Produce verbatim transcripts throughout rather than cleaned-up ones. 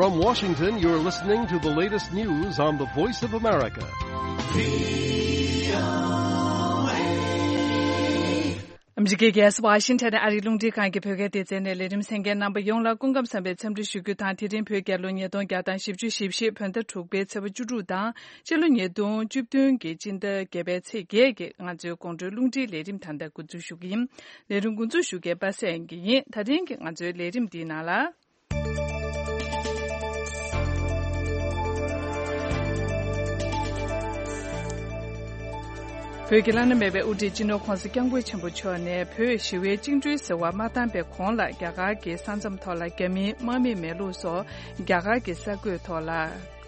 From Washington, you're listening to the latest news on the Voice of America. ཨ་མི་རི་ཀའི་རྒྱལ་ས་ཝ་ཤིང་ཊོན་ཨ་རིའི་རླུང་འཕྲིན་ཁང་གི་བོད་སྐད་སྡེ་ཚན་ནས་ལས་རིམ་གསན་མཁན་རྣམ་པ་ཡོངས་ལ་སྐུ་ཁམས་བཟང་བའི་འཚམས་འདྲི་ཞུ་རྒྱུ་དང་། དེ་རིང་བོད་རྒྱལ་ལོ་ཉིས་སྟོང་བརྒྱ་དང་བཞི་བཅུ་ཞེ་བཞི་བོད་ཟླ་དྲུག་པའི་ཚེས་པ་བཅུ་དྲུག་དང་། ཕྱི་ལོ་ཉིས་སྟོང་བཅུ་བདུན་གྱི་སྤྱི་ཟླ་བརྒྱད་པའི་ཚེས་བརྒྱད་ཀྱི་ང་ཚོའི་དགོང་དྲོའི་རླུང་འཕྲིན་ལས་རིམ་ད་ལྟ་འགོ་འཛུགས་ཞུ་གི་ཡིན། ལས་རིམ་འགོ་འཛུགས་ཞུ་མཁན་པ་སངས་སྐྱིད་ཡིན། ད་རིང་གི་ང་ཚོའི་ལས་རིམ་འདིའི་ནང་ལ། བོད་ཀྱི་བླ་ན་མེད་པའི་དབུ་ཁྲིད་སྤྱི་ནོར་༧གོང་ས་༧སྐྱབས་མགོན་ཆེན་པོ་མཆོག་ནས་བོད་ཞི་བའི་བཅིངས་འགྲོལ་ཟེར་བ་མ་བཏང་པའི་གོང་ལ་རྒྱ་གར་གྱི་ས་མཚམས་ཐོག་ལ་རྒྱ་མིའི་དམག་མི་མེད་ལུགས་སོགས་རྒྱ་གར་གྱི་གསར་འགོད་ཐོག་ལ་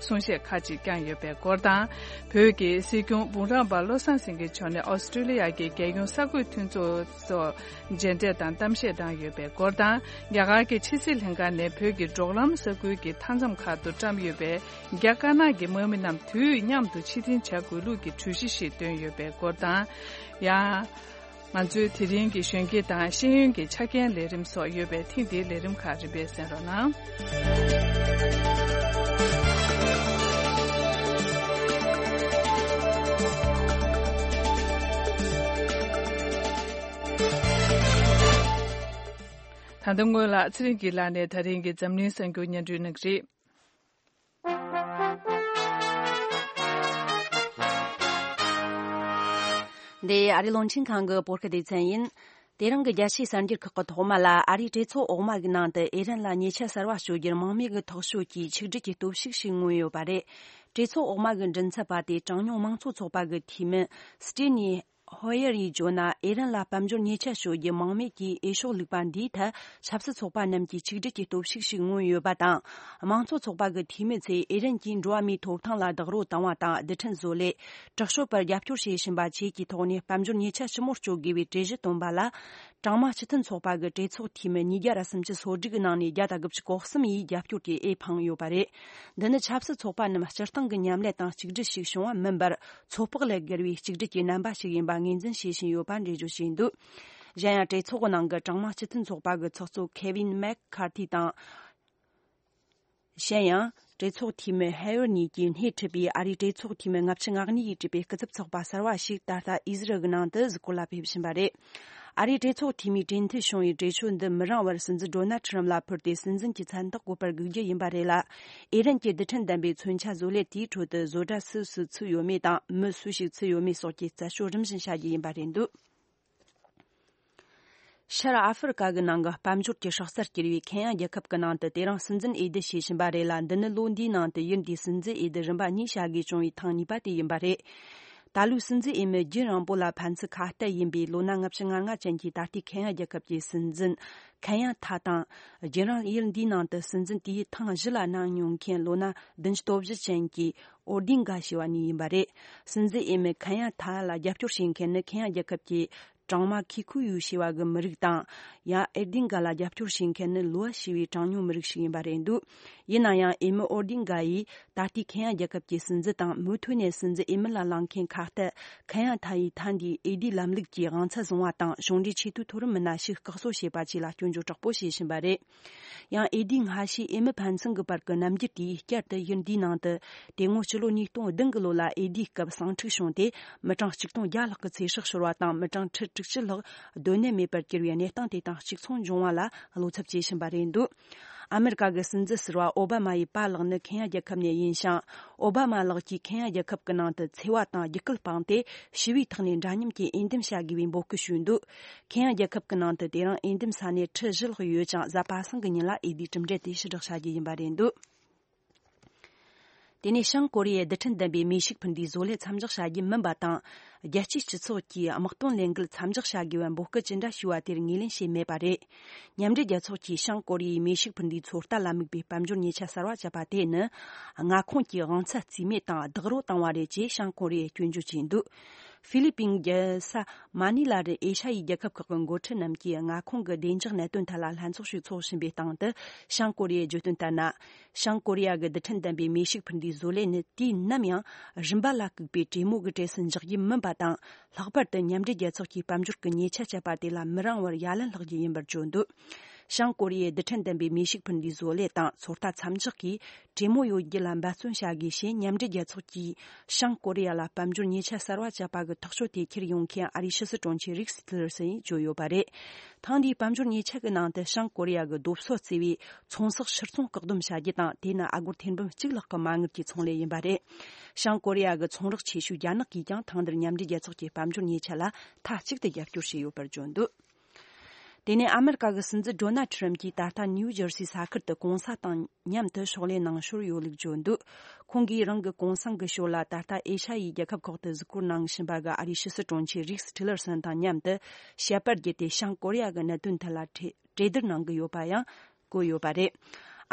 གསུང་བཤད་ཁག་ཅིག་བསྐྱངས་ཡོད་པའི་སྐོར་དང་། བོད་ཀྱི་སྲིད་སྐྱོང་འབུམ་རམས་པ་བློ་བཟང་སེང་གེ་མཆོག་ནས་ཨོ་སི་ཀྲི་ལི་ཡ་གི་རྒྱལ་ཡོངས་གསར་འགོད་མཐུན་ཚོགས་སོགས་མཇལ་འཕྲད་དང་གཏམ་བཤད་གནང་ཡོད་པའི་སྐོར་དང་། རྒྱ་གར་གྱི་ཕྱི་སྲིད་ལྷན་ཁང་ནས་བོད་ཀྱི་འབྲོག་ལམ་ས་ཁུལ་གྱི་མཐའ་མཚམས་ཁག་ཏུ་བཀྲམ་ཡོད་པའི་རྒྱ་དཀར་ནག་གི་དམག་མི་རྣམས་དུས་མཉམ་དུ་ཕྱིར་འཐེན་བྱ་དགོས་ལུགས་ཀྱི་གྲོས་གཞི་ཞིག་བཏོན་ཡོད་པའི་སྐོར་དང་། ཡང་། ང་ཚོའི་དེ་རིང་གི་གཞོན་སྐྱེས་དང་ཤེས་ཡོན་གྱི་ཆ་རྐྱེན་ལས་རིམ་སོགས་ཡོད་པས། ཐེངས་འདིའི་ལས་རིམ་ཁག་རིམ་པས་གསན་རོགས་གནང་། ད་ལྟ་སྔོན་ལ་ཚེ་རིང་སྐྱིད་ལགས་ནས་ད་རིང་གི་འཛམ་གླིང་གསར་འགྱུར་སྙན་སྒྲོན་གནང་གི་རེད། འདི་ཨ་རིའི་རླུང་འཕྲིན་ཁང་གི་བོད་སྐད་སྡེ་ཚན་ཡིན། དེ་རིང་གི་རྒྱལ་སྤྱིའི་གསར་འགྱུར་ཁག་གི་ཐོག་མ་ལ། ཨ་རིའི་གྲོས་ཚོགས་འོག་མ་གི་ནང་དུ་ཨི་རན་ལ་ཉེས་ཆད་གསར་བ་གཅོད་རྒྱུར་དམག་མི་གི་ཐག་གཅོད་ཀྱིས་ཆིག་སྒྲིལ་གྱི་སྟོབས་ཤུགས་ཤིག་མངོན་ཡོད་པ་རེད། གྲོས་ཚོགས་འོག་མ་གི་མགྲིན་ཚབ་པ་དེས་གྲངས་ཉུང་མང་གཙོ་ཚོགས་པ་གི་འཐུས་མི་སི་ཏི་ནི་ཧོ་ཡེར་ཡིས་བརྗོད་ན། ཨི་རན་ལ་དཔལ་འབྱོར་ཉེས་ཆད་གཅོད་རྒྱུ་དམག་མི་གིས་འོས་ཤོག་བླུགས་པ་འདིའི་ཐད་ཆབ་སྲིད་ཚོགས་པ་རྣམས་ཀྱི་ཆིག་སྒྲིལ་གྱི་སྟོབས་ཤུགས་ཤིག་མངོན་ཡོད་པ་དང་། དམངས་གཙོ་ཚོགས་པ་གི་འཐུས་མི་ཚོས་ཨི་རན་གྱིས་འགྲོ་བ་མིའི་ཐོབ་ཐང་ལ་རྡོག་རོལ་བཏང་བ་དང་། རྡུལ་ཕྲན་བཟོ་ལས། དྲག་སྤྱོད་པར་རྒྱབ་སྐྱོར་བྱེད་བཞིན་པ་བཅས་ཀྱི་ཐོག་ནས་དཔལ་འབྱོར་ཉེས་ཆད་ཞིབ་མོར་གཅོད་དགོས་པའི་གྲོས་གཞི་བཏོན་པ་ལ། གྲངས་མང་སྤྱི་མཐུན་ཚོགས་པ་གི་གྲོས་ཚོགས་འཐུས་མི་ཉིས་བརྒྱ་ར་སུམ་ཅུ་སོ་དྲུག་གི་ནང་ནས་བརྒྱ་དང་དགུ་བཅུ་གོ་གསུམ་ཡིས་རྒྱབ་སྐྱོར་གྱི་འོས་འཕངས་ཡོད་པ་རེད། འདི་ནི་ཆབ་སྲིད་ཚོགས་པ་རྣམས་སྤྱིར་བཏང་གི་མཉམ་ལས་དང་གཅིག་སྒྲིལ་ཞིག་བྱུང་བ་མིན་པར། ཚོད་དཔག་ལས་བརྒལ་བའི་གཅིག་སྒྲིལ་གྱི་རྣམ་པ་ཞིག་ཡིན་པ་ངོས་འཛིན་བྱེད་བཞིན་ཡོད་པ་འགྲེལ་བརྗོད་བྱས་འདུག། གཞན་ཡང་། གྲོས་ཚོགས་ནང་གི་གྲངས་མང་སྤྱི་མཐུན་ཚོགས་པ་གི་ཚོགས་གཙོ་ཁེ་ཝིན་མེག་ཁར་ཐི་དང་། གཞན་ཡང་། གྲོས་ཚོགས་འཐུས་མི་ཧེ་ཝར་གཉིས་ཀྱིས་སྣེ་ཁྲིད་པའི་ཨ་རིའི་གྲོས་ཚོགས་འཐུས་མི་ལྔ་བཅུ་ང་གཉིས་ཀྱིས་གྲས་པའི་སྐུ་ཚབ་ཚོགས་པ་གསར་བ་ཞིག་ད་ལྟ་ཨི་ཟི་རལ་གྱི་ནང་དུ་གཟིགས་སྐོར་ལ་ཕེབས་བཞིན་པ་རེད། ཨ་རིའི་གྲོས་ཚོགས་འཐུས་མིས་གྲོས་མཐུན་བྱུང་བའི་གྲོས་ཆོད་འདི་མི་རིང་བར་སྲིད་འཛིན་ཌོ་ནལ་ཁྲི་རམ་ལ་ཕུལ་ཏེ། སྲིད་འཛིན་གྱི་མཚན་རྟགས་བཀོད་པར་སྒུག་རྒྱུ་ཡིན་པ་རེད་ལ། ཨི་རན་གྱི་རྡུལ་ཕྲན་ལྡན་པའི་མཚོན་ཆ་བཟོ་ལས་དེའི་ཁྲོད་དུ་བཟོ་གྲྭ་སུ་སུ་ཚུད་ཡོད་མེད་དང་། མི་སུ་ཞིག་ཚུད་ཡོད་མེད་སོགས་ཀྱི་རྩད་གཅོད་རིམ་བཞིན་བྱ་རྒྱུ་ཡིན་པ་རེད་འདུག། ཤར་ཨ་ཧྥེ་རི་ཀ་གི་ནང་གི་དཔལ་འབྱོར་གྱི་སྲོག་རྩར་གྱུར་བའི་ཁེན་ཡ་རྒྱལ་ཁབ་ཀྱི་ནང་དུ་དེ་རིང་སྲིད་འཛིན་འོས་བསྡུ་བྱེད་བཞིན་པ་རེད་ལ། འདི་ནི་ལོ་འདིའི་ནང་དུ་ཡུལ་འདིའི་སྲིད་འཛིན་འོས་བསྡུ་རིམ་པ་གཉིས་བྱ་དགོས་བྱུང་བའི་ཐེངས་གཉིས་པ་དེ་ཡིན་པ་རེད། ད་ལོའི་སྲིད་འཛིན་འོས་མི་རྒྱུན་རིང་པོ་ལ་ཕན་ཚུན་ཁ་གཏད་ཡིན་པའི་ལོ་ན་ལྔ་བཅུ་ང་ལྔ་ཅན་གྱི་ད་ལྟའི་ཁེན་ཡ་རྒྱལ་ཁབ་ཀྱི་སྲིད་འཛིན་ཁེན་ཡ་ཐ་དང་། རྒྱུན་རིང་ཡུལ་འདིའི་ནང་དུ་སྲིད་འཛིན་དེའི་ཐེངས་བཞི་ལ་གནང་མྱོང་མཁན་ལོ་ན་བདུན་ཅུ་དོན་བཞི་ཅན་གྱི་ཨོ་རྡིན་ག་ཞེས་པ་གཉིས་ཡིན་པ་རེད། སྲིད་འཛིན་འོས་མི་ཁེན་ཡ་ཐ་ལ་རྒྱབ་སྐྱོར་བྱེད་མཁན་ནི་ཁེན་ཡ་རྒྱལ་ཁབ་ཀྱི་གྲང་མ་ཁི་ཁུ་ཡུ་ཞེས་པ་གི་མི་རིགས་དང་། ཡང་ཨེ་རྡིན་ག་ལ་རྒྱབ་སྐྱོར་བྱེད་མཁན་ནི་ལུ་ཝ་ཞེས་པའི་གྲངས་ཉུང་མི་རིགས་ཤིག་ཡིན་པ་རེད་འདུག། ཡིན་ན་ཡང་འོས་མི་ཨོ་རྡིན་ག་ཡིས་ད་ལྟའི་ཁེན་ཡ་རྒྱལ་ཁབ་ཀྱི་སྲིད་འཛིན་དང་མུ་མཐུད་ནས་སྲིད་འཛིན་འོས་མི་ལ་ལངས་མཁན་ཁ་གཏད་ཁེན་ཡ་ཐ་ཡིས་ཐ་འདིའི་འོས་བསྡུའི་ལམ་ལུགས་ཀྱི་དབང་ཚད་བཟུང་བ་དང་། གཞུང་འབྲེལ་ཆེས་མཐོའི་མཐོ་རིམ་མི་སྣ་ཞིག་བཀག་སྲོལ་བྱས་པ་བཅས་ལ་སྐྱོན་བརྗོད་དྲག་པོ་བྱེད་བཞིན་པ་རེད། ཡང་འོས་བསྡུའི་སྔ་ཕྱིའི་འོས་མི་ཕན་ཚུན་གྱི་བར་གྱི་རྣམ་འགྱུར་དེས་བསྐྱར་དུ་ཡུལ་འདིའི་ནང་དུ་དེ་སྔོན་ཕྱི་ལོ་ཉིས་སྟོང་བདུན་གྱི་ལོ་ལ་འོས་བསྡུའི་སྐབས་ཟིང་འཁྲུག་བྱུང་སྟེ། མི་གྲངས་གཅིག་སྟོང་བརྒྱ་ལྷག་གི་ཚེ་སྲོག་ཤོར་བ་དང་། མི་གྲངས་ཁྲི་དྲུག་ཅུ་ལྷག་སྡོད་གནས་མེད་པར་གྱུར་བའི་གནས་སྟངས་དེ་དང་གཅིག་མཚུངས་འབྱུང་བ་ལ་བློ་འཚབ་བྱེད་བཞིན་པ་རེད་འདུག། ཨ་མེ་རི་ཀ་གི་སྲིད་འཛིན་ཟུར་པ་ཨོ་བྷ་མ་ཡི་པཱ་ལགས་ནི་ཁེན་ཡ་རྒྱལ་ཁབ་ནས་ཡིན་ཞིང་། ཨོ་བྷ་མ་ལགས་ཀྱིས་ཁེན་ཡ་རྒྱལ་ཁབ་ཀྱི་ནང་དུ་འཚེ་བ་དང་རྒྱུད་སྐུལ་སྤངས་ཏེ། ཞི་བའི་ཐོག་ནས་འདྲ་མཉམ་གྱི་འོས་འདེམས་བྱ་དགོས་པའི་འབོད་སྐུལ་ཞུས་འདུག། ཁེན་ཡ་རྒྱལ་ཁབ་ཀྱི་ནང་དུ་དེ་རིང་འོས་འདེམས་ས་གནས་ཁྲི་བཞི་ལྷག་ཡོད་ཅིང་། གཟའ་པ་སངས་ཀྱི་ཉིན་ལ་འོས་བསྡུའི་གྲུབ་འབྲས་དེ་ཕྱིར་བསྒྲགས་བྱ་རྒྱུ་ཡིན་པ་རེད་འདུག། དེ་ནས་བྱང་ཀོ་རི་ཡས་རྡུལ་ཕྲན་ལྡན་པའི་མེ་ཤུགས་འཕུར་མདེལ་བཟོ་ལས་མཚམས་འཇོག་བྱ་རྒྱུ་མིན་པ་དང་། རྒྱལ་སྤྱིའི་སྤྱི་ཚོགས་ཀྱིས་དམག་དོན་ལས་འགུལ་མཚམས་འཇོག་བྱ་དགོས་པའི་འབོད་སྐུལ་ཅི་འདྲ་ཞུས་པ་དེར་ངོས་ལེན་བྱས་མེད་པ་རེད། མཉམ་འབྲེལ་རྒྱལ་ཚོགས་ཀྱིས་བྱང་ཀོ་རི་ཡའི་མེ་ཤུགས་འཕུར་མདེལ་ཚོད་ལྟ་ལ་དམིགས་པའི་དཔལ་འབྱོར་ཉེས་ཆད་གསར་བ་བཅད་པ་དེ་ནི། མངའ་ཁོངས་ཀྱི་དབང་ཚད་རྩིས་མེད་དང་རྡོག་རོལ་བཏང་བ་རེད་ཅེས་བྱང་ཀོ་རི་ཡས་སྐྱོན་བརྗོད་བྱས་འདུག། ཧྥི་ལི་པིན་རྒྱལ་ས་མ་ནི་ལ་རུ་ཨེ་ཤ་ཡའི་རྒྱལ་ཁབ་ཁག་གི་འགོ་ཁྲིད་རྣམས་ཀྱིས་མངའ་ཁོངས་ཀྱི་བདེ་འཇགས་གནད་དོན་ཐད་ལ་ལྷན་ཚོགས་ཤིག་འཚོགས་བཞིན་པའི་སྟེང་དུ། བྱང་ཀོ་རི་ཡས་བརྗོད་དོན་ལྟར་ན། བྱང་ཀོ་རི་ཡ་གི་རྡུལ་ཕྲན་ལྡན་པའི་མེ་ཤུགས་འཕུར་མདེལ་བཟོ་ལས་ནི་དུས་ནམ་ཡང་རིམ་པ་ལ་བཀུག་པའི་གྲོས་མོལ་གྱི་གྲས་སུ་འཇོག་རྒྱུ་མིན་པ་དང་། ལྷག་པར་དུ་མཉམ་འབྲེལ་རྒྱལ་ཚོགས་ཀྱིས་དཔལ་འབྱོར་གྱི་ཉེས་ཆད་བཅད་པ་དེ་ལ་མི་རིང་བར་ཡ་ལན་ལྷག་རྒྱུ་ཡིན་པར་བརྗོད་འདུག། བྱང་ཀོ་རི་ཡའི་རྡུལ་ཕྲན་ལྡན་པའི་མེ་ཤུགས་འཕུར་མདེལ་བཟོ་ལས་དང་ཚོད་ལྟ་མཚམས་འཇོག་གིས་གྲོས་མོལ་ཡོད་རྒྱུ་ལ་འབད་བརྩོན་བྱ་དགོས་ཞེས། མཉམ་འབྲེལ་རྒྱལ་ཚོགས་ཀྱིས་བྱང་ཀོ་རི་ཡ་ལ་དཔལ་འབྱོར་ཉེས་ཆད་གསར་བ་བཅད་པ་གི་ཐག་གཅོད་དེ་འཁྱེར་ཡོང་མཁན་ཨ་རིའི་ཕྱི་སྲིད་དྲུང་ཆེ་རིགས་ཊི་ལར་སན་ཡིས་བརྗོད་ཡོད་པ་རེད། ཐེངས་འདིའི་དཔལ་འབྱོར་ཉེས་ཆད་ཀྱི་ནང་དུ་བྱང་ཀོ་རི་ཡ་གི་རྡོ་སོལ་བརྩི་བའི་ཚོང་ཟོག་ཕྱིར་ཚོང་བཀག་སྡོམ་བྱ་རྒྱུ་དང་། དེ་ནི་ཨ་སྒོར་ཐེར་འབུམ་གཅིག་ལྷག་གི་མ་དངུལ་གྱི་ཚོང་ལས་ཡིན་པ་རེད། བྱང་ཀོ་རི་ཡ་གི་ཚོང་རོགས་ཆེ་ཤོས་རྒྱ་ནག་གིས་ཀྱང་ཐེངས་འདིར་མཉམ་འབྲེལ་རྒྱལ་ཚོགས་ཀྱི་དཔལ་འབྱོར་ཉེས་ཆད་ལ་མཐའ་གཅིག་ཏུ་རྒྱབ་སྐྱོར་བྱས་ཡོད་པར་བརྗོད་འདུག་དེ་ནས་ཨ་མེ་རི་ཀ་གི་སྲིད་འཛིན་ཌོ་ནལ་ཁྲིམ་གྱིས་ད་ལྟ་ནིའུ་ཇར་སི་ས་ཁུལ་དུ་གུང་སེང་དང་མཉམ་དུ་ཕྱག་ལས་གནང་ཞོར་ཡོད་ལུགས་བརྗོད་འདུག་ཁོང་གིས་རང་གི་གུང་སེང་གི་ཞོར་ལ་ད་ལྟ་ཨེ་ཤ་ཡའི་རྒྱལ་ཁབ་ཁག་ཏུ་གཟིགས་སྐོར་གནང་བཞིན་པ་གི་ཨ་རིའི་ཕྱི་སྲིད་དྲུང་ཆེ་རིགས་ཊི་ལར་སན་དང་མཉམ་དུ་བཤད་པར་བརྒྱུད་དེ་བྱང་ཀོ་རི་ཡ་གི་གནད་དོན་ཐད་ལ་གྲོས་གྲོས་བསྡུར་གནང་གི་ཡོད་པ་ཡང་བཀོད་ཡོད་པ་རེད།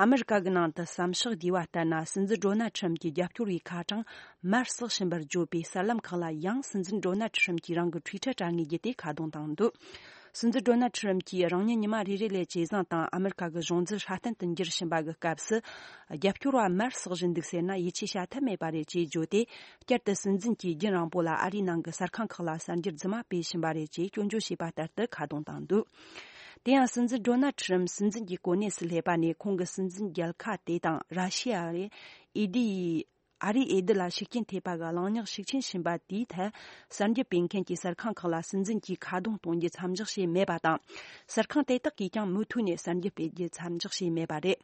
ཨ་མེ་རི་ཀ་གི་ནང་དུ་བསམ་ཤག་བསྡུས་པ་ལྟར་ན། སྲིད་འཛིན་ཌོ་ནལ་ཁྲིམ་གྱི་རྒྱབ་སྐྱོར་བའི་ཁ་གྲངས་མར་ཟག་བཞིན་པར་བརྗོད་པའི་གསར་ལམ་ཁག་ལ་ཡང་སྲིད་འཛིན་ཌོ་ནལ་ཁྲིམ་གྱིས་རང་གི་ཊུའི་ཊར་དྲ་ངོས་བརྒྱུད་དེ་ཁ་རྡུང་བཏང་འདུག་སྲིད་འཛིན་ཌོ་ནལ་ཁྲིམ་གྱིས་རང་ཉིད་ཉི་མ་རེ་རེ་ལ་ཇེ་བཟང་དང་ཨ་མེ་རི་ཀ་གི་གཞུང་འཛིན་སྲ་བརྟན་དུ་འགྱུར་བཞིན་པ་གི་སྐབས་སུ། རྒྱབ་སྐྱོར་བ་མར་ཟག་བཞིན་འདུག་ཟེར་ན་ཡིད་ཆེས་བྱ་ཐབས་མེད་པ་རེད་ཅེས་བརྗོད་དེ། བསྐྱར་དུ་སྲིད་འཛིན་གྱིས་རྒྱུན་རིང་པོ་ལ་ཨ་རིའི་ནང་གི་གསར་ཁང་ཁག་ལ་གསར་འགྱུར་རྫུན་མ་སྤེལ་བཞིན་པ་རེད་ཅེས་སྐྱོན་བརྗོད་བྱས་པ་ལྟར་དུ་ཁ་རྡུང་བཏང་འདུག་དེ་ཡང་སྲིད་འཛིན་ཌོ་ནལ་ཁྲིམ་སྲིད་འཛིན་གྱི་གོ་གནས་སུ་སླེབས་པ་ནས་ཁོང་གི་སྲིད་འཛིན་རྒྱལ་ཁ་དེ་དང་ར་ཤི་ཡ་རེད། ཨེ་ཌི་ཡི་ཨ་རིའི་འོས་བསྡུ་ལ་ཤུགས་རྐྱེན་ཐེབས་པ་གི་གླེང་སྙིང་ཤུགས་ཆེན་ཕྱིན་པ་དེའི་ཐད། གསར་འགྱུར་སྤེལ་མཁན་གྱིས་གསར་ཁང་ཁག་ལ་སྲིད་འཛིན་གྱིས་ཁ་རྡུང་གཏོང་རྒྱུ་མཚམས་འཇོག་བྱས་མེད་པ་དང་། གསར་ཁང་དེ་དག་གིས་ཀྱང་མུ་མཐུད་ནས་གསར་འགྱུར་སྤེལ་རྒྱུ་མཚམས་འཇོག་བྱས་མེད་པ་རེད།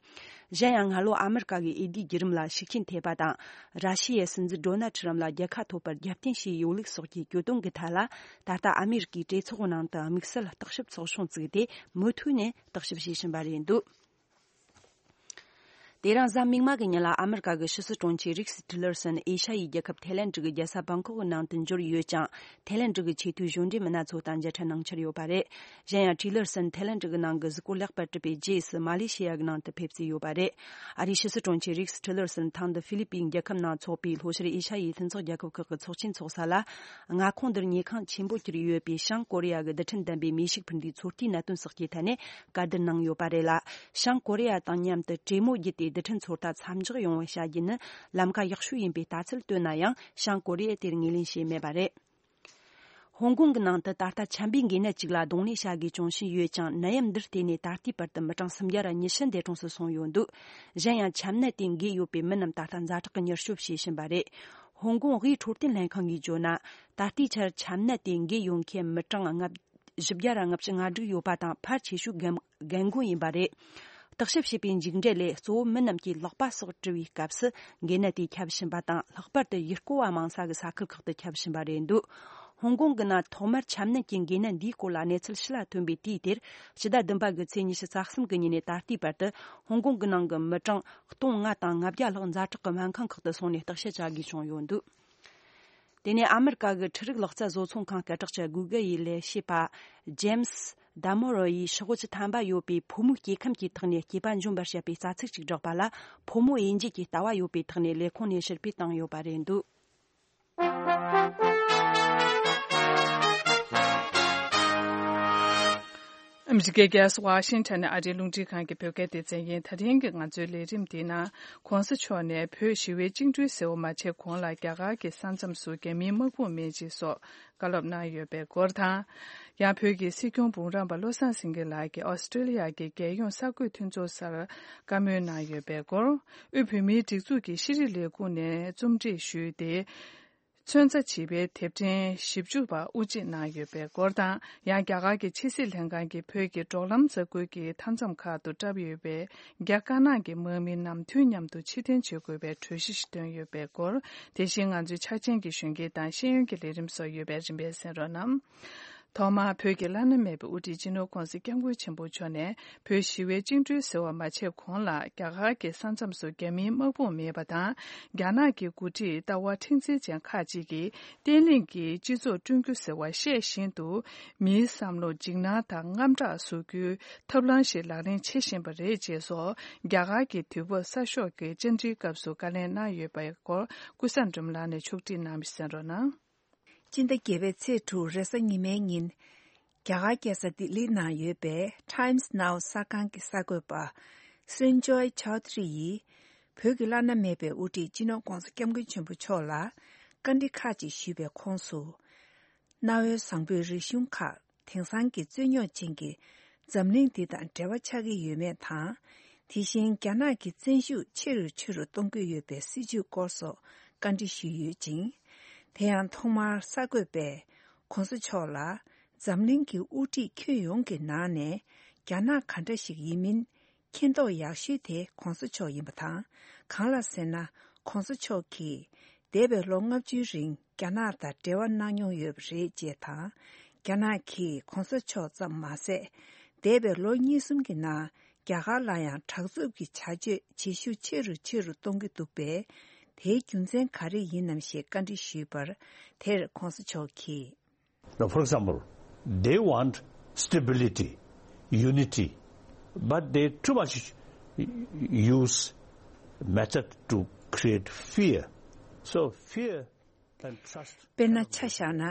གཞན་ཡང་སྔ་ལོ་ཨ་མེ་རི་ཀ་གི་འོས་བསྡུའི་བརྒྱུད་རིམ་ལ་ཤུགས་རྐྱེན་ཐེབས་པ་དང་། ར་ཤི་ཡའི་སྲིད་འཛིན་ཌོ་ནལ་ཁྲིམ་ལ་རྒྱལ་ཁ་ཐོབ་པར་རྒྱབ་རྟེན་བྱས་ཡོད་ལུགས་སོགས་ཀྱི་གྱོད་དོན་གྱི་ཐད་ལ། ད་ལྟ་ཨ་མེ་རི་ཀའི་གྲོས་ཚོགས་ནང་དུ་དམིགས་བསལ་བརྟག་ཞིབ་ཚོགས་ཆུང་བཙུགས་ཏེ་མུ་མཐུད་ནས་བརྟག་ཞིབ་བྱེད་བཞིན་པ་རེད་འདུག་དེ་རིང་གཟའ་མིག་དམར་གྱི་ཉིན་ལ་ཨ་མེ་རི་ཀ་གི་ཕྱི་སྲིད་དྲུང་ཆེ་རིགས་ཊི་ལར་སན་ཨེ་ཤ་ཡའི་རྒྱལ་ཁབ་ཐའི་ལེན་ཌི་གི་རྒྱལ་ས་བང་ཀོག་གི་ནང་དུ་འབྱོར་ཡོད་ཅིང་། ཐའི་ལེན་ཌི་གི་ཆེས་མཐོའི་གཞུང་འབྲེལ་མི་སྣ་ཚོ་དང་མཇལ་འཕྲད་གནང་འཆར་ཡོད་པ་རེད། གཞན་ཡང་ཊི་ལར་སན་ཐའི་ལེན་ཌི་གི་ནང་གི་གཟིགས་སྐོར་ལེགས་པར་གྲུབ་པའི་རྗེས་སུ་མ་ལེ་ཤི་ཡ་གི་ནང་དུ་ཕེབས་རྩིས་ཡོད་པ་རེད། ཨ་རིའི་ཕྱི་སྲིད་དྲུང་ཆེ་རིགས་ཊི་ལར་སན་ཐེངས་འདི་ཧྥི་ལི་པིན་རྒྱལ་ཁབ་ནང་འཚོགས་པའི་ལྷོ་ཤར་ཨེ་ཤ་ཡའི་མཐུན་ཚོགས་རྒྱལ་ཁབ་ཁག་གི་ཚོགས་ཆེན་འཚོགས་ས་ལ། མངའ་ཁོངས་འདིར་ཉེ་ཁང་ཆེན་པོ་གྱུར་ཡོད་པའི་བྱང་ཀོ་རི་ཡ་གི་རྡུལ་ཕྲན་ལྡན་པའི་མེ་ཤུགས་འཕུར་མདེལ་ཚོད་ལྟའི་གནད་དོན་སོགས་ཀྱི་ཐད་ནས་བཀའ་བསྡུར་གནང་ཡོད་པ་རེད་ལ། བྱང་ཀོ་རི་ཡ་དང་མཉམ་དུ་གྲོས་མོལ་བརྒྱུད་དེ་རྡུལ་ཕྲན་ཚོད་ལྟ་མཚམས་འཇོག་ཡོང་བ་བྱ་རྒྱུ་ནི་ལམ་ཁ་ཡག་ཤོས་ཡིན་པའི་ལྟ་ཚུལ་བཏོན་ན་ཡང་། བྱང་ཀོ་རི་ཡས་དེར་ངོས་ལེན་བྱས་མེད་པ་རེད། ཧོང་ཀོང་གི་ནང་དུ་ད་ལྟ་ཆམ་པའི་འགོས་ནད་ཅིག་ལ་གདོང་ལེན་བྱ་དགོས་བྱུང་བཞིན་ཡོད་ཅིང་། ནད་ཡམས་འདིར་བརྟེན་ནས་ད་ལྟའི་བར་དུ་མི་གྲངས་སུམ་བརྒྱ་ར་ཉི་ཤུ་འདས་གྲོངས་སུ་སོང་ཡོད་འདུག་གཞན་ཡང་ཆམ་ནད་དེ་འགོས་ཡོད་པའི་མི་རྣམས་ད་ལྟ་ཛ་དྲག་གི་མྱུར་སྐྱོབ་བྱེད་བཞིན་པ་རེད། ཧོང་ཀོང་དབུས་འཕྲོད་བསྟེན་ལྷན་ཁང་གིས་བརྗོད་ན། ད་ལྟའི་ཆར་ཆམ་ནད་དེ་འགོས་ཡོད་མཁན་མི་གྲངས་ལྔ་བཞི་བརྒྱ་ར་ལྔ་བཅུ་ང་དྲུག་ཡོད་པ་དང་། ཕལ་ཆེ་ཤོས་རྒན་རྒན་རྒོན་ཡིན་པ་རེད། བརྟག་ཞིབ་བྱས་པའི་མཇུག་འབྲས་ལས། གཙོ་བོ་མི་རྣམས་ཀྱིས་ལག་པ་སོགས་བཀྲུ་བའི་སྐབས་སུ་འགོས་ནད་དེ་ཁྱབ་བཞིན་པ་དང་། ལྷག་པར་དུ་ཡུལ་སྐོར་བ་མང་ས་གི་ས་ཁུལ་ཁག་ཏུ་ཁྱབ་བཞིན་པ་རེད་འདུག་ཧོང་ཀོང་གི་ནང་ཐོག་མར་ཆམ་ནད་ཀྱི་འགོས་ནད་འདིའི་སྐོར་ལ་གནས་ཚུལ་ཕྱི་ལ་ཐོན་པའི་དུས་དེར། ཕྱི་ཟླ་བདུན་པ་གི་ཚེས་ཉི་ཤུ་རྩ་གསུམ་གི་ཉིན་ནས་ད་ལྟའི་བར་དུ་ཧོང་ཀོང་གི་ནང་གི་མི་གྲངས་སྟོང་ལྔ་དང་ལྔ་བརྒྱ་ལྷག་ཛ་དྲག་གི་སྨན་ཁང་ཁག་ཏུ་སོང་ནས་བརྟག་དཔྱད་བྱ་དགོས་བྱུང་ཡོད་འདུག་དེ་ནས་ཨ་མེ་རི་ཀ་གི་འཕྲུལ་རིག་ལག་རྩལ་བཟོ་ཚོང་ཁང་སྐད་གྲགས་ཅན་གུ་གལ་ཡི་ལས་བྱེད་པ་ཇེམ་སི་ཌ་མོ་རོ་ཡིས་ཤོག་བུ་བཅུ་ཐམ་པ་ཡོད་པའི་ཕོ་མོའི་སྐྱེ་ཁམས་ཀྱི་ཐོག་ནས་སྐྱེས་པ་འཇོམས་པར་བྱེད་པའི་རྩ་ཚིག་ཅིག་བསྒྲགས་པ་ལ། ཕོ་མོ་དབྱེ་འབྱེད་ཀྱི་ལྟ་བ་ཡོད་པའི་ཐོག་ནས་ལས་ཁུངས་ནས་ཕྱིར་འབུད་བཏང་ཡོད་པ་རེད་འདུག་ཨ་མི་རི་ཀའི་རྒྱལ་ས་ཝ་ཤིང་ཊོན་ནས་ཨ་རིའི་རླུང་འཕྲིན་ཁང་གི་བོད་སྐད་སྡེ་ཚན་ཡིན། ད་ཐེངས་ཀྱི་ང་ཚོའི་ལས་རིམ་འདིའི་ནང་གོང་ས་མཆོག་ནས་བོད་ཞི་བའི་བཅིངས་འགྲོལ་ཟེར་བ་མ་བྱས་གོང་ལ་རྒྱ་གར་གྱི་ས་མཚམས་སུ་རྒྱ་མིའི་དམག་དཔུང་མེད་ཅེས་སོགས་བཀའ་སློབ་གནང་ཡོད་པའི་སྐོར་དང་། ཡང་བོད་ཀྱི་སྲིད་སྐྱོང་འབུམ་རམས་པ་བློ་བཟང་སེང་གེ་ལགས་ཀྱིས་ཨོ་སི་ཀྲེ་ལི་ཡ་གི་རྒྱལ་ཡོངས་གསར་འགོད་མཐུན་ཚོགས་སར་བཀའ་མོལ་གནང་ཡོད་པའི་སྐོར། དབུས་བོད་མིའི་སྒྲིག་འཛུགས་ཀྱི་ཤེས་རིག་ལས་ཁུངས་ནས་རྩོམ་སྒྲིག་ཞུས་ཏེ། ཚོན་རྩ་བྱིས་པའི་དེབ་ཕྲེང་བཞི་བཅུ་པ་དབུ་འབྱེད་གནང་ཡོད་པའི་སྐོར་དང་། ཡང་རྒྱ་གར་གྱི་ཕྱི་སྲིད་ལྷན་ཁང་གིས་བོད་ཀྱི་འབྲོག་ལམ་འཛུགས་སྐྲུན་གྱི་མཐའ་མཚམས་ཁག་ཏུ་བཀྲམ་ཡོད་པའི་རྒྱ་དཀར་ནག་གི་དམག་མི་རྣམས་དུས་མཉམ་དུ་ཕྱིར་འཐེན་བྱེད་དགོས་པའི་གྲོས་གཞི་ཞིག་བཏོན་ཡོད་པའི་སྐོར། དེ་བཞིན་ང་ཚོའི་འཆར་ཅན་གྱི་གཞོན་སྐྱེས་དང་ཤེས་ཡོན་གྱི་ལས་རིམ་སོགས་ཡོད་པས་རིམ་པས་གསན་རོགས་གནང་། ཐོག་མར་བོད་ཀྱི་བླ་ན་མེད་པའི་དབུ་ཁྲིད་སྤྱི་ནོར་ྋགོང་ས་ྋསྐྱབས་མགོན་ཆེན་པོ་མཆོག་ནས་བོད་ཞི་བའི་བཅིངས་འགྲོལ་ཟེར་བ་མ་བྱས་གོང་ལ་རྒྱ་གར་གྱི་ས་མཚམས་སུ་རྒྱ་མིའི་དམག་དཔུང་མེད་པ་དང་། རྒྱ་ནག་གི་འགོ་ཁྲིད་ལྟ་བ་མཁྲེགས་འཛིན་ཅན་ཁག་ཅིག་གིས་བརྟན་ལྷིང་གི་སྤྱི་ཚོགས་བསྐྲུན་རྒྱུ་ཟེར་བ་ཤད་བཞིན་དུ། མིའི་བསམ་བློ་འཇིགས་སྣང་དང་དངངས་སྐྲག་བཟོ་རྒྱུའི་ཐབས་ལམ་ཞིག་ལག་ལེན་བྱེད་བཞིན་པ་རེད་ཅེས་སོགས། རྒྱ་གར་གྱི་དུས་བབ་གསར་ཤོག་གི་བཅར་འདྲིའི་སྐབས་སུ་བཀའ་ལན་གནང་ཡོད་པའི་སྐོར། ཀུན་བཟང་སྒྲོལ་མ་ལགས་ནས་ཕྱོགས་སྒྲིག་གནང་བ་གསན་རོགས་གནང་། སྤྱི་ཟླ་བརྒྱད་པའི་ཚེས་དྲུག་རེས་གཟའ་ཉི་མའི་ཉིན། རྒྱ་གར་རྒྱལ་ས་ལྡི་ལིའི་ནང་ཡོད་པའི་Times Now གསར་ཁང་གི་གསར་འགོད་པ་སུན་ཇོའི་ཆའོ་ཐི་རི་ཡིས། བོད་ཀྱི་བླ་ན་མེད་པའི་དབུ་ཁྲིད་སྤྱི་ནོར་ྋགོང་ས་ྋསྐྱབས་མགོན་ཆེན་པོ་མཆོག་ལ་བཀའ་འདྲི་ཁག་ཅིག་ཞུས་པའི་ཁོངས་སུ། གནའ་བོའི་བཟང་པོའི་རིག་གཞུང་ཁག་དེང་སང་གི་རྩོད་རྙོག་ཅན་གྱི་ འཛམ་གླིང་འདི་དང་འབྲེལ་བ་ཆགས་ཀྱི་ཡོད་མེད་དང་། དེ་བཞིན་རྒྱ་ནག་གི་བཙན་ཤུགས་ཆེ་རུ་ཆེ་རུ་གཏོང་གི་ཡོད་པའི་སྲིད་བྱུས་སྐོར་སོགས་བཀའ་འདྲི་ཞུས་ཡོད་ཅིང་། དེ་ཡང་ཐོག་མར་གསར་འགོད་པས་གོང་ས་མཆོག་ལ། འཛམ་གླིང་གི་དབུ་ཁྲིད་ཁྱོན་ཡོངས་ཀྱི་ནང་ནས་རྒྱ་ནག་ག་འདྲ་ཞིག་ཡིན་མིན། མཁྱེན་རྟོགས་ཡག་ཤོས་དེ་གོང་ས་མཆོག་ཡིན་པ་དང་། གང་ལ་ཟེར་ན། གོང་ས་མཆོག་གིས་འདས་པའི་ལོ་ལྔ་བཅུའི་རིང་རྒྱ་ནག་དང་འབྲེལ་བ་གནང་མྱོང་ཡོད་པ་རེད་ཅེས་དང་། རྒྱ་ནག་གིས་གོང་ས་མཆོག་ཙམ་མ་ཟད། འདས་པའི་ལོ་གཉིས་གསུམ་གྱི་ནང་རྒྱ་གར་ལ་ཡང་དྲག་རྩུབ་ཀྱི་བྱ་སྤྱོད་ཇེ་ཤུགས་ཆེ་རུ་ཆེ་རུ་གཏོང་གི་འདུག་པས། དེའི་རྒྱུ་མཚན་ག་རེ་ཡིན་ནམ་ཞེས་བཀའ་འདྲི་ཞུས་པར། དེར་གོང་ས་མཆོག་གིས། Now, for example, they want stability, unity, but they too much use method to create fear. So fear and trust དཔེར་ན་ཆ་བཞག་ན།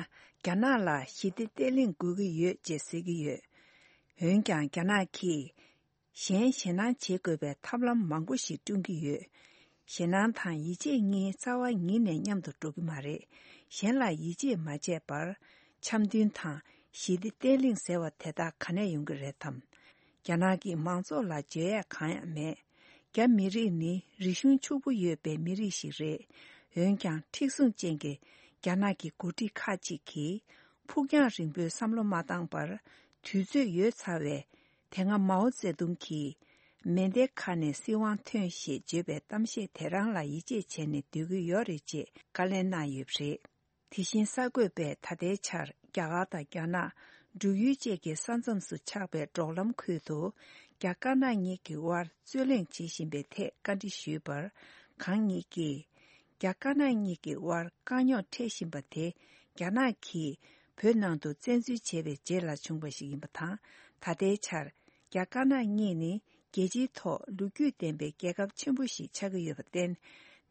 རྒྱ་ནག་ལ་ཞི་བདེ་བརྟན་ལྷིང་དགོས་ཀྱི་ཡོད་ཅེས་ཟེར་གྱི་ཡོད། འོན་ཀྱང་རྒྱ་ནག་གིས། གཞན་ཞེད་སྣང་བྱེད་དགོས་པའི་ཐབས་ལམ་མང་པོ་ཞིག་བསྐྲུན་གྱི་ཡོད། ཞེད་སྣང་དང་ཡིད་ཆེས་གཉིས་རྩ་བ་ཉིད་ནས་མཉམ་དུ་འགྲོ་གི་མ་རེད། གཞན་ལ་ཡིད་ཆེས་མ་བྱས་པར། འཆམ་མཐུན་དང་ཞི་བདེ་བརྟན་ལྷིང་ཟེར་བ་དེ་དག་ག་ནས་ཡོང་གི་རེད་དམ། རྒྱ་ནག་གི་མང་ཚོགས་ལ་བརྗོད་ཡས་གང་ཡང་མེད། རྒྱ་མི་རིགས་ནི་རིག་གཞུང་ཕྱུག་པོ་ཡོད་པའི་མི་རིགས་ཤིག་རེད། འོན་ཀྱང་མཁྲེགས་བཟུང་ཅན་གྱི་རྒྱ་ནག་གི་འགོ་ཁྲིད་ཁག་ཅིག་གིས་ཕུགས་རྒྱང་རིང་པོའི་བསམ་བློ་མ་བཏང་པར། དུས་ཚོད་ཡོལ་ཚར་བས། དེ་སྔ་མའོ་ཙེ་ཏུང་གིས། མེ་མདའི་ཁ་ནས་སྲིད་དབང་ཐོན་ཞེས་བརྗོད་པའི་གཏམ་བཤད་དེ་རང་ལ་ཡིད་ཆེས་བྱས་ནས་སྡོད་ཀྱི་ཡོད་རེད་ཅེས་བཀའ་ལན་གནང་ཡོད་པ་རེད། དེ་བཞིན་གསར་འགོད་པས་ད་ལྟའི་ཆར་རྒྱ་གར་དང་རྒྱ་ནག་འབྲུག་ཡུལ་བཅས་ཀྱི་ས་མཚམས་སུ་ཆགས་པའི་འབྲོག་ལམ་ཁུལ་དུ། རྒྱ་དཀར་ནག་གཉིས་ཀྱི་དབར་རྩོད་གླེང་བྱེད་བཞིན་པའི་ཐད་བཀའ་འདྲི་ཞུས་པར། གང་ཉིད་ཀྱིས། རྒྱ་དཀར་ནག་གཉིས་ཀྱི་དབར་དཀའ་རྙོག་འཕྲད་བཞིན་པ་དེ། རྒྱ་ནག་གིས་བོད་ནང་དུ་བཙན་འཛུལ་བྱས་པའི་རྗེས་ལ་བྱུང་བ་ཞིག་ཡིན་པ་དང་། ད་ལྟའི་ཆར། རྒྱ་དཀར་ནག་གཉིས་ནི་རྒྱལ་སྤྱིའི་ཐོག་ལོ་རྒྱུས་ལྡན་པའི་རྒྱལ་ཁབ་ཆེན་པོ་ཞིག་ཆགས་ཀྱི་ཡོད་པར་བརྟེན།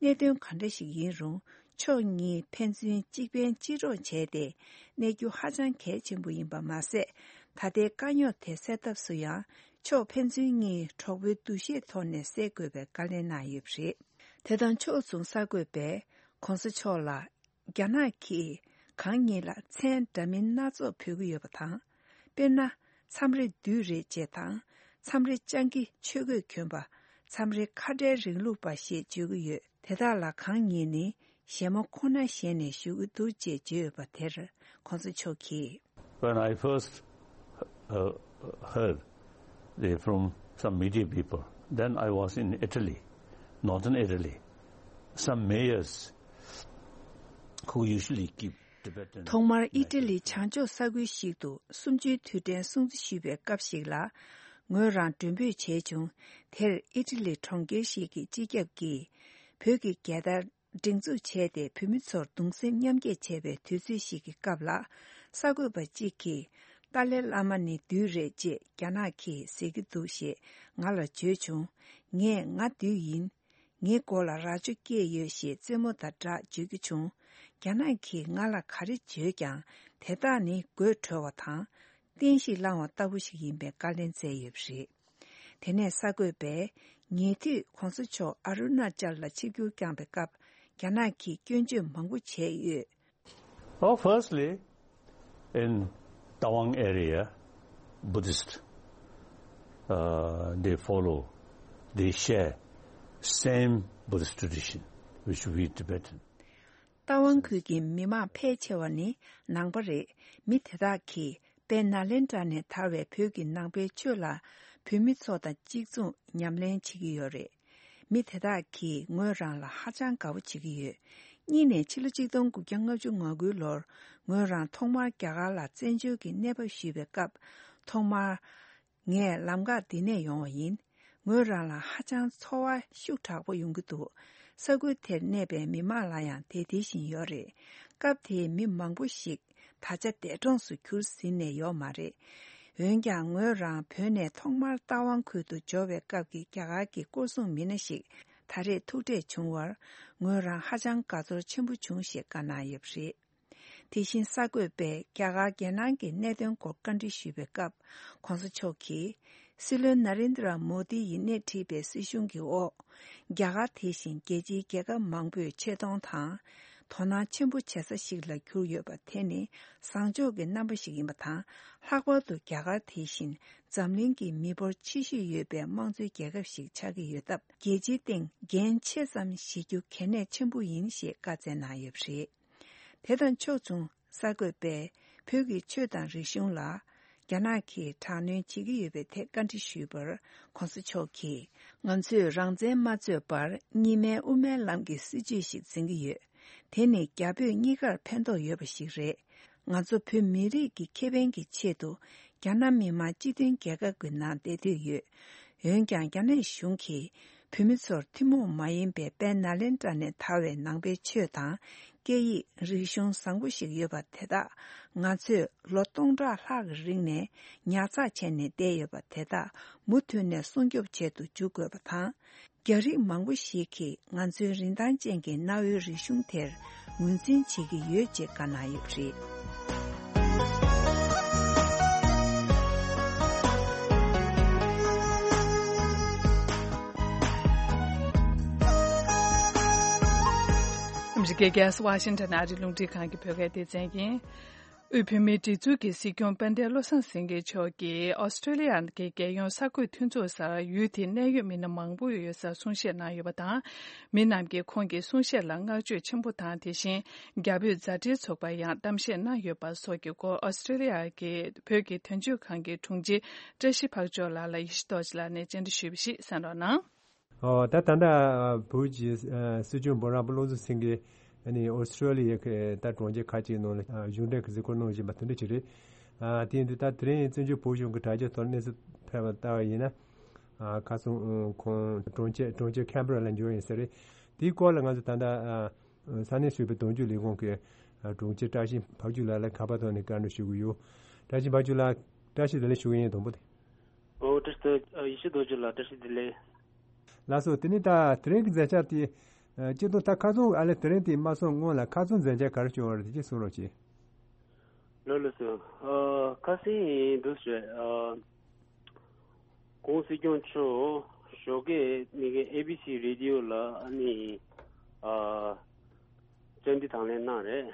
གནད་དོན་གང་འདྲ་ཞིག་ཡིན་རུང་། ཕྱོགས་གཉིས་ཕན་ཚུན་གཅིག་ཕན་གཅིག་གྲོགས་བྱས་ཏེ། གནས་རྒྱུ་ཧ་ཅང་གལ་ཆེན་པོ་ཡིན་པ་མ་ཟད། ད་ལྟའི་དཀའ་རྙོག་དེ་སེལ་ཐབས་སུ་ཡང་། ཕྱོགས་ཕན་ཚུན་གཉིས་གྲོགས་པོའི་འདུ་ཤེས་ཐོག་ནས་སེལ་དགོས་པའི་བཀའ་ལན་གནང་ཡོད་པ་རེད། དེ་དང་ཕྱོགས་མཚུངས་གསར་འགོད་པས་གོང་ས་མཆོག་ལ། རྒྱ་ནག་གིས་གང་ཉིད་ལ་མཚན་འདྲ་མིན་སྣ་ཚོགས་འབོད་ཀྱི་ཡོད་པ་དང་། དཔེར་ན། མཚམས་རེ་བདུད་རེད་ཅེས་དང་། མཚམས་རེ་སྤྱང་ཀི་ཆོས་གོས་གྱོན་པ། མཚམས་རེ་ཁ་བྲལ་རིང་ལུགས་པ་ཞེས་བརྗོད་ཀྱི་ཡོད། དེ་དག་ལ་གང་ཉིད་ནི་ཞན་མ་ཁོ་ན་ཞེས་ནས་ཞུ་གི་འདུག་ཅེས་བརྗོད་ཡོད་པ་དེར་གོང་ས་མཆོག་གིས། When I first uh, heard they from some media people, then I was in Italy, northern Italy. Some mayors who usually keep Tibetan ཐོག་མར་ཨི་ཊ་ལི་བྱང་ཕྱོགས་ས་ཁུལ་ཞིག་ཏུ་གསུམ་བཅུའི་དུས་དྲན་སྲུང་བརྩི་ཞུས་པའི་སྐབས་ཤིག་ལ། ངོས་རང་མགྲོན་འབོད་བྱས་བྱུང་། དེར་ཨི་ཊ་ལི་གྲོང་ཁྱེར་ཞིག་གི་སྤྱི་ཁྱབ་ཀྱིས་བོད་ཀྱི་རྒྱལ་དར་སྒྲེང་འཛུགས་བྱས་ཏེ། བོད་མི་ཚོར་གདུང་སེམས་མཉམ་སྐྱེད་བྱས་པའི་དུས་ཚོད་ཞིག་གི་སྐབས་ལ། གསར་འགོད་པ་གཅིག་གིས། ཏཱ་ལའི་བླ་མ་ནི་བདུད་རེད་ཅེས་རྒྱ་ནག་གིས་ཟེར་གྱི་འདུག་ཞེས་ང་ལ་བརྗོད་བྱུང་། ངས་ང་བདུད་ཡིན། ངའི་མགོ་ལ་རྭ་ཅོ་སྐྱེས་ཡོད་ཞེས་རྩེད་མོ་དང་སྦྲགས་བརྗོད་ཀྱི་བྱུང་། རྒྱ་ནག་གིས་ང་ལ་ག་རེ་བརྗོད་ཀྱང་། དེ་དག་ནི་དགོད་བྲོ་བ་དང་། བསྟན་བཤིག་བསླང་བ་ལྟ་བུ་ཞིག་ཡིན་པའི་བཀའ་ལན་སྩལ་ཡོད་པ་རེད། དེ་ནས་གསར་འགོད་པས། ཉེ་དུས་གོང་ས་མཆོག་ཨ་རུ་ན་ཅལ་ལ་ཆིབས་བསྒྱུར་བསྐྱངས་པའི་སྐབས། རྒྱ་ནག་གིས་སྐྱོན་བརྗོད་མང་པོ་བྱས་ཡོད། Oh, firstly, in Tawang area, Buddhist, uh, they follow, they share same Buddhist tradition, which we Tibetan. རྟ་དབང་ཁུལ་གྱི་མི་མང་ཕལ་ཆེ་བ་ནི་ནང་པ་རེད། མི་དེ་དག་གིས་དཔལ་ནཱ་ལེནྡྲ་ནས་དར་བའི་བོད་ཀྱི་ནང་པའི་ཆོས་ལ་བོད་མི་ཚོ་དང་གཅིག་མཚུངས་ཉམས་ལེན་བྱེད་ཀྱི་ཡོད་རེད། མི་དེ་དག་གིས་ངོས་རང་ལ་ཧ་ཅང་དགའ་པོ་བྱེད་ཀྱི་ཡོད། གཉིས་ནས་ཕྱི་ལོ་ཆིག་སྟོང་དགུ་བརྒྱ་ལྔ་བཅུ་ང་དགུའི་ལོར་ངོས་རང་ཐོག་མར་རྒྱ་གར་ལ་བཙན་བྱོལ་གྱི་གནས་བབ་ཞུས་པའི་སྐབས། ཐོག་མར། ངས་ལམ་ཁ་འདི་ནས་ཡོང་བ་ཡིན། ངོས་རང་ལ་ཧ་ཅང་ཚོར་བ་ཤུགས་དྲག་པོ་ཡོང་གི་འདུག་ས་ཁུལ་དེར་གནས་པའི་མི་མང་ལ་ཡང་དེ་དེ་བཞིན་ཡོད་རེད། སྐབས་དེའི་མི་མང་པོ་ཞིག་ད་ཆ་འདས་གྲོངས་སུ་གྱུར་ཟིན་ནས་ཡོད་མ་རེད། འོན་ཀྱང་ངོས་རང་བོད་ནས་ཐོག་མར་རྟ་དབང་ཁུལ་དུ་འབྱོར་བའི་སྐབས་ཀྱི་རྒྱ་གར་གྱི་སྐོར་སྲུང་མི་སྣ་ཞིག་ད་རེས་ཐུག་འཕྲད་བྱུང་བར། ངོས་རང་ཧ་ཅང་དགའ་ཚོར་ཆེན་པོ་བྱུང་ཞེས་བཀའ་གནང་ཡོད་པ་རེད། དེ་བཞིན་གསར་འགོད་པས་རྒྱ་གར་རྒྱལ་ནང་གི་གནད་དོན་སྐོར་བཀའ་འདྲི་ཞུས་པའི་སྐབས། གོང་ས་མཆོག་གིས། སྲིད་བློན་ན་རེན་དྲ་མོ་དི་ཡིས་སྣེ་ཁྲིད་པའི་སྲིད་གཞུང་གི་འོག་རྒྱ་གར་དེ་བཞིན་རྒྱལ་སྤྱིའི་རྒྱལ་ཁབ་མང་པོས་ཆེ་མཐོང་དང་། དོ་སྣང་ཆེན་པོ་བྱེད་ས་ཞིག་ལ་གྱུར་ཡོད་པ་དེ་ནི་བཟང་ཕྱོགས་ཀྱི་རྣམ་པ་ཞིག་ཡིན་པ་དང་། ལྷག་པར་དུ་རྒྱ་གར་དེ་བཞིན་འཛམ་གླིང་གི་མི་འབོར་ཆེ་ཤོས་ཡོད་པའི་དམངས་གཙོའི་རྒྱལ་ཁབ་ཞིག་ཆགས་ཀྱི་ཡོད་སྟབས། རྒྱལ་སྤྱིའི་སྟེང་འགན་ཆེ་ཙམ་བཞེས་རྒྱུ་གལ་གནད་ཆེན་པོ་ཡིན་ཞེས་བཀའ་སྩལ་གནང་ཡོད་པ་རེད། དེ་དང་ཕྱོགས་མཚུངས། གསར་འགོད་པས་བོད་ཀྱི་ཆོས་དང་རིག་གཞུང་ལ་རྒྱ་ནག་གིས་དྲག་གནོན་བྱེད་ཀྱི་ཡོད་པའི་ཐད་བཀའ་འདྲི་ཞུས་པར། ྋགོང་ས་མཆོག་གིས། ང་ཚོས་རང་བཙན་མ་རྩོད་པར་གཉིས་སྨན་དབུ་མའི་ལམ་གྱི་སྲིད་བྱུས་ཤིག་འཛིན་གྱི་ཡོད། དེ་ནི་རྒྱ་བོད་གཉིས་ཀར་ཕན་ཐོགས་ཡོད་པ་ཞིག་རེད། ང་ཚོ་བོད་མི་རིགས་ཀྱི་ཁེ་ཕན་གྱི་ཆེད་དུ་རྒྱ་ནག་མི་དམངས་སྤྱི་མཐུན་རྒྱལ་ཁབ་ཀྱི་ནང་བསྡད་འདོད་ཡོད། འོན་ཀྱང་རྒྱ་ནག་གཞུང་གིས་བོད་མི་ཚོར་ཐུན་མོང་མ་ཡིན་པའི་དཔལ་ནཱ་ལེནྡྲ་ནས་དར་བའི་ནང་པའི་ཆོས་དང་། སྐད་ཡིག་རིག་གཞུང་བཟང་པོ་ཞིག་ཡོད་པ་དེ་དག་ང་ཚོས་ལོ་སྟོང་ཕྲག་ལྷག་གི་རིང་ནས་ཉར་ཚགས་བྱས་ནས་བསྡད་ཡོད་པ་དེ་དག་མུ་མཐུད་ནས་སྲུང་སྐྱོབ་བྱེད་དུ་འཇུག་དགོས་པ་དང་། རྒྱ་རིགས་མང་པོ་ཞིག་གིས་ང་ཚོའི་རིན་ཐང་ཅན་གྱི་གནའ་བོའི་རིག་གཞུང་དེར་ངོས་འཛིན་བྱེད་ཀྱི་ཡོད་ཅེས་བཀའ་གནང་ཡོད་པ་རེད། ཨ་མི་རི་ཀའི་རྒྱལ་ས་ཝ་ཤིང་ཊོན་ཨ་རིའི་རླུང་འཕྲིན་ཁང་གི་བོད་སྐད་སྡེ་ཚན་ཡིན། དབུས་བོད་མིའི་སྒྲིག་འཛུགས་ཀྱི་སྲིད་སྐྱོང་དཔལ་ལྡན་བློ་བཟང་སེང་གེ་མཆོག་གིས་ཨོ་སི་ཀྲོ་ལི་ཡ་གི་རྒྱལ་ཡོངས་གསར་འགོད་མཐུན་ཚོགས་སར་ཡུལ་དེའི་གནད་ཡོད་མི་སྣ་མང་པོ་ཡོད་སར་གསུང་བཤད་གནང་ཡོད་པ་དང་། མི་རྣམས་ཀྱིས་ཁོང་གི་གསུང་བཤད་ལ་བསྔགས་བརྗོད་ཆེན་པོ་དང་། དེ་བཞིན་རྒྱ་བོད་མཛའ་འབྲེལ་ཚོགས་པར་ཡང་གཏམ་བཤད་གནང་ཡོད་པ་སོགས་ཀྱི་སྐོར། ཨོ་སི་ཀྲོ་ལི་ཡ་གི་བོད་ཀྱི་དོན་གཅོད་ཁང་གི་དྲུང་ཆེ་བཀྲ་ཤིས་འཕགས་མཆོག་ལགས་ལ་ཡེ་ཤེས་རྡོ་རྗེ་ལགས་ནས་བཅར་འདྲི་ཞུས་པ་ཞིག་གསན་རོགས་གནང་། ཨོ། ད་ད་ལྟ་བོད་ཀྱི་སྲིད་སྐྱོང་འབུམ་རམས་པ་བློ་བཟང་སེང་གེ་ཨ་ནི་ཨོ་སི་ཀྲོ་ལི་ཡའི་ད་གྲོང་ཁྱེར་ཁག་ཅིག་ནང་ལ་གཞུང་འབྲེལ་གྱི་གཟིགས་སྐོར་གནང་བཞིན་པ་དེ་འདྲ་ཅིག་རེད། དེ་ཡིན་དུས་ད་དེ་རིང་བཙན་བྱོལ་བོད་གཞུང་གི་དྲ་རྒྱའི་ཐོག་གནས་ཚུལ་ཕེབས་པ་ལྟ་བ་ཡིན་ན། ཁ་སང་ཁོང་གྲོང་ཁྱེར་གྲོང་ཁྱེར་ཁན་བྷ་ར་ལ་འབྱོར་ཡིན་ས་རེད། དེའི་སྐོར་ལ་ང་ཚོ་ད་ལྟ་ས་གནས་གསར་པའི་དོན་གཅོད་ལས་ཁུངས་ཀྱི་དྲུང་ཆེ་བཀྲ་ཤིས་འཕགས་མཆོག་ལགས་ལ་ཁ་པར་ཐོག་ནས་བཀའ་འདྲི་ཞུ་གི་ཡོད། བཀྲ་ཤིས་འཕགས་མཆོག་ལགས། བཀྲ་ཤིས་བདེ་ལེགས་ཞུ་གི་ཡིན། དང་པོ་དེ། ཨོ། བཀྲ་ཤིས་བདེ། ཡེ་ཤེས་རྡོ་རྗེ་ལགས། བཀྲ་ཤིས་བདེ་ལེགས། ལགས་སོ། དེ་ནས་ད་དེ་རིང་གི་མཛད་འཆར་དེ། ཨ། སྤྱིར་བཏང་ད་ཁ་སང་ཨ་ལས་དེ་རིང་དེ་མ་སོང་སྔོན་ལ་ཁ་སང་མཛད་འཆར་ག་རེ་བྱུང་བ་རེད། དེ་ཅིག་གསུང་རོགས་གྱིས། ལགས་ལགས་སོ། ཨ། ཁ་སང་ཡིན་འདུག་ཟེར། ཨ། ༸གོང་ས་སྐྱབས་མགོན་མཆོག་ཞོགས་ཀས་མི་གི་ཨེ་བི་སི་རེ་ཌི་ཡོ་ལ་ཨ་ནི། ཨ། བཅར་འདྲི་དང་ལེན་གནང་རེད།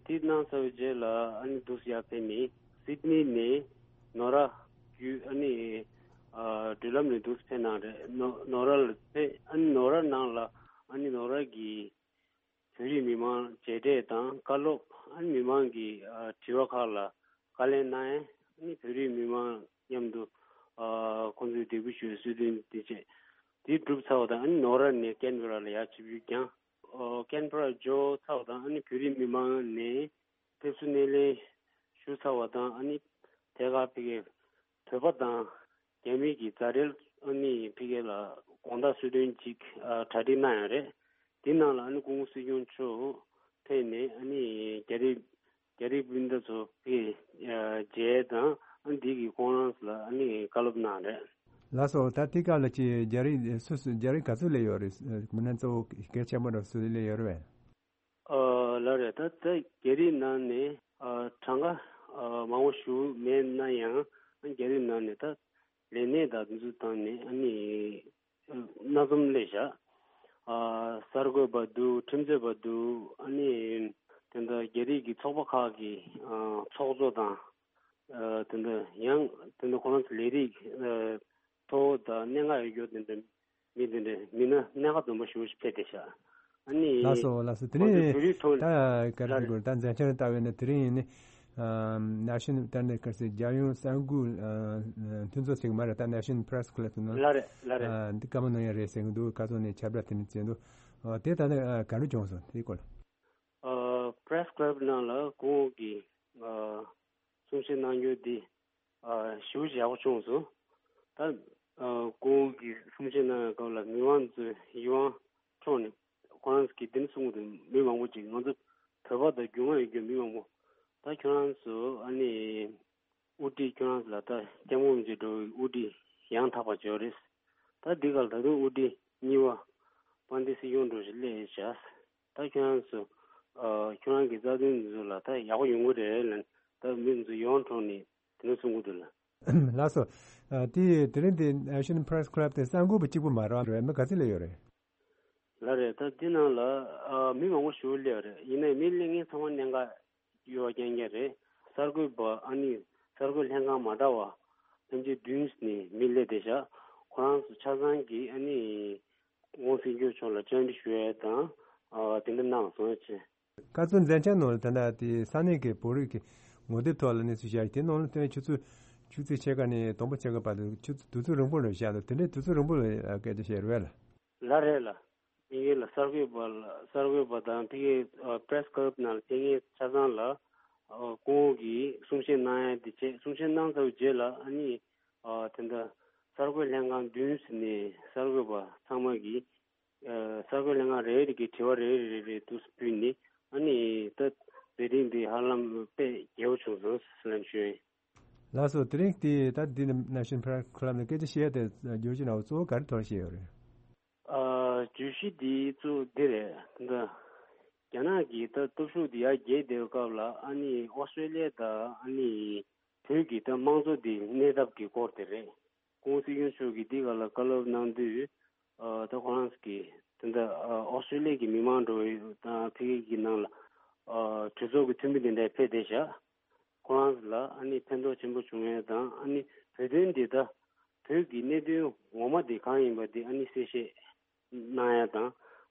དེ་གནང་ཚར་བའི་རྗེས་ལ་ཨ་ནི་འདུག་ཡར་ཕེབས་ནས་སིད་ནི་ནས་ནོར་ཨ་བརྒྱུད་ཨ་ནི། ཨ། འགྲུལ་ལམ་ནས་འདུག་ཕེབས་གནང་རེད། ནོ་ནོར་ཨ་ལ་ཕེབས། ཨ་ནི་ནོར་ཨ་ནང་ལ་ཨ་ནི་ནོར་ཨ་གི་བོད་རིགས་མི་མང་མཇལ་འཕྲད་དང་བཀའ་སློབ། ཨ་ནི་མི་མང་གི། ཨ། དྲི་བ་ཁག་ལ་བཀའ་ལན་གནང་ཡས། ཨ་ནི་བོད་རིགས་མི་མང་མཉམ་དུ། ཨ། ཁོང་ཚོའི་འདེགས་འབུལ་ཞུ་བའི་གསོལ་སྟོན་དེ་བྱས། དེ་གྲུབ་ཚར་བ་དང་ཨ་ནི་ནོར་ཨ་ནས་ཀན་བྷེ་ར་ལ་ཡར་ཆིབས་བསྒྱུར་བསྐྱངས། ཨོ། ཀན་བྷེ་ར་འབྱོར་ཚར་བ་དང་ཨ་ནི་བོད་རིགས་མི་མང་ནས་ཕེབས་བསུ་སྣེ་ལེན་ཞུ་ཚར་བ་དང་ཨ་ནི་དེ་ག་ཕ་གིའི་བོད་པ་དང་རྒྱ་མི་གི་མཛའ་འབྲེལ་ཨ་ནི་ཕ་གི་ལ་དགོང་དག་གསོལ་སྟོན་ཅིག་ཨ་གྲ་སྒྲིག་གནང་ཡོད་རེད། དེའི་ནང་ལ་ཨ་ནི་༸གོང་ས་སྐྱབས་མགོན་མཆོག་ཕེབས་ནས་ཨ་ནི་རྒྱ་རིགས་རྒྱ་རིགས་སྤུན་ཟླ་ཚོ་ཕ་གི་ཨ་མཇལ་དང་ཨ་ནི་དེ་གི་ཁོང་རང་ཚོ་ལ་ཨ་ནི་བཀའ་སློབ་གནང་རེད། ལགས་སོ། ད་དེ་སྐབས་ལ་ཅིག་རྒྱ་རིགས་སུ་སུ་རྒྱ་རིགས་ག་ཚོད་སླེབས་ཡོད་རེད། མི་སྣ་གཙོ་བོ་གལ་ཆེན་པོ་འདྲ་སུ་སླེབས་ཡོད་རེད་པས། ཨ། ལགས་རེད། ད་ད་རྒྱ་རིགས་ནང་ནས་ཨ་གྲངས་ཀ་ཨ་མང་པོ་ཞིག་མེད་ན་ཡང་རྒྱ་རིགས་ནང་ནས་ད་ལས་གནས་དང་འདི་ཚོ་བཏང་ནས་ཨ་ནི་སྣ་འཛོམས་སླེབས་བཞག་ཨ་གསར་འགོད་པ་འདུག་ཁྲིམས་རྩོད་པ་འདུག་ཨ་ནི་དེ་འདྲ་རྒྱ་རིགས་ཀྱི་ཚོགས་པ་ཁག་གི་ཨ་ཚོགས་གཙོ་དང་ཨ་དེ་འདྲ་ཡང་དེ་འདྲ་ཁོ་རང་ཚོ་ལས་རིགས་ཨ་མཐོ་བོ་དང་གནད་འགག་ཡོད་རྒྱུ་དེ་འདྲ་མི་དེ་འདྲ་མི་སྣ་གནད་འགག་འཛོམས་པ་ཞེ་པོ་ཞིག་ཕེབས་བསྡད་ཤག་ཨ་ནི། ལགས་སོ། ལགས་སོ། དེ་ཁོང་ཚོས་ནས་བོད་རིགས་ཐོག་ད་ག་རེ་ལགས་རེད། དགོས་ད་མཛད་འཆར་ལྟ་བས་ན་དེ་རིང་ཡིན་ནི། ཨ་National ད་ནི་ག་རེ་ཟེར། རྒྱལ་ཡོངས་གསར་འགོད་ཨ་མཐུན་ཚོགས་ཟེར་གི་མ་རེད། ད་National Press Club ཟེར་ན། ལགས་རེད། ལགས་རེད། ཨ་འདི་བཀའ་མོལ་གནང་ཡ་རེད་ཟེར་གི་འདུག་ཁ་སང་ནས་ཁྱབ་བསྒྲགས་དེ་ནས་བྱས་འདུག་ཨ་དེ་ད་ནི་ཨ་ག་རེ་བྱུང་སོང་དེའི་སྐོར་ལ། ཨ་Press Club ནང་ལ་ཁོང་གིས་ཨ་གསུང་བཤད་གནང་རྒྱུ་འདི་ཨ་ཞེ་པོ་ཅིག་ཡག་པོ་བྱུང་སོང་། ད་ཨ་ཁོང་གིས་གསུང་བཤད་གནང་བའི་སྐབས་ལ་མི་མང་ཚོའི་ཡིད་དབང་འཕྲོག་ནས་ཁོ་རང་གིས་འདི་ནས་གསུང་གི་འདུག་མི་མང་པོ་ཅིག་ང་ཚོ་བོད་པ་དང་རྒྱུས་མངའ་ཡོད་རྒྱུ་མི་མང་པོ། ད་ཁྱོད་རང་ཚོ་ཨ་ནི་དབུ་ཁྲིད་ཁྱོད་རང་ཚོ་ལ་ད་སྐྱབས་མགོན་རིན་པོ་ཆེ་འགྲོ་བའི་དབུ་ཁྲིད་ཡང་དག་པ་བྱོས་རེད། ད་འདི་ག་ལ་ད་དུང་དབུ་ཁྲིད་གཉིས་པ་དཔལ་ལྡན་སྲིད་སྐྱོང་འགྲོ་ཞིག་སླེབས་བཞག་ད་ཁྱོད་རང་ཚོ་ཨ་ཁྱོད་རང་གི་རྩ་དོན་འདི་ཚོ་ལ་ད་ཡག་པོ་ཡོང་གི་རེད་ལབ་ནས་ད་མི་ཚོ་ཡིད་དབང་འཕྲོག་ནས་དེ་འདྲ་གསུང་གི་འདུག་ལ། ལགས་སོ། ཨ་དེ་དེ་རིང་དེ་National Press Club དེ་གསར་འགོད་པ་གཅིག་པུ་མ་རེད་པ། མི་ག་ཚོད་སླེབས་ཡོད་རེད། ལགས་རེད། ད་འདི་ནང་ལ་ཨ་མི་མང་པོ་ཞིག་སླེབས་པ་རེད། ཡིན་ནའི་མི་སླེབས་མཁན་ཚང་མ་གནད་འགག་ཡོད་པ་རྐྱང་རྐྱང་རེད། གསར་འགོད་པ་ཨ་ནི་གསར་འགོད་ལྷན་ཁང་མ་འདྲ་བ་ཕལ་ཆེར་བདུན་ནས་མི་སླེབས་བསྡད་ཤག་ཁོ་རང་ཚོ་ཆ་ཚང་གིས་ཨ་ནི་༸གོང་ས་༸སྐྱབས་མགོན་མཆོག་ལ་བཅར་འདྲི་ཞུ་ཡས་དང་ཨ་དེ་འདྲ་གནང་སོང་ཅེས། སྐབས་སུ་མཚན་བྱང་ནང་ལ་ད་ལྟ་དེ་ས་གནས་ཀྱི་བོད་རིགས་ཀྱི་ངོ་དེབ་ཐོག་ལ་གནས་ཚུལ་བཤད་དེ་ནང་ལ་སྟོན་ཆུ་ཚོད་བཅུ་ཚེས་ཕྱེད་ཀ་ནས་དང་པོ་ཕྱེད་ཀ་བར་དུ་ཆུ་ཚོད་དུས་ཚོད་རིང་པོ་ལ་བཞག་འདུག་དེ་འདྲའི་དུས་ཚོད་རིང་པོ་ལ་སྐད་ཆ་བཤད་རེད་ལ། ལགས་རེད་ལ། ཕ་གི་ལ་གསར་འགོད་པ་ལ་གསར་འགོད་པ་དང་ཕ་གི་ཨ་པེ་རེ་སི་ཀ་ལབ་ནང་ལ་ཕེབས་མཁན་ཆ་ཚང་ལ་ཨ་སྐུ་ངོ་གིས་གསུང་བཤད་གནང་ཡ་དེ་བྱས། གསུང་བཤད་གནང་ཚར་བའི་རྗེས་ལ་ཨ་ནི་ཨ་དེ་འདྲ་གསར་འགོད་ལྷན་ཁང་བདུན་ནས་གསར་འགོད་པ་ཚང་མ་གིས་ཨ་གསར་འགོད་ལྷན་ཁང་རེ་རེ་གིས་དྲི་བ་རེ་རེ་རེ་རེ་འདུག་སེ་ཕུལ་ནས་ཨ་ནི་ད་མཛད་རིམ་འདི་ཧ་ལམ་དཔེ་རྒྱས་པོ་བྱུང་སོང་ཟེར་ལབ་ཞུ་ཡིན། ལགས་སོ། དེ་རིང་དེ་ད་འདི་ནི་National Press Club ནས་སྐད་ཆ་བཤད་ཡ་དེ་བརྗོད་གཞི་ནང་གཙོ་བོ་ག་རེ་ཐོག་བཤད་ཡོད་རེད། ཨ་བརྗོད་གཞི་འདི་གཙོ་བོ་འདི་རེད། ད་རྒྱ་ནག་གི་ད་སྟོབས་ཤུགས་འདི་ཡར་རྒྱས་བསྡད་པའི་སྐབས་ལ་ཨ་ནི་ཨོ་སི་ཀྲེ་ལི་ཡ་དང་ཨ་ནི་བོད་ཀྱི་ད་དམངས་གཙོ་འདི་གནས་ཐབས་ཀྱི་སྐོར་དེ་རེད། ༸གོང་ས་༸སྐྱབས་མགོན་མཆོག་གིས་འདི་སྒང་ལ་བཀའ་སློབ་གནང་དུས་ཨ་ད་ཁོ་རང་གིས་ད་ལྟ་ཨ་ཨོ་སི་ཀྲེ་ལི་ཡ་གི་མི་མང་འགྲོ་བའི་དང་ཕ་གི་གི་ནང་ལ་ཨ་གྲོས་ཚོགས་ཀྱི་འཐུས་མི་དེ་འདྲ་ཕེབས་བསྡད་ཤག་ཁོ་རང་ལ་ཨ་ནི་ཕན་ཐོགས་ཆེན་པོ་བྱུང་ཡས་དང་ཨ་ནི་བོད་དོན་འདི་ད་བོད་ཀྱི་གནད་དོན་ངོ་མ་དེ་གང་ཡིན་པ་དེ་ཨ་ནི་གསལ་བཤད་གནང་ཡ་དང་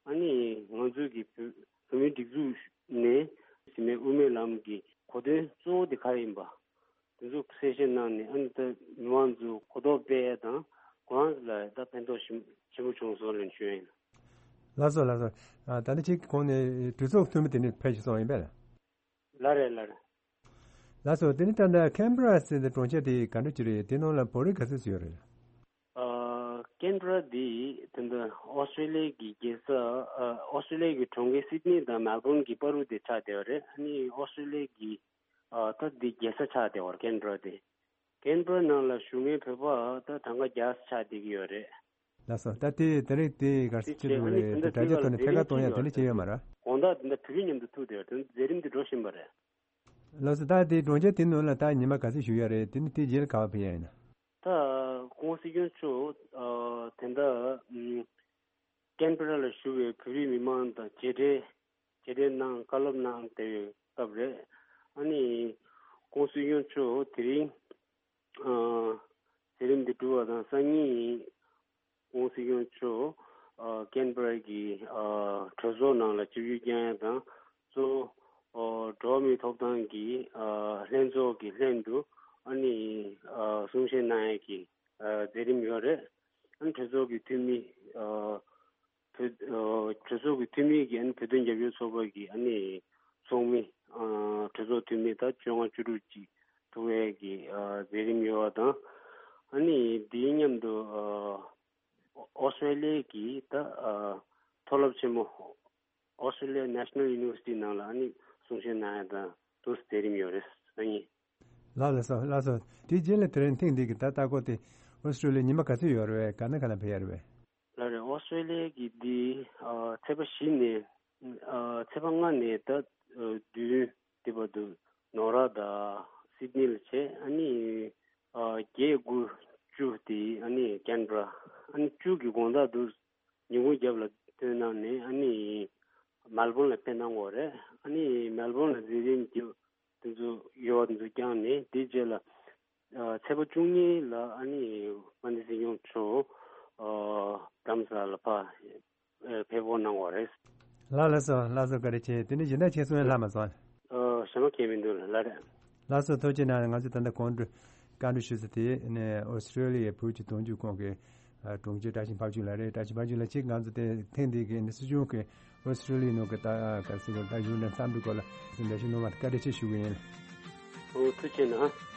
ཨ་ནི་ང་ཚོའི་གི་བོད་བོད་མིའི་སྒྲིག་འཛུགས་ནས་ཟིན་མའི་དབུ་མའི་ལམ་གྱི་གོ་དོན་གཙོ་བོ་དེ་ག་རེ་ཡིན་པ་དེ་ཚོ་གསལ་བཤད་གནང་ནས་ཨ་ནི་ད་མི་མང་ཚོ་གོ་རྟོགས་སྤེལ་ཡ་དང་ཁོ་རང་ཚོ་ལ་ད་ཕན་ཐོགས་ཆེན་ཆེན་པོ་བྱུང་སོང་ལབ་ཞུ་ཡ་ཡིན། ལགས་སོ་ལགས་སོ། ཨ་ད་ནི་ཁྱེད་ཀྱི་གོང་ནས་གྲོས་ཚོགས་འཐུས་མི་དེ་ནི་ཕེབས་ཤིག་སོང་ཡིན་པས་ལ། ལགས་རེད་ལགས་རེད། ལགས་སོ། དེ་ནི་ད་ལྟ་ཁེན་བྷ་ར་ཟེར་ཏེ་གྲོང་ཁྱེར་དེ་ག་འདྲ་ཅིག་རེད། དེ་ནང་ལ་བོད་རིགས་ག་ཚོད་ཅིག་ཡོད་རེད། ཨ་ཁེན་བྷ་ར་འདི་ད་ལྟ་ཨོ་སི་ཀྲེ་ལི་ཡ་གི་རྒྱལ་ས་ཨ་ཨོ་སི་ཀྲེ་ལི་ཡ་གི་གྲོང་ཁྱེར་སིད་ནི་དང་མེལ་བོན་གྱི་བར་དུ་དེ་ཆགས་བསྡད་པ་རེད། ཨ་ནི་ཨོ་སི་ཀྲེ་ལི་ཡ་གི་ཨ་ད་འདི་རྒྱལ་ས་ཆགས་བསྡད་པ་རེད་ཁེན་བྷ་ར་དེ། ཁེན་བྷ་ར་ནང་ལ་བཞུགས་མཁན་བོད་པ་ད་གྲངས་ཀ་བརྒྱ་ཆགས་བསྡད་ཀྱི་ཡོད་རེད། ལགས་སོ། ད་དེ་དེ་རིང་དེ་གར་སི་ཅི་འདུག་རེད། དེ་དྲ་རྒྱ་ཐོག་ནས་ཕེབས་ཀ་གཏོང་ཡ་དེ་འདྲ་བྱས་ཡོད་མ་རེད། དགོང་དག་དེ་འདྲ་བོད་ཡིག་མཉམ་དུ་ཐུག་བསྡད་ཡོད། དེ་མཛད་རིམ་དེ་འགྲོ་བཞིན་པ་རེད། ལགས་སོ། ད་དེ་གྲོང་ཁྱེར་དེ་ནང་ལ་ད་ཉི་མ་ག་ཚོད་བཞུགས་ཡ་རེད། དེ་ནི་དེ་རྗེས་ལ་ག་པར་ཕེབས་ཡ་ཡིན་ན། ད་༸གོང་ས་༸སྐྱབས་མགོན་མཆོག་ཨ་དེ་འདྲ་ཨམ་ཁེན་བྷ་ར་ལ་བཞུགས་པའི་བོད་རིགས་མི་མང་དང་མཇལ་འཕྲད་མཇལ་འཕྲད་གནང་བཀའ་སློབ་གནང་བསྡད་པའི་སྐབས་རེད། ཨ་ནི་༸གོང་ས་༸སྐྱབས་མགོན་མཆོག་དེ་རིང་ཨ་མཛད་རིམ་འདི་གྲུབ་པ་དང་སང་ཉིན་༸གོང་ས་༸སྐྱབས་མགོན་མཆོག་ཨ་ཁེན་བྷ་ར་གི་ཨ་གྲོས་ཚོགས་ནང་ལ་ཆིབས་བསྒྱུར་བསྐྱངས་ཡ་དང་གཙོ་བོ་ཨ་འགྲོ་བ་མིའི་ཐོབ་ཐང་གི་ཨ་ལྷན་ཚོགས་ཀྱི་ལྷན་དུ་ཨ་ནི་ཨ་གསུང་བཤད་གནང་ཡ་གི་ཨ་མཛད་རིམ་ཡོད་རེད། ཨ་ནི་གྲོས་ཚོགས་ཀྱི་འཐུས་མི་ཨ་བོད་ཨ་གྲོས་ཚོགས་ཀྱི་འཐུས་མི་གིས་ཨ་ནི་བོད་དོན་རྒྱབ་སྐྱོར་ཚོགས་པ་གི་ཨ་ནི་ཚོགས་མི་ཨ་གྲོས་ཚོགས་འཐུས་མི་ད་བཅོ་ལྔ་བཅུ་དྲུག་ཅིག་ཐུག་ཡས་ཀྱི་ཨ་མཛད་རིམ་ཡོད་པ་དང་། ཨ་ནི་དེའི་མཉམ་དུ་ཨ་ཨོ་སི་ཀྲེ་ལི་ཡ་གི་ད་ཨ་མཐོ་སློབ་ཆེན་མོ་ཨོ་སི་ཀྲེ་ལི་ཡ་ནེ་ཤ་ནལ་ཡུ་ནི་ཝར་སི་ཊི་ནང་ལ་ཨ་ནི་གསུང་བཤད་གནང་ཡ་དང་དུ་མཛད་རིམ་ཡོད་རེད། སང་ཉིན། ལགས་ལགས་སོ་ལགས་སོ། དེའི་རྗེས་ལ་དེ་རིང་ཐེངས་འདི་གི་ད་ལྟ་སྐོར་དེ་ཨོ་སི་ཀྲེ་ལི་ཡ་ཉི་མ་ག་ཚོད་ཡོད་རེད་པས། ག་ནས་ག་ལ་ཕེབས་ཡ་རེད་པས། ལགས་རེད། ཨོ་སི་ཀྲེ་ལི་ཡ་གི་འདི་ཨ་ཚེས་པ་བཞི་ནས་ཨ་ཚེས་པ་ལྔ་ནས་ད་ཨ་བདུན་འདི་བར་དུ་ནོར་ར་དང་སིད་ནི་ལ་བྱས། ཨ་ནི་ཨ་བརྒྱད་དགུ་བཅུ་དེ་ཨ་ནི་ཁེན་བྷ་ར། ཨ་ནི་བཅུ་གི་དགོང་དག་དུ་ཉིན་གུང་རྒྱབ་ལ་ཐོན་གནང་ནས་ཨ་ནི་མེལ་བོན་ལ་ཕེབས་གནང་དགོས་རེད། ཨ་ནི་མེལ་བོན་ལ་མཛད་རིམ་རྒྱབ་དེ་ཚོ་ཡོད་པ་དེ་ཚོ་བསྐྱངས་ནས་དེའི་རྗེས་ལ་ཨ་ཚེས་པ་བཅུ་གཉིས་ལ་ཨ་ནི་དཔལ་ལྡན་སྲིད་སྐྱོང་མཆོག་ཨ་རྡ་རམ་ས་ལ་ལ་ཕར་ཨ་ཕེབས་སྒོ་གནང་བ་རེད། ལགས་ལགས་སོ་ལགས་སོ། བཀའ་དྲིན་ཆེ། དེ་ནས་གཞན་དག་ཁྱེད་གསུང་ཡ་ལྷག་མ་སོང་། ཨ་ཞེ་མ་གང་ཡང་མི་འདུག་ལགས་རེད། ལགས་སོ། ཐུགས་རྗེ་གནང་། ང་ཚོས་ད་ལྟ་གོང་དུ་བཀའ་འདྲི་ཞུས་ཚུལ་དེ་ནས་ཨོ་སི་ཀྲེ་ལི་ཡའི་བོད་ཀྱི་དོན་གཅོད་ཁང་གི་ཨ་དྲུང་ཆེ་བཀྲ་ཤིས་ཕབ་ཆུ་ལགས་རེད། བཀྲ་ཤིས་ཕབ་ཆུ་ལགས། ཁྱེད་ང་ཚོ་དེ་ཐེངས་འདི་གི་ནི་སྲིད་སྐྱོང་གི་ཨོ་སི་ཀྲེ་ལི་ཡའི་ནང་གི་ད་ག་རེ་ཟེར་དགོས་རེད། ད་ཡུན་རིང་འཚམས་འདྲི་སྐོར་ལ་འགྲེལ་བཤད་གནང་བར་བཀའ་དྲིན་ཆེ་ཞུ་གི་ཡིན། ཨོ་ཐུགས་རྗེ་གནང་།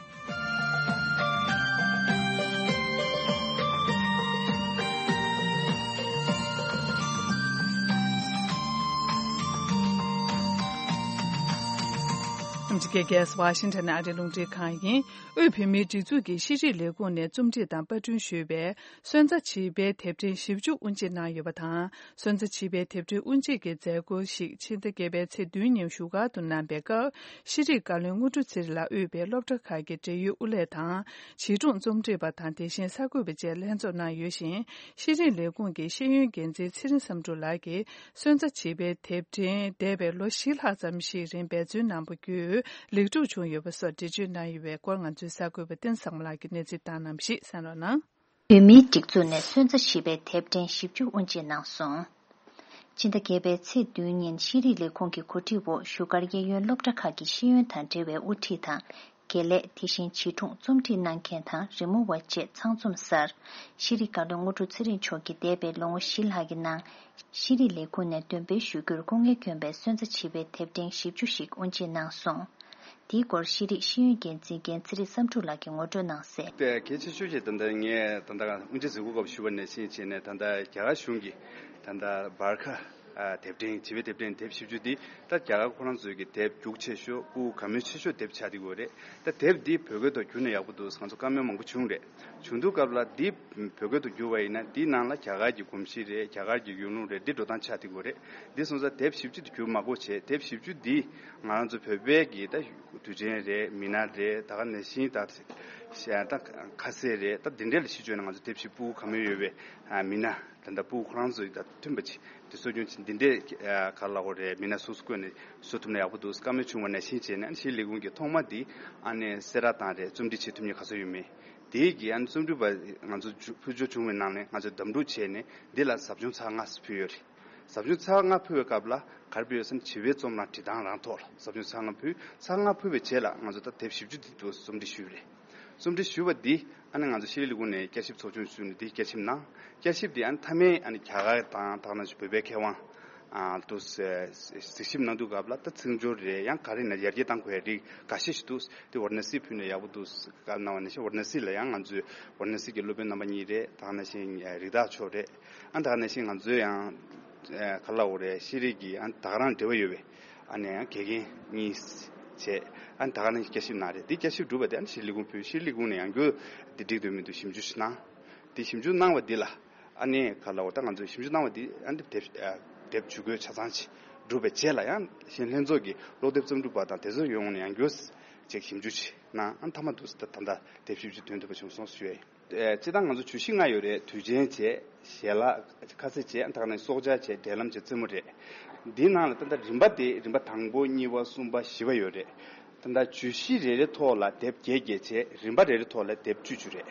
རྒྱལ་ཁབ་ཝ་ཤིང་ཊོན་ནས་ཨ་རིའི་རླུང་འཕྲིན་ཁང་ཡིན། དབུས་བོད་མིའི་སྒྲིག་འཛུགས་ཀྱི་ཤེས་རིག་ལས་ཁུངས་ནས་རྩོམ་སྒྲིག་དང་པར་སྐྲུན་ཞུས་པའི་སོན་རྩ་བྱིས་པའི་དེབ་ཕྲེང་བཞི་བཅུ་དབུ་འབྱེད་གནང་ཡོད་པ་དང་། སོན་རྩ་བྱིས་པའི་དེབ་ཕྲེང་དབུ་འབྱེད་ཀྱི་མཛད་སྒོ་ཞིག་ཕྱི་ཟླ་བརྒྱད་པའི་ཚེས་བདུན་ཉིན་བཞུགས་སྒར་དུ་གནང་པའི་སྐབས། ཤེས་རིག་བཀའ་བློན་དངོས་གྲུབ་ཚེ་རིང་ལགས་དབུས་པའི་སློབ་གྲྭ་ཁག་གི་འབྲེལ་ཡོད་དབུ་ལས་དང་། བྱིས་སྒྲུང་རྩོམ་སྒྲིག་པ་དང་། དེ་བཞིན་གསར་འགོད་པ་བཅས་ལྷན་ཚོགས་གནང་ཡོད་ཅིང་། ཤེས་རིག་ལས་ཁུངས་ཀྱི་ཤེས་ཡོན་འགན་འཛིན་ཚེ་རིང་བསམ་འགྲུབ་ལགས་ཀྱིས། སོན་རྩ་བྱིས་པའི་དེབ་ཕྲེང་འདས་པའི་ལོ་བཞི་ལྷག་ཙམ་ཞིག་རིང་འབད་བརྩོན་གནང་པ་བརྒྱུད་ལེགས་གྲུབ་བྱུང་ཡོད་པ་སོགས་འགྲེལ་བརྗོད་གནང་ཡོད་པའི་སྐོར། ང་ཚོའི་གསར་འགོད་པ་བསྟན་བཟང་མོ་ལགས་ཀྱིས་གནས་ཚུལ་བཏང་གནང་བ་ཞིག་གསན་རོགས་གནང་། བོད་མིའི་སྒྲིག་འཛུགས་ནས་སོན་རྩ་བྱིས་པའི་དེབ་ཕྲེང་བཞི་བཅུ་དབུ་འབྱེད་གནང་སོང་། ཕྱི་ཟླ་བརྒྱད་པའི་ཚེས་བདུན་ཉིན་ཤེས་རིག་ལས་ཁུངས་ཀྱི་གོ་སྒྲིག་འོག་བཞུགས་སྒར་གཡས་གཡོན་སློབ་གྲྭ་ཁག་གི་ཤེས་ཡོན་དང་འབྲེལ་བའི་དབུ་ཁྲིད་དང་། དགེ་ལས། དེ་བཞིན་བྱིས་སྒྲུང་རྩོམ་སྒྲིག་གནང་མཁན་དང་རི་མོ་བ་བཅས་ཚང་འཛོམས་སར། ཤེས་རིག་བཀའ་བློན་དངོས་གྲུབ་ཚེ་རིང་མཆོག་གིས་འདས་པའི་ལོ་ངོ་བཞི་ལྷག་གི་ནང་། ཤེས་རིག་ལས་ཁུངས་ནས་འདོན་སྤེལ་ཞུ་རྒྱུར་སྐུ་ངལ་བསྐྱོན་པའི་སོན་རྩ་བྱིས་པའི་དེབ་ཕྲེང་བཞི་བཅུ་ཞིག་དབུ་འབྱེད་གནང་སོང་། དེའི་སྐོར་ཤེས་རིག་ཤེས་ཡོན་འགན་འཛིན་རྒན་ཚེ་རིང་བསམ་འགྲུབ་ལགས་ཀྱིས་ངོ་སྤྲོད་གནང་གསལ། དེ་གལ་ཆེ་ཤོས་ཤིག་ད་ལྟ་ངས་ད་ལྟ་དབུ་འབྱེད་མཛད་སྒོ་སྐབས་ཞུ་བ་ནང་བཞིན་བྱས་ནས། ད་ལྟ་རྒྱ་གར་གཞུང་གིས་ད་ལྟ་བར་ཁ། ཨ། དེབ་ཕྲེང་། བྱིས་པའི་དེབ་ཕྲེང་དེབ་བཞི་བཅུ་འདི་ད་རྒྱ་གར་ཁོ་རང་ཚོའི་གི་དེབ་རྒྱུགས་ཆེ་ཤོས། ཕྲུ་གུ་གང་མོས་ཆེ་ཤོས་དེབ་ཆགས་བསྡད་ཡོད་རེད། ད་དེབ་འདི་བོད་སྐད་ཐོག་བསྒྱུར་ན་ཡག་པོ་འདུག། ང་ཚོ་བཀའ་མོལ་མང་པོ་བྱུང་རེད། བྱུང་དུས་སྐབས་ལ་འདི་བོད་སྐད་དུ་བསྒྱུར་བ་ཡིན་ན། འདི་ནང་ལ་རྒྱ་གར་གྱི་གོམས་གཤིས་རེད། རྒྱ་གར་གྱི་ཡུལ་ལུང་རེད། འདི་འགྲོ་སྟངས་ཆགས་བསྡད་ཡོད་རེད། འདི་སོང་ཙང་དེབ་བཞི་བཅུ་འདི་བསྒྱུར་མ་དགོས་བྱས། དེབ་བཞི་བཅུ་འདི་ང་རང་ཚོ་བོད་པའི་གི་ད་དུས་ཆེན་རེད། མི་སྣ་རེད། ད་ག་ནང་བཞིན་ད་ད་ཁ་ཟས་རེད། ད་འདི་འདྲ་ལ་གཞི་བཅོལ་ནས་ང་ཚོ་དེབ་བཞི། ཕྲུ་གུ་གང་མོས་ཡོད་པའི་མི་སྣ། ད་ལྟ་ཕྲུ་གུ་ཁོ་རང་ཚོ་ཡི་ད་མཐུན་པ་ཅིག་དེ་གསོ་སྐྱོང་བྱེད། འདི་འདྲའི་ག་ལ་གོ་རེད། མི་སྣ་སོ་སོ་བསྐོས་ནས་བཟོ་ཐུབ་ན་ཡག་པོ་འདུག། བཀའ་མོལ་བྱུང་བ་ནང་བཞིན་བྱས་ནས། ཨ་ནི་ཤེས་རིག་ལས་ཁུངས་ཀྱིས་ཐོག་མ་འདི་ཨ་ནི་གསལ་བསྒྲགས་བཏང་རེད། རྩོམ་སྒྲིག་བྱེད་ཐུབ་མཁན་ག་ཚོད་ཡོད་མེད། དེའི་གི་ཨ་ནི་རྩོམ་སྒྲིག་པ་ང་ཚོ་ཕུལ་ཆོག་བྱུང་བའི་ནང་ནས། ང་ཚོས་འདེམས་སྒྲུག་བྱས་ནས་འདི་ལ་ཟབ་སྦྱོང་ཚར་ལྔ་ཕུལ་ཡོད་རེད། ཟབ་སྦྱོང་ཚར་ལྔ་ཕུལ་བའི་སྐབས་ལ་ག་རེ་ཕུལ་ཡོད་ཟེར་ན། བྱིས་པའི་རྩོམ་རང་བྲིས་སྟངས་རང་ཐོག་ལ་ཟབ་སྦྱོང་ཚར་ལྔ་ཕུལ། ཚར་ལྔ་ཕུལ་བའི་རྗེས་ལ་ང་ཚོ་ད་དེབ་བཞི་བཅུ་འདི་ཚོ་རྩོམ་སྒྲིག་ཞུས་པ་རེད། རྩོམ་སྒྲིག་ཞུས་པ་འདི་ཨ་ནི་ང་ཚོ་ཤེས་རིག་ལས་ཁུངས་ནས་བསྐྱར་ཞིབ་ཚོགས་ཆུང་བཙུགས་ནས་འདི་བསྐྱར་ཞིབ་གནང་། བསྐྱར་ཞིབ་འདི་ཨ་ནི་མཐའ་མའི་ཨ་ནི་རྒྱ་གར་དང་། ད་ག་ནང་བཞིན་བོད་པའི་མཁས་དབང་ཨ་དུ་གཟིགས་ཞིབ་གནང་དུས་སྐབས་ལ། ད་ཚིག་སྦྱོར་རེད། ཡང་ག་རེ་ན་ཡར་རྒྱས་གཏང་དགོས་ཡ་རིགས་འགའ་ཤས་ཤིག་འདུག། དེ་ཝཱ་ར་ཎ་སི་ཕུལ་ན་ཡག་པོ་འདུག་བཀའ་གནང་བ་ནང་བཞིན། ཝཱ་ར་ཎ་སི་ལ་ཡང་ང་ཚོས་ཝཱ་ར་ཎ་སི་གི་སློབ་དཔོན་རྣམ་པ་གཉིས་རེད། ད་ག་ནང་བཞིན་རི་དྭགས་མཆོག་རེད། ཨ་ད་ག་ནང་བཞིན་ང་ཚོས་ཡང་ཨ་ག་ལ་འོ་རེད། ཤེས་རིག་གི་ཨ་ད་ག་རང་འབྲེལ་བ་ཡོད་པའི་ཨ་ནི་ཡང་དགེ་རྒན་གཉིས་བྱས། ཨ་ནི་ད་ག་ནང་བཞིན་བསྐྱར་ཞིབ་གནང་རེད། འདི་བསྐྱར་ཞིབ་གྲུབ་པ་དེ་ཨ་ནི་ཤེས་རིག་ལས་ཁུངས་ཕུལ། ཤེས་རིག་ལས་ཁུངས་ནས་ཡང་བསྐྱར་འདི་འགྲིག་འདུག་མི་འདུག་ཞིབ་འཇུག་ཞིག་གནང་། འདི་ཞིབ་འཇུག་གནང་བ་འདི་ལ་ཨ་ནི་ག་ལ་འོ་ད་ང་ཚོས་ཞིབ་འཇུག་གནང་བ་འདི་ཨ་ནི་དེབ་ཨ་དེབ་ཇུས་འགོད་ཆ་ཚང་ཅིག་གྲུབ་པའི་རྗེས་ལ། ཡང་གཞན་ལྷན་ཚོགས་ཀྱི་སློབ་དེབ་རྩོམ་སྒྲིག་པ་དང་དེ་ཚོ་ཡོང་ནས་ཡང་བསྐྱར་ཅིག་ཞིབ་འཇུག་ཅིག་གནང་། ཨ་ནི་མཐའ་མ་འདུག་ཟེར། ད་ད་ལྟ་དེབ་བཞི་བཅུ་ཐོན་ཐུབ་པ་བྱུང་སོང་ཞུ་ཡ་ཡིན། ཨེ། སྤྱིར་བཏང་ང་ཚོ་བརྗོད་གཞི་ལྔ་ཡོད་རེད། དུས་ཆེན་བྱས། ཞལ་ལག་ཁ་ཟས་བྱས། ད་ག་ནང་བཞིན་སྲོག་ཆགས་བྱས། འབྲེལ་ལམ་བྱས། རྩེད་མོ་རེད། འདིའི་ནང་ལ་ད་ལྟ་རིམ་པ་དེ། རིམ་པ་དང་པོ། གཉིས་པ། གསུམ་པ། བཞི་པ་ཡོད་རེད། ད་ལྟ་བརྗོད་གཞི་རེ་རེ་ཐོག་ལ་དེབ་བརྒྱད་བརྒྱད་བྱས། རིམ་པ་རེ་རེ་ཐོག་ལ་དེབ་བཅུ་བཅུ་རེད།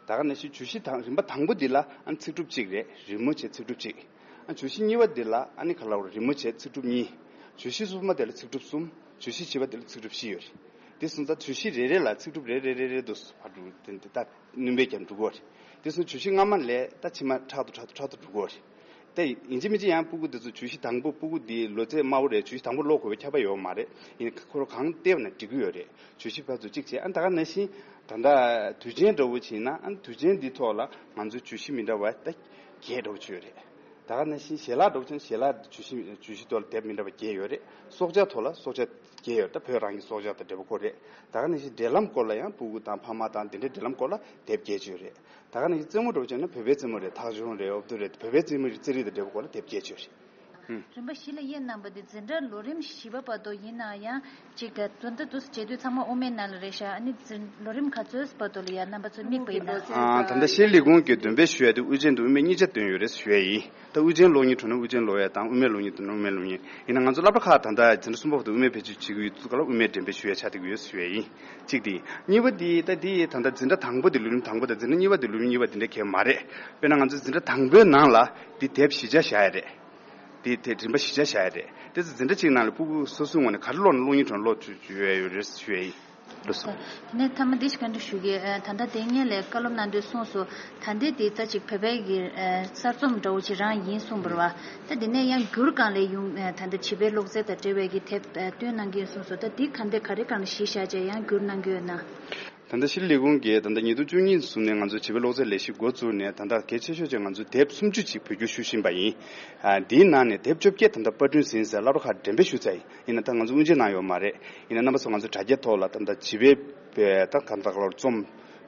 ད་ག་ནང་བཞིན་བརྗོད་གཞི་དང་རིམ་པ་དང་པོ་འདི་ལ་ཨ་ནི་ཚིག་གྲུབ་གཅིག་རེད། རི་མོ་བྱས། ཚིག་གྲུབ་གཅིག། ཨ་བརྗོད་གཞི་གཉིས་པ་འདི་ལ་ཨ་ནི་ག་ལ་འོ་རི་མོ་བྱས། ཚིག་གྲུབ་གཉིས། བརྗོད་གཞི་གསུམ་པ་དེ་ལ་ཚིག་གྲུབ་གསུམ། བརྗོད་གཞི་བཞི་པ་དེ་ལ་ཚིག་གྲུབ་བཞི་ཡོད་རེད། དེ་སོང་ཙང་བརྗོད་གཞི་རེ་རེ་ལ་ཚིག་གྲུབ་རེ་རེ་རེ་རེ་འདུག་ཟེར་བ་འདུག། དེ་འདི་ལྟར་སྣོན་པ་རྒྱབ་འགྲོ་གི་ཡོད་རེད། དེ་སོང་བརྗོད་གཞི་སྔ་མ་ལས་ད་ཕྱི་མ་ཕྲག་ཏུ་ཕྲག་ཏུ་ཕྲག་ཏུ་འགྲོ་གི་ཡོད་རེད། ད་ཡིན་གཅིག་མིན་གཅིག་ཡང་ཕྲུ་གུ་དེ་ཚོ་བརྗོད་གཞི་དང་པོ། ཕྲུ་གུ་འདི་ལོ་ཚད་དམའ་བོ་རེད། བརྗོད་གཞི་དང་པོ་ཀློག་དགོས་པའི་ཁྱབ་པ་ཡོད་མ་རེད། ཡིན་ནའི་ཁོ་རང་གང་བལྟས་པ་ན་འགྲིག་གི་ཡོད་རེད། བརྗོད་གཞི་ཕར་ཚུར་གཅིག་བྱས། ཨ་ད་ག་ནང་བཞིན་ད་ལྟ་དུས་ཆེན་འདྲ་བོ་བྱས་ན། ཨ་དུས་ཆེན་འདི་ཐོག་ལ་ང་ཚོའི་བརྗོད་གཞི་མི་འདྲ་བ་ད་བརྒྱད་འདྲ་བོ་ཅིག་ཡོད་རེད། ད་ག་ནང་བཞིན་ཞལ་ལག་འདྲ་བོ་བྱས་ན། ཞལ་ལག་བརྗོད་གཞི། བརྗོད་གཞི་ཐོག་ལ་དེབ་མི་འདྲ་བ་བརྒྱད་ཡོད་རེད། སྲོག་ཆགས་ཐོག་ལ་སྲོག་ཆགས་བརྒྱད་ཡོད་རེད། ད་བོད་རང་གི་སྲོག་ཆགས་དང་འབྲེལ་བ་ཁོ་རེད། ད་ག་ནང་བཞིན་འབྲེལ་ལམ་སྐོར་ལ་ཡང་ཕྲུ་གུ་དང་ཕ་མ་དང་དེ་འདྲའི་འབྲེལ་ལམ་སྐོར་ལ་དེབ་བརྒྱད་ཅིག་ཡོད་རེད། ད་ག་ནང་བཞིན་རྩེད་མོ་འདྲ་བོ་བྱས་ན། བོད་པའི་རྩེད་མོ་རེད། ཐག་ཆོད་རེད། འོབ་ཏོ་རེད། བོད་པའི་རྩེད་མོ་རེད། རྩེད་རིགས་དང་འབྲེལ་བ་སྐོར་ལ་དེབ་བརྒྱད་ཅིག་ཡོད་རེད། ཨུམ། རིམ་པ་བཞི་ལ་དབྱེ་གནང་བ་དེ་འཛིན་གྲྭ་ལོ་རིམ་བཞི་པ་བར་དུ་ཡིན་ན་ཡང་གཅིག་ག་དོན་དག་དུ་བྱེད་དུས་ཚང་མ་དབུ་མའི་ནང་ལ་རེད་ཤག། ཨ་ནི་འཛིན་ལོ་རིམ་ག་ཚོད་བར་དུ་ལ་ཡང་རྣམ་པ་ཚོས་དམིགས་པ་ཡིན་ན། ཨ། ད་ལྟ་ཤེས་རིག་ལས་ཁུངས་ཀྱིས་འདོན་སྤེལ་ཞུ་ཡ་དེ་དབུ་ཅན་དང་དབུ་མེད་གཉིས་ཆ་འདོན་ཡོད་རེད་ཞུ་ཡ་ཡིན། ད་དབུ་ཅན་ཀློག་མཁན་བྱུང་ན་དབུ་ཅན་ཀློག་ཡ་དང་། དབུ་མེད་ཀློག་མཁན་བྱུང་ན་དབུ་མེད་ཀློག་མཁན། ཡིན་ན་ང་ཚོ་སློབ་གྲྭ་ཁག་ད་ལྟ་འཛིན་གྲྭ་གསུམ་པ་བར་དུ་དབུ་མེད་བེད་སྤྱོད་བྱེད་ཀྱི་ཡོད་དུས་སྐབས་ལ་དབུ་མེད་འགྲེམས་སྤེལ་ཞུ་ཡ་ཆགས་བསྡད་ཀྱི་ཡོད་ཞུ་ཡ་ཡིན། གཅིག་དེ་ཡིན། གཉིས་པ་དེ་ད་དེ་ད་ལྟ་འཛིན་གྲྭ་དང་པོ་དེ། ལོ་རིམ་དང་པོ་དང་འཛིན་གྲྭ་གཉིས་པ་དང་ལོ་རིམ་གཉིས་པ་དེ་འདྲ་གང་ཡང་མ་རེད། དཔེར་ན་ང་ཚོ་འཛིན་གྲྭ་དང་པོའི་ནང་ལ་དེ་དེབ་བཞི་ཆ་བཞག་ཡ་རེད། དེ་དེ་རིམ་པ་བཞི་ཆ་བཞག་ཡ་རེད། དེ་ཚོ་འཛིན་གྲྭ་གཅིག་ནང་ལ་ཕྲུ་གུ་སོ་སོའི་ངོས་ནས་ག་རེ་ཀློག་ན་ཀློག་མཁན་བྱུང་ན་ཀློག་བཅུག་ཡ་ཡོད་རེད་ཞུ་ཡ་ཡིན། ལགས་སོ། དེ་ནས་མཐའ་མ་འདི་ཞིག་བཀའ་འདྲི་ཞུ་གི། ཨ། ད་ལྟ་དེ་སྔོན་ལ་བཀའ་སློབ་གནང་དུས་གསུངས་སོང་། ད་ལྟའི་དེ་རྩ་གཅིག་བོད་པའི་གི། ཨ། གསར་རྩོམ་འདྲ་བོ་ཅིག་རང་ཡིན་གསུངས་པ་རེད་བ། ད་དེ་ནས་ཡང་བསྒྱུར་སྒང་ལ་ཡང་། ཨ། ད་ལྟ་བྱིས་པའི་ཀློག་རྩལ་དང་འབྲེལ་བའི་གི་དེབ། ཨ། བཏོན་གནང་གི་ཡོད་གསུངས་སོང་། ད་འདི་ག་འདྲ་ག་རེ་སྒང་ལ་གཞི་བཞག་བྱས་ཡང་བསྒྱུར་གནང་གི་ཡོད་ན། ད་ལྟ་ཤེས་རིག་ལས་ཁུངས་ཀྱིས་ད་ལྟ་ཉིས་སྟོང་བཅུ་གཉིས་བཟུང་ནས་ང་ཚོ་བྱིས་པའི་ཀློག་རྩལ་ལས་གཞི་འགོ་བཙུགས་ནས་ད་ལྟ་གལ་ཆེ་ཤོས་ཀྱི་ང་ཚོ་དེབ་སུམ་ཅུ་ཅིག་བོད་བསྒྱུར་ཞུ་བཞིན་པ་ཡིན། ཨ། འདིའི་ནང་ནས་དེབ་བཅོ་བརྒྱད་ད་ལྟ་པར་སྐྲུན་ཟིན་ཟེར་སློབ་གྲྭ་ཁག་འགྲེམས་སྤེལ་ཞུ་ཚར་ཡིན། ཡིན་ན་ད་ང་ཚོ་དབུ་འབྱེད་གནང་ཡོད་མ་རེད། ཡིན་ན་རྣམ་པ་ཚོ་ང་ཚོ་དྲ་རྒྱའི་ཐོག་ལ་ད་ལྟ་བྱིས་པའི་ད་གང་ལྟར་ལ་རྩོམ་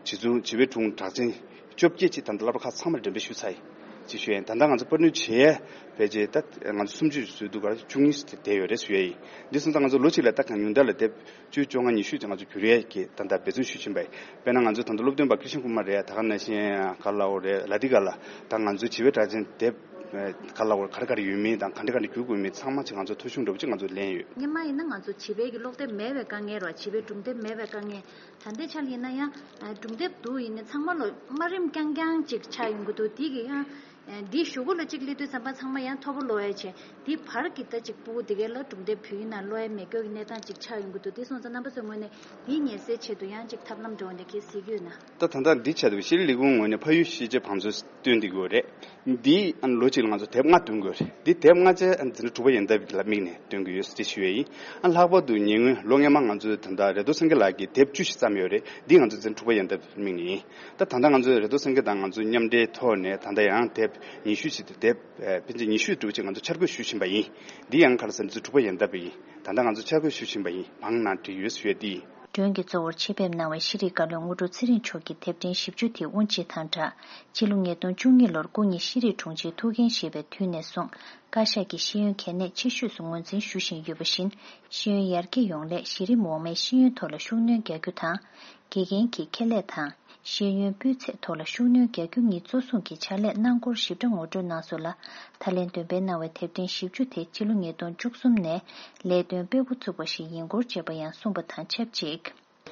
བྱིས་ཚུལ་བྱིས་པའི་སྒྲུང་གྲགས་ཅན་བཅོ་བརྒྱད་ཅིག་ད་ལྟ་སློབ་གྲྭ་ཁག་ཚང་མར་འགྲེམས་སྤེལ་ཞུ་ཚར་ཡིན་ཅེས་ཞུ་ཡིན། ད་ལྟ་ང་ཚོ་པར་སྐྲུན་བྱས་ཕལ་ཆེར་ད་ང་ཚོ་སུམ་ཅུ་བཟོས་འདུག་ག་རེ་བཅུ་གཉིས་བསྡད་ཡོད་རེད་ཞུ་ཡ་ཡིན། འདི་སོང་ཙང་ང་ཚོ་ལོ་གཅིག་ལ་ད་གང་ཉུང་མཐའ་ལ་དེབ་བཅུ་བཅོ་ལྔ་ཉི་ཤུ་ཅིག་ང་ཚོ་བསྒྱུར་ཡས་ཀྱི་ད་ལྟ་འབད་བརྩོན་ཞུ་བཞིན་པ་ཡིན། དཔེར་ན་ང་ཚོ་ད་ལྟ་སློབ་སྟོན་པ་ཀྲི་ཤན་ཀུ་མར་རེད། ད་ག་ནང་བཞིན་ག་ལ་འོ་རེད། ལ་ཏི་ག་ལ་ད་ང་ཚོའི་བྱིས་པའི་གྲགས་ཅན་དེབ་ག་ལ་འོ་ག་རེ་ག་རེ་ཡོད་མིན་དང་ག་འདྲ་ག་འདྲ་བསྒྱུར་དགོས་མིན་ཚང་མ་ཅིག་ང་ཚོ་ཐོ་གཞུང་འདྲ་པོ་ཅིག་ང་ཚོ་ལེན་ཡོད། སྔོན་མ་ཡིན་ན་ང་ཚོ་བྱིས་པའི་གི་ཀློག་དེབ་མེད་པའི་དཀའ་ངལ་རེད་བ། བྱིས་པའི་སྒྲུང་དེབ་མེད་པའི་དཀའ་ངལ། ད་ལྟའི་ཆར་ཡིན་ན་ཡང་སྒྲུང་དེབ་འདུག་ཡིན་ནའི་ཚང་མ་ལོ་དམའ་རིམ་རྐྱང་རྐྱང་ཅིག་ཆགས་ཡོང་གི་འདུག་དེ་གི་ཡང་འདི་གཞུག་གུ་ལ་ཅིག་སླེབས་དུས་ཙམ་པ་ཚང་མ་ཡང་མཐོ་པོ་ཀློག་ཡ་བྱས། འདི་བར་གྱི་ད་ཅིག་སྤུ་གུ་དེ་གའི་ལ་སྒྲུང་དེབ་བོད་ཡིག་ནང་ཀློག་ཡ་མེད་སྐྱོ་གི་གནས་སྟངས་ཅིག་ཆགས་ཡོང་གི་འདུག་དེ་སོང་ཙང་རྣམ་པ་ཚོའི་ངོས་ནས་འདི་ངེས་སེལ་ཆེད་དུ་ཡང་ཅིག་ཐབས་ལམ་འདྲ་བོ་འདི་གས་གཟིགས་ཀྱི་ཡོད་ན། ད་ད་ལྟ་འདི་ཆེད་དུ་ཤེས་རིག་ལས་ཁུངས་ངོས་ནས་ཕ་ཡུལ་ཤེས་བྱའི་བང་མཛོད་བཏོན་བསྡད་ཀྱི་ཡོད་རེད། འདི་ཨ་ནི་ལོ་གཅིག་ལ་ང་ཚོ་དེབ་ལྔ་འདོན་དགོས་རེད། འདི་དེབ་ལྔ་ཆ་ཨ་ནི་འཛིན་གྲྭ་དྲུག་པ་ཡན་ལྟ་བུ་ལ་དམིགས་ནས་འདོན་གྱི་ཡོད་ཅེས་ཞུ་ཡས་ཡིན། ཨ་ལྷག་པར་དུ་ཉེ་སྔོན་ལོ་སྔོན་མ་ང་ཚོས་ད་ལྟ་རེ་དོ་སེང་གེ་ལགས་ཀྱིས་དེབ་བཅུ་ཞིག་བརྩམས་ཡོད་རེད། འདི་ང་ཚོ་འཛིན་གྲྭ་དྲུག་པ་ཡན་ལྟ་བུ་དམིགས་ནས་ཡིན། ད་ད་ལྟ་ང་ཚོས་རེ་དོ་སེང་གེ་དང་ང་ཚོ་མཉམ་འབྲེལ་ཐོག་ནས་ད་ལྟ་ཡང་དེབ་ཉི་ཤུ་ཞིག་དེ་དེབ་ཨ་ཕལ་ཆེར་ཉི་ཤུ་འདྲ་བོ་ཅིག་ང་ཚོ་འཆར་འགོད་ཞུ་བཞིན་པ་ཡིན། འདི་ཡང་ག་རེ་ཟེར་ན་འཛིན་གྲྭ་དྲུག་པ་ཡན་ལྟ་བུ་ཡིན། ད་ལྟ་ང་ཚོ་འཆར་འགོད་ཞུ་བཞིན་པ་ཡིན། བང་ནང་བྲིས་ཡོད་ཞུ་ཡས་འདི་ཡིན། སྒྲོན་གྱི་གཙོ་བོར་ཆེད་ཕེབས་གནང་བའི་ཤེས་རིག་བཀའ་བློན་དངོས་གྲུབ་ཚེ་རིང་མཆོག་གི་དེབ་ཕྲེང་བཞི་བཅུ་དེ་དབུ་འབྱེད་དང་སྦྲགས། སྤྱི་ལོ་ཉིས་སྟོང་བཅུ་གཉིས་ལོར་སྐུ་ཉིད་ཤེས་རིག་དྲུང་ཆེའི་ཐུགས་འགན་བཞེས་པའི་དུས་ནས་བཟུང་བཀའ་ཤག་གིས་ཤེས་ཡོན་གལ་གནད་ཆེ་ཤོས་སུ་ངོས་འཛིན་ཞུ་བཞིན་ཡོད་པ་བཞིན། ཤེས་ཡོན་ཡར་རྒྱས་ཡོང་སླད་གཞི་རིམ་འོག་མའི་ཤེས་ཡོན་ཐོག་ལ་ཤུགས་སྣོན་རྒྱག་རྒྱུ་དང་། དགེ་རྒན་གྱི་ཁེ་ལས་དང་། ཤེས་ཡོན་སྤུས་ཚད་ཐོག་ལ་ཤུགས་སྣོན་རྒྱག་རྒྱུ་གཉིས་གཙོ་བཟུང་གིས་ཕྱག་ལས་གནང་སྐོར་ཞིབ་ཕྲ་ངོ་སྤྲོད་གནང་སོང་ལ། ད་ལན་འདོན་སྤེལ་གནང་བའི་དེབ་ཕྲེང་བཞི་བཅུ་དེ་སྤྱི་ལོ་ཉིས་སྟོང་བཅུ་གསུམ་ནས་ལས་དོན་སྤེལ་འགོ་ཚུགས་པ་ཞིག་ཡིན་སྐོར་བཅས་པ་ཡང་གསུངས་པ་དང་ཆབས་ཅིག་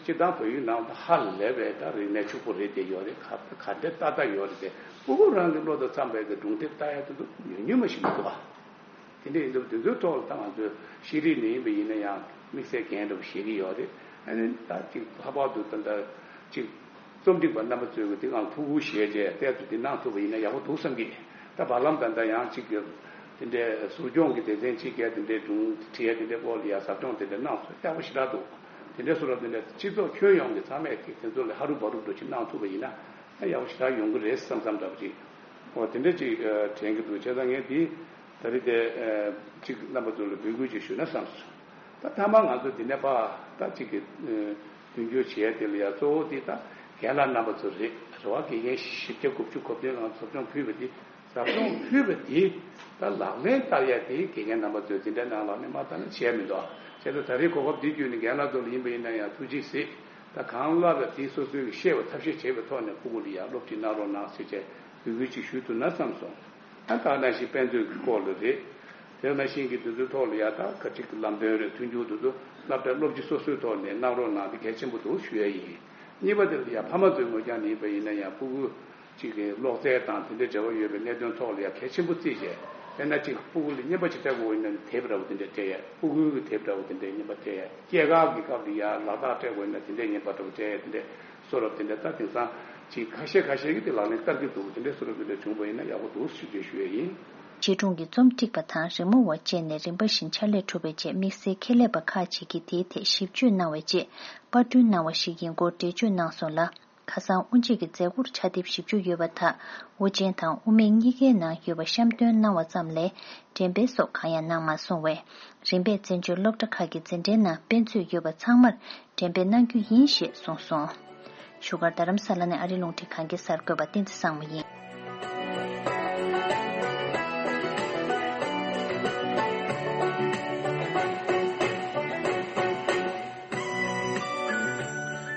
སྤྱིར་བཏང་བོད་ཡིག་ནང་དུ་ཧ་ལས་པའི་ད་རིག་གནས་ཕྱུག་པོ་རེད་དེ་ཡོད་རེད། ག་ག་འདྲ་ཏག་ཏག་ཡོད་རེད་དེ། སྤུ་གུ་རང་གི་བློ་དང་འཚམ་པའི་གི་སྒྲུང་དེབ་ལྟ་ཡ་དེ་ཚོ་ཉུང་ཉུང་མ་ཞིག་མི་འདུག་ཨ། དེ་འདྲ་ཡིན་དུས་དེ་ཚོའི་ཐོག་ལ་ད་ང་ཚོས་ཤེས་རིག་ནས་ཡིན་པ་ཡིན་ན་ཡང་དམིགས་བསལ་འགན་འདྲ་པོ་བཞེས་ཀྱི་ཡོད་རེད། ཨ་ནི་ད་ཅིག་ལྷག་པར་དུ་ད་ལྟ་ཅིག་རྩོམ་སྒྲིག་པ་རྣམ་པ་ཚོས་དེ་སྒང་ཐུགས་ཁུར་བཞེས་བྱས་ཏོག་ཙམ་དེ་གནང་ཐུབ་པ་ཡིན་ན་ཡག་པོ་འདུག་བསམ་གྱི། ད་བར་ལམ་ད་ལྟ་ཡང་ཅིག་དེ་འདྲའི་ཟུར་སྦྱོང་གི་སྡེ་ཚན་གཅིག་གིས་དེ་འདྲའི་སྒྲུང་བྲིས་ཡ་དེ་འདྲའི་སྐོར་ལ་ཡ་ཟབ་སྦྱོང་དེ་འདྲ་གནང་སོང་། ཡག་པོ་ཞེ་དྲག་འདུག་དེ་འདྲའི་བཟོ་འདྲ་དེ་འདྲ་སྤྱི་ཚོགས་ཁྱོན་ཡོངས་ཀྱི་ཚང་མས་དེ་དེ་ཚོ་ལ་ཧ་རུབ་བ་རུབ་འདྲ་ཅིག་གནང་ཐུབ་པ་ཡིན་ན། ཡག་པོ་ཞེ་དྲག་ཡོང་གི་རེད་བསམ་བསམ་འདྲ་པོ་ཅིག་འོ་དེ་འདྲ་ཅིག་དྲན་གྱི་འདུག་བྱས་ཙང་ངས་འདི་ད་རེས་དེ་ཅིག་རྣམ་པ་ཚོ་ལ་འབོད་སྐུལ་ཅིག་ཞུས་ན་བསམ་སོང་། ད་མཐའ་མ་ང་ཚོ་འདི་ནས་ཕར་ད་ཅིག་གི་མདུན་སྐྱོད་བྱས་དེ་ལ་ཡ་གཙོ་བོ་དེ་ད་རྒན་ལགས་རྣམ་པ་ཚོ་རེད། རེད་བ། དགེ་རྒན་བཞི་བརྒྱ་དགུ་བཅུ་གོ་བདུན་ལ་ཟབ་སྦྱོང་ཕུལ་བ་དེ། ཟབ་སྦྱོང་ཕུལ་བ་དེ་ད་ལག་ལེན་བསྟར་ཡ་དེ་དགེ་རྒན་རྣམ་པ་ཚོས་འཛིན་གྲྭ་ནང་ལ་ནས་མ་བསྟར་ན་བྱས་མི་འདུག་བྱས་ཙང་ད་རེས་གོ་སྐབས་འདི་བརྒྱུད་ནས་རྒན་ལགས་ཚོ་ལ་ཡིན་པ་ཡིན་ན་ཡང་ཐུགས་རྗེ་གཟིགས། ད་གང་ལ་ལ་དེ་སོ་སོའི་ཤེས་པ་ཐབས་ཤེས་བྱེད་པའི་ཐོག་ནས་སྤུ་གུ་ལ་ཡང་སློབ་ཁྲིད་གནང་རོགས་གནང་ཟེར་བྱས་འབོད་སྐུལ་ཅིག་ཞུ་ཐུབ་ན་བསམ་སོང་། ད་ད་ནང་བཞིན་དཔེ་མཛོད་ཀྱི་སྐོར་ལ་རེད། དེ་ནང་བཞིན་གྱི་དེ་ཚོའི་ཐོག་ལ་ཡ་ད་ག་ཅིག་གི་ལམ་སྟོན་རེད། མཐུན་འགྱུར་དེ་ཚོ་སློབ་གྲྭ་སློབ་སྤྱི་སོ་སོའི་ཐོག་ནས་གནང་རོགས་གནང་དེ་གལ་ཆེན་པོ་འདུག་ཞུ་ཡ་ཡིན། གཉིས་པ་དེ་ལ་ཡ་ཕ་མ་ཚོའི་ངོས་ཀྱང་ཡིན་པ་ཡིན་ན་ཡང་སྤུ་གུ་གཅིག་གི་ཀློག་རྩལ་དང་དེ་འདྲའི་འབྲེལ་བ་ཡོད་པའི་གནད་དོན་ཐོག་ལ་ཡང་གལ་ཆེན་པོ་བརྩིས་བྱས། དཔེར་ན་གཅིག་སྤུ་གུ་ལ་རྔན་པ་ཅིག་སྤྲད་དགོས་ཡིན་ན་དེབ་འདྲ་བོ་དེ་འདྲ་སྤྲད་ཡས། སྤུ་གུའི་གི་དེབ་འདྲ་བོ་དེ་འདྲའི་རྔན་པ་སྤྲད་ཡས། སྐྱེས་སྐར་གྱི་སྐབས་ལ་ཡང་ལག་རྟགས་སྤྲད་དགོས་ཡིན་ན་དེ་འདྲའི་རྔན་པ་འདྲ་བོ་སྤྲད་ཡས། དེ་འདྲའི་བཟོ་འདྲ་དེ་འདྲ་ད་དེང་སང་གཅིག་ཁ་ཤས་ཁ་ཤས་ཀྱིས་དེ་ལག་ལེན་བསྟར་གྱི་འདུག་དེ་འདྲའི་བཟོ་འདྲ་དེ་འདྲ་བྱུང་བ་ཡིན་ན་ཡག་པོ་འདུག་ཞུ་རྒྱུ་ཞུ་ཡས་ཡིན། བྱིས་སྒྲུང་གི་རྩོམ་སྒྲིག་པ་དང་རི་མོ་བ་བཅས་ནས་རིམ་པ་བཞིན་ཕྱག་ལས་གྲུབ་པའི་རྗེས་དམིགས་བསལ་ཁྱད་ལས་པ་ཁག་ཅིག་གིས་དེའི་ཐད་ཞིབ་དཔྱོད་གནང་བའི་རྗེས་པར་སྐྲུན་གནང་བ་ཞིག་ཡིན་སྐོར་འགྲེལ་བརྗོད་གནང་སོང་ལ། ཁ་སང་དབུ་འབྱེད་ཀྱི་མཛད་སྒོར་ཕྱག་དེབ་བཞི་བཅུ་ཡོད་པ་དག་དབུ་ཅན་དང་དབུ་མེད་གཉིས་ཀའི་ནང་ཡོད་པ་བཤམས་སྟོན་གནང་བ་ཙམ་ལས་འགྲེམས་སྤེལ་སོགས་གང་ཡང་གནང་མ་སོང་བས། རིམ་པས་བཙན་བྱོལ་སློབ་གྲྭ་ཁག་གི་འཛིན་གྲྭའི་ནང་དཔེ་མཛོད་ཡོད་པ་ཚང་མར་འགྲེམས་སྤེལ་གནང་རྒྱུ་ཡིན་ཞེས་གསུངས་སོང་། བཞུགས་སྒར་རྡ་རམ་ས་ལ་ནས་ཨ་རི་རླུང་འཕྲིན་ཁང་གི་གསར་འགོད་པ་བསྟན་འཛིན་བཟང་མོ་ཡིན།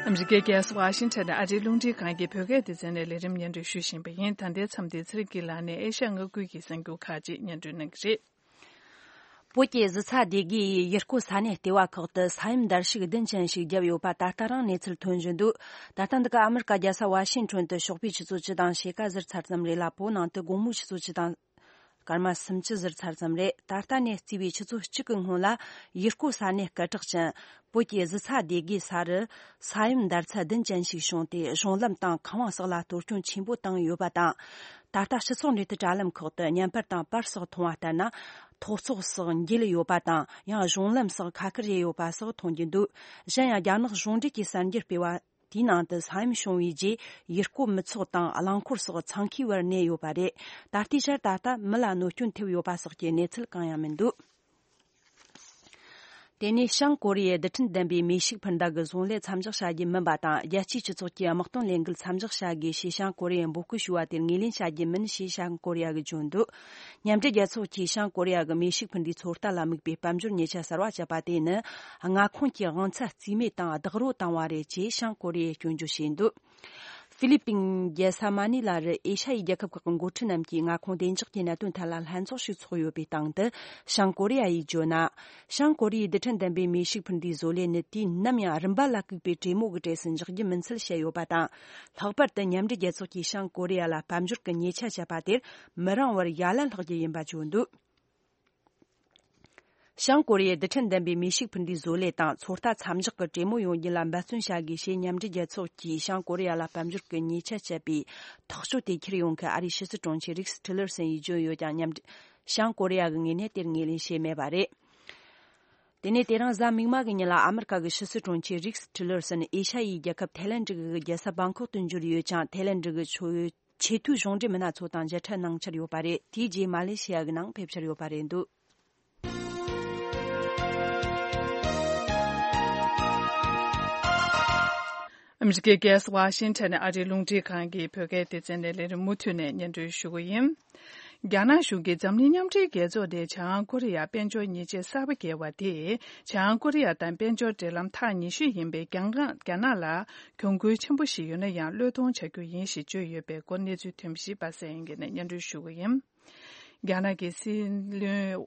ཨ་མི་རི་ཀའི་རྒྱལ་ས་ཝ་ཤིང་ཊོན་ནས་ཨ་རིའི་རླུང་འཕྲིན་ཁང་གི་བོད་སྐད་སྡེ་ཚན་ནས་ལས་རིམ་སྙན་སྒྲོན་ཞུ་བཞིན་པ་ཡིན། ད་ལྟའི་མཚམས་འདིར་ཚེ་རིང་སྐྱིད་ལགས་ནས་ཨེ་ཤ་ཡ་མངའ་ཁུལ་གྱི་གསར་འགྱུར་ཁག་ཅིག་སྙན་སྒྲོན་གནང་གི་རེད། བོད་ཀྱི་གཟི་ཚ་སྡེ་དགེ་ཡི་ཡུལ་སྐོར་ས་གནས་ལྟེ་བ་ཁག་ཏུ་ས་ཡོམ་འདར་ཤུགས་བདུན་ཅན་ཞིག་བརྒྱབ་ཡོད་པ་ད་ལྟ་རང་གནས་ཚུལ་ཐོན་བཞིན་འདུག་ད་ལྟ་འདི་ག་ཨ་མི་རི་ཀ་རྒྱལ་ས་ཝ་ཤིང་ཊོན་དུ་ཞོགས་པའི་ཆུ་ཚོད་བཅུ་དང་ཕྱེད་ཀ་ཟུར་ཚར་ཙམ་རེད་ལ། བོད་ནང་དུ་དགོང་མོའི་ཆུ་ཚོད་བཅུ་དང་སྐར་མ་སུམ་ཅུ་ཟུར་ཚར་ཙམ་རེད། ད་ལྟ་ནས་བརྩིས་པའི་ཆུ་ཚོད་གཅིག་གི་སྔོན་ལ་ཡུལ་སྐོར་ས་གནས་སྐད་གྲགས་ཅན་བོད་ཀྱི་གཟི་ཚ་སྡེ་དགེ་ས་རུ་ས་ཡོམ་འདར་ཚད་བདུན་ཅན་ཞིག་བྱུང་སྟེ། གཞུང་ལམ་དང་ཁང་བ་སོགས་ལ་གཏོར་སྐྱོན་ཆེན་པོ་བཏང་ཡོད་པ་དང་། ད་ལྟ་སྤྱི་ཚོགས་འབྲེལ་མཐུད་དྲ་ལམ་ཁག་ཏུ་བརྙན་པར་དང་པར་སོགས་མཐོང་བ་ལྟར་ན། ཐོག་བརྩེགས་སོགས་འགྱེལ་ཡོད་པ་དང་། ཡང་གཞུང་ལམ་སོགས་ཁ་ཁུར་རེ་ཡོད་པ་སོགས་མཐོང་རྒྱུ་འདུག་གཞན་ཡང་རྒྱ་ནག་གཞུང་འབྲེལ་གྱི་གསར་འགྱུར་སྤེལ་བ། དེའི་ནང་དུ་ས་ཡོམ་བྱུང་བའི་རྗེས་ཡུལ་སྐོར་མི་ཚོགས་དང་རླངས་འཁོར་སོགས་འཚང་ཁའི་བར་གནས་ཡོད་པ་རེད། ད་ལྟའི་ཆར་ད་ལྟ་མི་ལ་གནོད་སྐྱོན་ཐེབས་ཡོད་པ་སོགས་ཀྱི་གནས་ཚུལ་གང་ཡང་མི་འདུག་དེ་ནས་བྱང་ཀོ་རི་ཡའི་རྡུལ་ཕྲན་ལྡན་པའི་མེ་ཤུགས་འཕུར་མདའ་གི་བཟོ་ལས་མཚམས་འཇོག་བྱ་རྒྱུ་མིན་པ་དང་། རྒྱལ་སྤྱིའི་སྤྱི་ཚོགས་ཀྱིས་དམག་དོན་ལས་འགུལ་མཚམས་འཇོག་བྱ་དགོས་ཞེས་བྱང་ཀོ་རི་ཡས་འབོད་སྐུལ་ཞུས་པ་དེར་ངོས་ལེན་བྱ་རྒྱུ་མིན་ཞེས་བྱང་ཀོ་རི་ཡ་གིས་བརྗོད་འདུག་མཉམ་འབྲེལ་རྒྱལ་ཚོགས་ཀྱིས་བྱང་ཀོ་རི་ཡ་གི་མེ་ཤུགས་འཕུར་མདའི་ཚོད་ལྟ་ལ་དམིགས་པའི་དཔལ་འབྱོར་ཉེས་ཆད་གསར་བ་བཅད་པ་དེ་ནི། མངའ་ཁོངས་ཀྱི་དབང་ཚད་རྩིས་མེད་དང་རྡོག་རོལ་བཏང་བ་རེད་ཅེས་བྱང་ཀོ་རི་ཡས་སྐྱོན་བརྗོད་བྱས་འདུག་ཧྥི་ལི་པིན་རྒྱལ་ས་མ་ནི་ལ་རུ་ཨེ་ཤ་ཡའི་རྒྱལ་ཁབ་ཁག་གི་འགོ་ཁྲིད་རྣམས་ཀྱིས་མངའ་ཁོངས་བདེ་འཇགས་ཀྱི་གནད་དོན་ཐད་ལ་ལྷན་ཚོགས་ཤིག་ཚོགས་ཡོད་པའི་སྟེང་དུ། བྱང་ཀོ་རི་ཡ་ཡིས་བརྗོད་ན། བྱང་ཀོ་རི་ཡའི་རྡུལ་ཕྲན་ལྡན་པའི་མེ་ཤུགས་འཕུར་མདའི་བཟོ་ལས་ནི་དུས་ནམ་ཡང་རིམ་པ་ལ་བཀུག་པའི་གྲོས་མོལ་གྱི་གྲས་སུ་འཇོག་རྒྱུ་མིན་ཚུལ་བཤད་ཡོད་པ་དང་། ལྷག་པར་དུ་མཉམ་འབྲེལ་རྒྱལ་ཚོགས་ཀྱིས་བྱང་ཀོ་རི་ཡ་ལ་དཔལ་འབྱོར་གྱི་ཉེས་ཆད་བཅད་པ་དེར་མི་རིང་བར་ཡ་ལན་སློག་རྒྱུ་ཡིན་པ་བརྗོད་འདུག་བྱང་ཀོ་རི་ཡས་རྡུལ་ཕྲན་ལྡན་པའི་མེ་ཤུགས་འཕུར་མདའི་བཟོ་ལས་དང་ཚོད་ལྟ་མཚམས་འཇོག་གི་གྲོས་མོལ་ཡོང་རྒྱུ་ལ་འབད་བརྩོན་བྱ་དགོས་ཞེས་མཉམ་འབྲེལ་རྒྱལ་ཚོགས་ཀྱིས་བྱང་ཀོ་རི་ཡ་ལ་དཔལ་འབྱོར་གྱི་ཉེས་ཆད་བཅད་པའི་ཐག་གཅོད་དེ་འཁྱེར་ཡོང་མཁན་ཨ་རིའི་ཕྱི་སྲིད་དྲུང་ཆེ་རིགས་ཊི་ལར་སན་ཡིས་བརྗོད་ཡོད་ཀྱང་། མཉམ་འབྲེལ་བྱང་ཀོ་རི་ཡ་གི་ངོས་ནས་དེར་ངོས་ལེན་བྱས་མེད་པ་རེད། དེ་ནས་དེ་རིང་གཟའ་མིག་དམར་གྱི་ཉིན་ལ་ཨ་མི་རི་ཀ་གི་ཕྱི་སྲིད་དྲུང་ཆེ་རིགས་ཊི་ལར་སན་ཨེ་ཤ་ཡའི་རྒྱལ་ཁབ་ཐའི་ལེན་ཌི་གི་རྒྱལ་ས་བང་ཁོག་ཏུ་འབྱོར་ཡོད་ཅིང་། ཐའི་ལེན་ཌི་གི་ཆོས་ཆེས་མཐོའི་གཞུང་འབྲེལ་མི་སྣ་ཚོ་དང་མཇལ་འཕྲད་གནང་འཆར་ཡོད་པ་རེད། དེའི་རྗེས་མ་ལེ་ཤི་ཡ་གི་ནང་ཕེབས་འཆར་ཡོད་པ་རེད་འདུག་ཨ་མི་རི་ཀའི་རྒྱལ་ས་ཝ་ཤིང་ཊོན་ནས་ཨ་རིའི་རླུང་འཕྲིན་ཁང་གི་བོད་སྐད་སྡེ་ཚན་ནས་ལས་རིམ་མུ་མཐུད་ནས་སྙན་སྒྲོན་ཞུ་གི་ཡིན། རྒྱ་ནག་གཞུང་གིས་འཛམ་གླིང་མཉམ་འབྲེལ་རྒྱལ་ཚོགས་ནས་བྱང་ཀོ་རི་ཡར་དཔལ་འབྱོར་ཉེས་ཆད་གསར་པ་བཀལ་བ་དེས། བྱང་ཀོ་རི་ཡ་དང་དཔལ་འབྱོར་འབྲེལ་ལམ་ཐག་ཉེ་ཤོས་ཡིན་པའི་རྒྱ་ནག་རྒྱ་ནག་ལ་གྱོང་གུན་ཆེན་པོ་ཞིག་ཡོད་ན་ཡང་བློས་གཏོང་བྱ་རྒྱུ་ཡིན་ཞེས་བརྗོད་ཡོད་པའི་སྐོར་གནས་ཚུལ་ཐོན་པ་ཞིག་པ་སངས་ཡིན་ནས་སྙན་སྒྲོན་ཞུ་གི་ཡིན། རྒྱ་ནག་གི་སྲིད་བློན་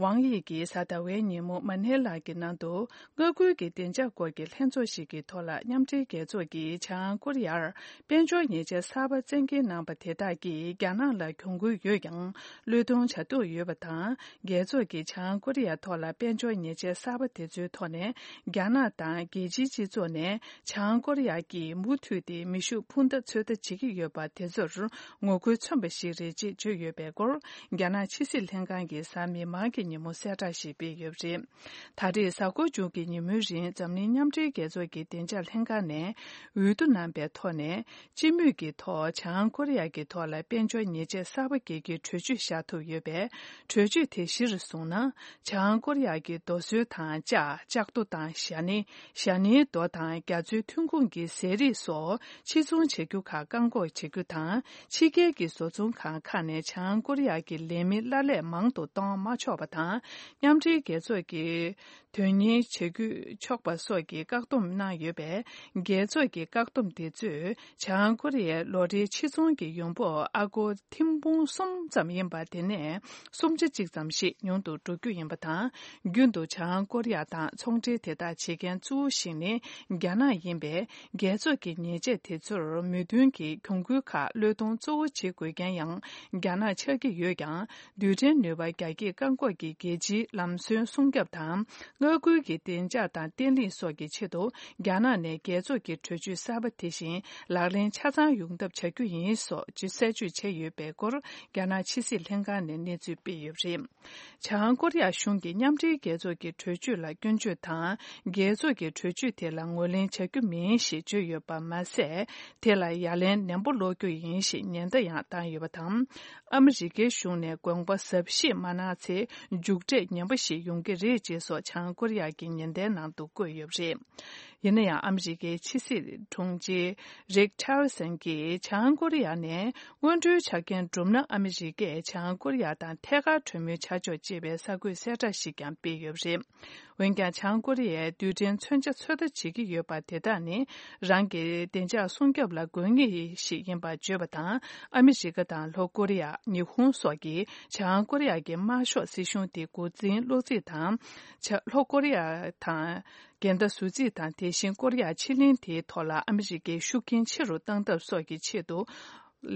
ཝང་དབྱི་གིས་གཟའ་ཟླ་བའི་ཉིན་མོ་མ་ནེ་ལ་གི་ནང་དུ་མངའ་ཁུལ་གྱི་བདེ་འཇགས་སྐོར་གྱི་ལྷན་ཚོགས་ཤིག་གི་ཐོག་ལ་མཉམ་འབྲེལ་རྒྱལ་ཚོགས་ཀྱིས་བྱང་ཀོ་རི་ཡར་དཔལ་འབྱོར་ཉེས་ཆད་གསར་པ་བཙན་འགེལ་གནང་པ་དེ་དག་གིས་རྒྱ་ནག་ལ་གྱོང་གུན་ཡོད་ཀྱང་བློས་གཏོང་བྱ་འདོད་ཡོད་པ་དང་། རྒྱལ་ཚོགས་ཀྱིས་བྱང་ཀོ་རི་ཡ་ཐོག་ལ་དཔལ་འབྱོར་ཉེས་ཆད་གསར་པ་དེ་ཚོའི་ཐོག་ནས་རྒྱ་ནག་དང་རྒྱལ་སྤྱིའི་སྤྱི་ཚོགས་ནས་བྱང་ཀོ་རི་ཡ་གིས་མུ་མཐུད་དེ་མེ་ཤུགས་འཕུར་མདའ་ཚོད་ལྟ་བྱེད་ཀྱི་ཡོད་པ་དེ་ཚོར་ངོ་རྒོལ་མཚོན་པ་ཞིག་རེད་ཅེས་བརྗོད་ཡོད་པའི་སྐོར། རྒྱ་ནག་ཕྱི་སྲིད་ལྷན་ཁང་གིས་གཟའ་མིག་དམར་གྱི་ཉིན་མོ་གསལ་བསྒྲགས་ཤིག་སྤེལ་ཡོད་པ་རེད། ད་རེས་གཟའ་འཁོར་བཅུ་གི་ཉིན་མོའི་རིང་འཛམ་གླིང་མཉམ་འབྲེལ་རྒྱལ་ཚོགས་ཀྱི་བདེ་འཇགས་ལྷན་ཁང་ནས་འོས་བསྡུ་གནང་པའི་ཐོག་ནས། སྤྱི་མོས་ཀྱི་ཐོག་བྱང་ཀོ་རི་ཡ་གི་ཐོག་ལ་དཔལ་འབྱོར་ཉེས་ཆད་གསར་པ་འགེལ་རྒྱུའི་གྲོས་ཆོད་བཞག་ཐུབ་ཡོད་པས། གྲོས་ཆོད་དེ་གཞིར་བཟུང་ན། བྱང་ཀོ་རི་ཡ་གི་རྡོ་སོལ་དང་ལྕགས། ལྕགས་རྡོ་དང་ཞྭ་ནི། ཞྭ་ནིའི་རྡོ་དང་རྒྱ་མཚོའི་ཐོན་ཁུངས་ཀྱི་ཟས་རིགས་སོགས་ཕྱིར་ཚོང་བྱ་རྒྱུ་ཁག་བཀག་འགོག་བྱེད་རྒྱུ་དང་། ཕྱི་རྒྱལ་གྱི་བཟོ་ཚོང་ཁང་ཁག་ནས་བྱང་ཀོ་རི་ཡ་གི་ལས་མི་གླ་ལས་མང་དུ་གཏོང་མ་ཆོག་པ་དང་། མཉམ་འབྲེལ་རྒྱལ་ཚོགས་ཀྱི་དོན་གཉེར་བྱེད་དགོས་ཆོག་པ་སོགས་ཀྱི་བཀག་སྡོམ་གནང་ཡོད་པས། རྒྱལ་ཚོགས་ཀྱི་བཀག་སྡོམ་དེ་ཚོས་བྱང་ཀོ་རི་ཡའི་ལོ་རེའི་ཕྱིར་ཚོང་གི་ཡོང་འབབ་ཨ་སྒོར་ཐེར་འབུམ་གསུམ་ཙམ་ཡིན་པ་དེ་ནས་སུམ་ཆ་གཅིག་ཙམ་ཞིག་ཉུང་དུ་འགྲོ་རྒྱུ་ཡིན་པ་དང་། རྒྱུན་དུ་བྱང་ཀོ་རི་ཡ་དང་ཚོང་འབྲེལ་དེ་དག་བྱེད་མཁན་གཙོ་བོ་ཞིག་ནི་རྒྱ་ནག་ཡིན་པས། རྒྱལ་ཚོགས་ཀྱི་ཉེས་ཆད་དེ་ཚོར་མོས་མཐུན་གྱིས་གྱོང་གུན་ཁག་བློས་གཏོང་གཙོ་བོ་བྱེད་དགོས་མཁན་ཡང་རྒྱ་ནག་ཆགས་ཀྱི་ཡོད་ཀྱང་། རྡུལ་ཕྲན་ནུས་པ་རྒྱ་སྐྱེད་བཀག་འགོག་གི་རྒྱལ་སྤྱིའི་ལམ་སྲོལ་སྲུང་སྐྱོབ་དང་། མངའ་ཁུལ་གྱི་བདེ་འཇགས་དང་བརྟན་ལྷིང་སོགས་ཀྱི་ཆེད་དུ། རྒྱ་ནག་ནས་རྒྱལ་ཚོགས་ཀྱི་གྲོས་ཆོད་གསར་པ་དེ་བཞིན་ལག་ལེན་ཆ་ཚང་ཡོང་ཐབས་བྱ་རྒྱུ་ཡིན་སོགས་གསལ་བརྗོད་བྱས་ཡོད་པའི་སྐོར། རྒྱ་ནག་ཕྱི་སྲིད་ལྷན་ཁང་ནས་གནས་ཚུལ་སྤེལ་ཡོད་པ་རེད། བྱང་ཀོ་རི་ཡ་གཞུང་གིས་མཉམ་འབྲེལ་རྒྱལ་ཚོགས་ཀྱི་གྲོས་ཆོད་ལ་སྐྱོན་བརྗོད་དང་། རྒྱལ་ཚོགས་ཀྱི་གྲོས་ཆོད་དེ་ལ་ངོས་ལེན་བྱ་རྒྱུ་མིན་ཞེས་བརྗོད་ཡོད་པ་མ་ཟད། དེ་ལ་ཡ་ལན་ནན་པོ་སློག་རྒྱུ་ཡིན་ཞེས་ཉེན་བརྡ་ཡང་བཏང་ཡོད་པ་དང་། ཨ་མི་རི་ཀའི་གཞུང་ནས་དགོངས་པ་ཟབ་བཞེས་མ་གནང་ཚེ། མཇུག་འབྲས་ངན་པ་ཞིག་ཡོང་གི་རེད་ཅེས་སོགས་བྱང་ཀོ་རི་ཡ་གི་ཉེན་བརྡའི་ནང་དུ་བཀོད་ཡོད་པ་རེད། ཡིན་ན་ཡང་། ཨ་མི་རི་ཀའི་ཕྱི་སྲིད་དྲུང་ཆེ་རིག་ཊི་ལར་སན་གྱིས་བྱང་ཀོ་རི་ཡ་ནས་སྔོན་འགྲོའི་ཆ་རྐྱེན་གྲུབ་ན། ཨ་མི་རི་ཀས་བྱང་ཀོ་རི་ཡ་དང་ཐད་ཀར་གྲོས་མོལ་བྱ་ཆོག་ཅེས་པའི་གསར་འགོད་གསལ་བསྒྲགས་ཤིག་ཀྱང་སྤེལ་ཡོད་པ་རེད། འོན་ཀྱང་། བྱང་ཀོ་རི་ཡས་རྡུལ་ཕྲན་མཚོན་ཆ་ཚོད་ལྟ་བྱེད་ཀྱི་ཡོད་པ་དེ་དག་ནི། རང་གི་བདེ་འཇགས་སྲུང་སྐྱོབ་ལ་དགོས་ངེས་ཤིག་ཡིན་པར་བརྗོད་པ་དང་། ཨ་མི་རི་ཀ་དང་ལྷོ་ཀོ་རི་ཡ། ཉི་ཧོང་སོགས་ཀྱིས་བྱང་ཀོ་རི་ཡ་གི་དམར་ཤོག་སྲིད་གཞུང་དེ་འགོ་འཛིན་བློ་རྩིས་དང་། བྱ། ལྷོ་ཀོ་རི་ཡ་དང་། འགལ་ཟླ་བཟོ་རྩིས་དང་། དེ་བཞིན་ཀོ་རི་ཡ་ཕྱེད་གླིང་དེའི་ཐོག་ལ་ཨ་མི་རི་ཀའི་ཤུགས་རྐྱེན་ཆེ་རུ་གཏང་ཐབས་སོགས་ཀྱི་ཆེད་དུ།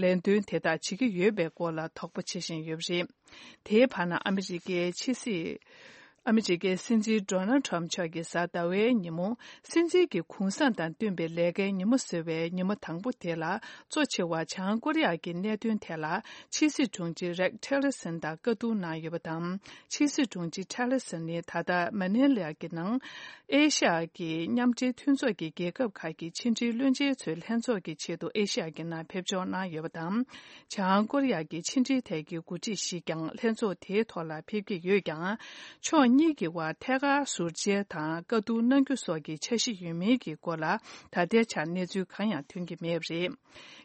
ལས་དོན་དེ་དག་བྱེད་ཀྱི་ཡོད་པའི་སྐོར་ལ་དོགས་པ་བྱེད་བཞིན་ཡོད་པ་རེད། དེའི་བར་ན། ཨ་མི་རི་ཀའི་ཕྱི་སྲིད་ ཨ་མི་རི་ཀའི་སྲིད་འཛིན་ཌོ་ནལ་ཁྲོམ་མཆོག་གིས་གཟའ་ཟླ་བའི་ཉིན་མོ། སྲིད་འཛིན་གྱི་གུང་སེང་དང་བསྟུན་པའི་ལས་ཀའི་ཉིན་མོ་ཟེར་བའི་ཉིན་མོ་དང་པོ་དེ་ལ། གཙོ་ཆེ་བ་བྱང་ཀོ་རི་ཡ་གི་གནད་དོན་ཐད་ལ། ཕྱི་སྲིད་དྲུང་ཆེ་རེག་ཊེ་ལར་སན་དང་བཀའ་བསྡུར་གནང་ཡོད་པ་དང་། ཕྱི་སྲིད་དྲུང་ཆེ་ཊེ་ལར་སན་ནི་ད་ལྟ་མ་ནི་ལ་གི་ནང་། ཨེ་ཤ་ཡ་གི་མཉམ་འབྲེལ་མཐུན་ཚོགས་ཀྱི་རྒྱལ་ཁབ་ཁག་གི་ཕྱི་འབྲེལ་བློན་ཆེན་ཚོའི་ལྷན་ཚོགས་ཀྱི་ཆེད་དུ་ཨེ་ཤ་ཡ་གི་ནང་ཕེབས་འབྱོར་གནང་ཡོད་པ་དང་། བྱང་ཀོ་རི་ཡ་གི་ཕྱི་འབྲེལ་ཐད་ཀྱི་འགོ་ཁྲིད་ཞིག་ཀྱང་ལྷན་ཚོགས་དེའི་ཐོག་ལ་ཕེབས་ཀྱི་ཡོད་ཀྱང་། ཕྱོགས་གཉིས་ཀྱི་བར་ཐད་ཀར་ཟུར་མཇལ་དང་བཀའ་བསྡུར་གནང་རྒྱུ་སོགས་ཀྱི་འཆར་གཞི་ཡོད་མིན་གྱི་སྐོར་ལ་ད་ལྟའི་ཆར་གནས་ཚུལ་གང་ཡང་ཐོན་གྱི་མེད་པ་རེད།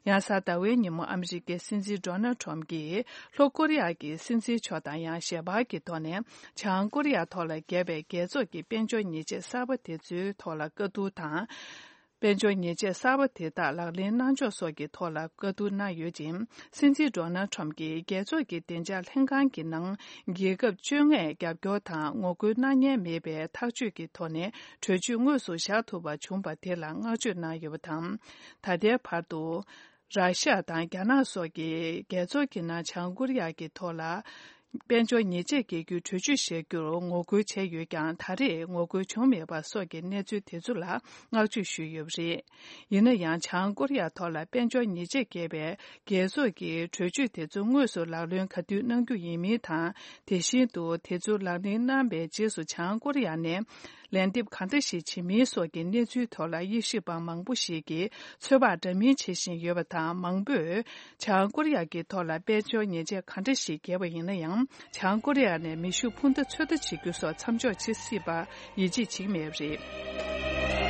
ཡང་གཟའ་ཟླ་བའི་ཉིན་མོ་ཨ་མི་རི་ཀའི་སྲིད་འཛིན་ཌོ་ནལ་ཁྲོམ་གྱིས་ལྷོ་ཀོ་རི་ཡ་གི་སྲིད་འཛིན་མཆོག་དང་ཡང་ཞལ་པར་གྱི་ཐོག་ནས་བྱང་ཀོ་རི་ཡ་ཐོག་ལ་བརྒྱབ་པའི་རྒྱལ་ཚོགས་ཀྱི་དཔལ་འབྱོར་ཉེས་ཆད་གསར་པ་དེ་ཚོའི་ཐོག་ལ་བཀའ་བསྡུར་དང་། དཔལ་འབྱོར་ཉེས་ཆད་གསར་པ་དེ་དག་ལག་ལེན་གནང་ཕྱོགས་སོགས་ཀྱི་ཐོག་ལ་བཀའ་བསྡུར་གནང་ཡོད་ཅིང་། སྲིད་འཛིན་ཌོ་ནལ་ཁྲོམ་གྱིས་རྒྱལ་ཚོགས་ཀྱི་བདེ་འཇགས་ལྷན་ཁང་གི་ནང་རྒྱལ་ཁབ་བཅོ་ལྔས་རྒྱབ་སྐྱོར་དང་ངོ་རྒོལ་གནང་མཁན་མེད་པའི་ཐག་གཅོད་ཀྱི་ཐོག་ནས་གྲོས་ཆོད་དངོས་སུ་བཞག་ཐུབ་པ་བྱུང་བ་དེ་ལ་བསྔགས་བརྗོད་གནང་ཡོད་པ་དང་། ད་ལྟའི་བར་དུ། ར་ཤ་དང་རྒྱ་ནག་སོགས་ཀྱིས་རྒྱལ་ཚོགས་ཀྱི་ནང་བྱང་ཀོ་རི་ཡ་གི་ཐོག་ལ། དཔལ་འབྱོར་ཉེས་ཆད་འགེལ་རྒྱུའི་གྲོས་ཆོད་བཞག་རྒྱུར་ངོ་རྒོལ་བྱས་ཡོད་ཀྱང་། ད་རེས་ངོ་རྒོལ་བྱུང་མེད་པ་སོགས་ཀྱི་གནས་ཚུལ་དེ་ཚོ་ལ་བསྔགས་བརྗོད་ཞུས་ཡོད་པ་རེད། ཡིན་ན་ཡང་། བྱང་ཀོ་རི་ཡ་ཐོག་ལ་དཔལ་འབྱོར་ཉེས་ཆད་འགེལ་བའི་རྒྱལ་ཚོགས་ཀྱི་གྲོས་ཆོད་དེ་ཚོ་དངོས་སུ་ལག་ལེན་ག་དུས་གནང་རྒྱུ་ཡིན་མིན་དང་། དེ་བཞིན་དུ་དེ་ཚོ་ལག་ལེན་གནང་བའི་རྗེས་སུ་བྱང་ཀོ་རི་ཡ་ནས། ལན་འདེབས་གང་འདྲ་ཞིག་བྱེད་མིན་སོགས་ཀྱི་གནས་ཚུལ་ཐོག་ལ་དབྱེ་ཞིབ་པ་མང་པོ་ཞིག་གིས་ཚོད་དཔག་འདྲ་མིན་བྱེད་བཞིན་ཡོད་པ་དང་། མང་པོས་བྱང་ཀོ་རི་ཡ་གི་ཐོག་ལ་དཔལ་འབྱོར་ཉེས་ཆད་གང་འདྲ་ཞིག་འགེལ་བ་ཡིན་ན་ཡང་། བྱང་ཀོ་རི་ཡ་ནས་མེ་ཤུགས་འཕུར་མདའ་ཚོད་ལྟ་བྱེད་རྒྱུ་སོགས་མཚམས་འཇོག་བྱེད་སྲིད་པ་ཡིད་ཆེས་བྱེད་ཀྱི་མེད་པ་རེད།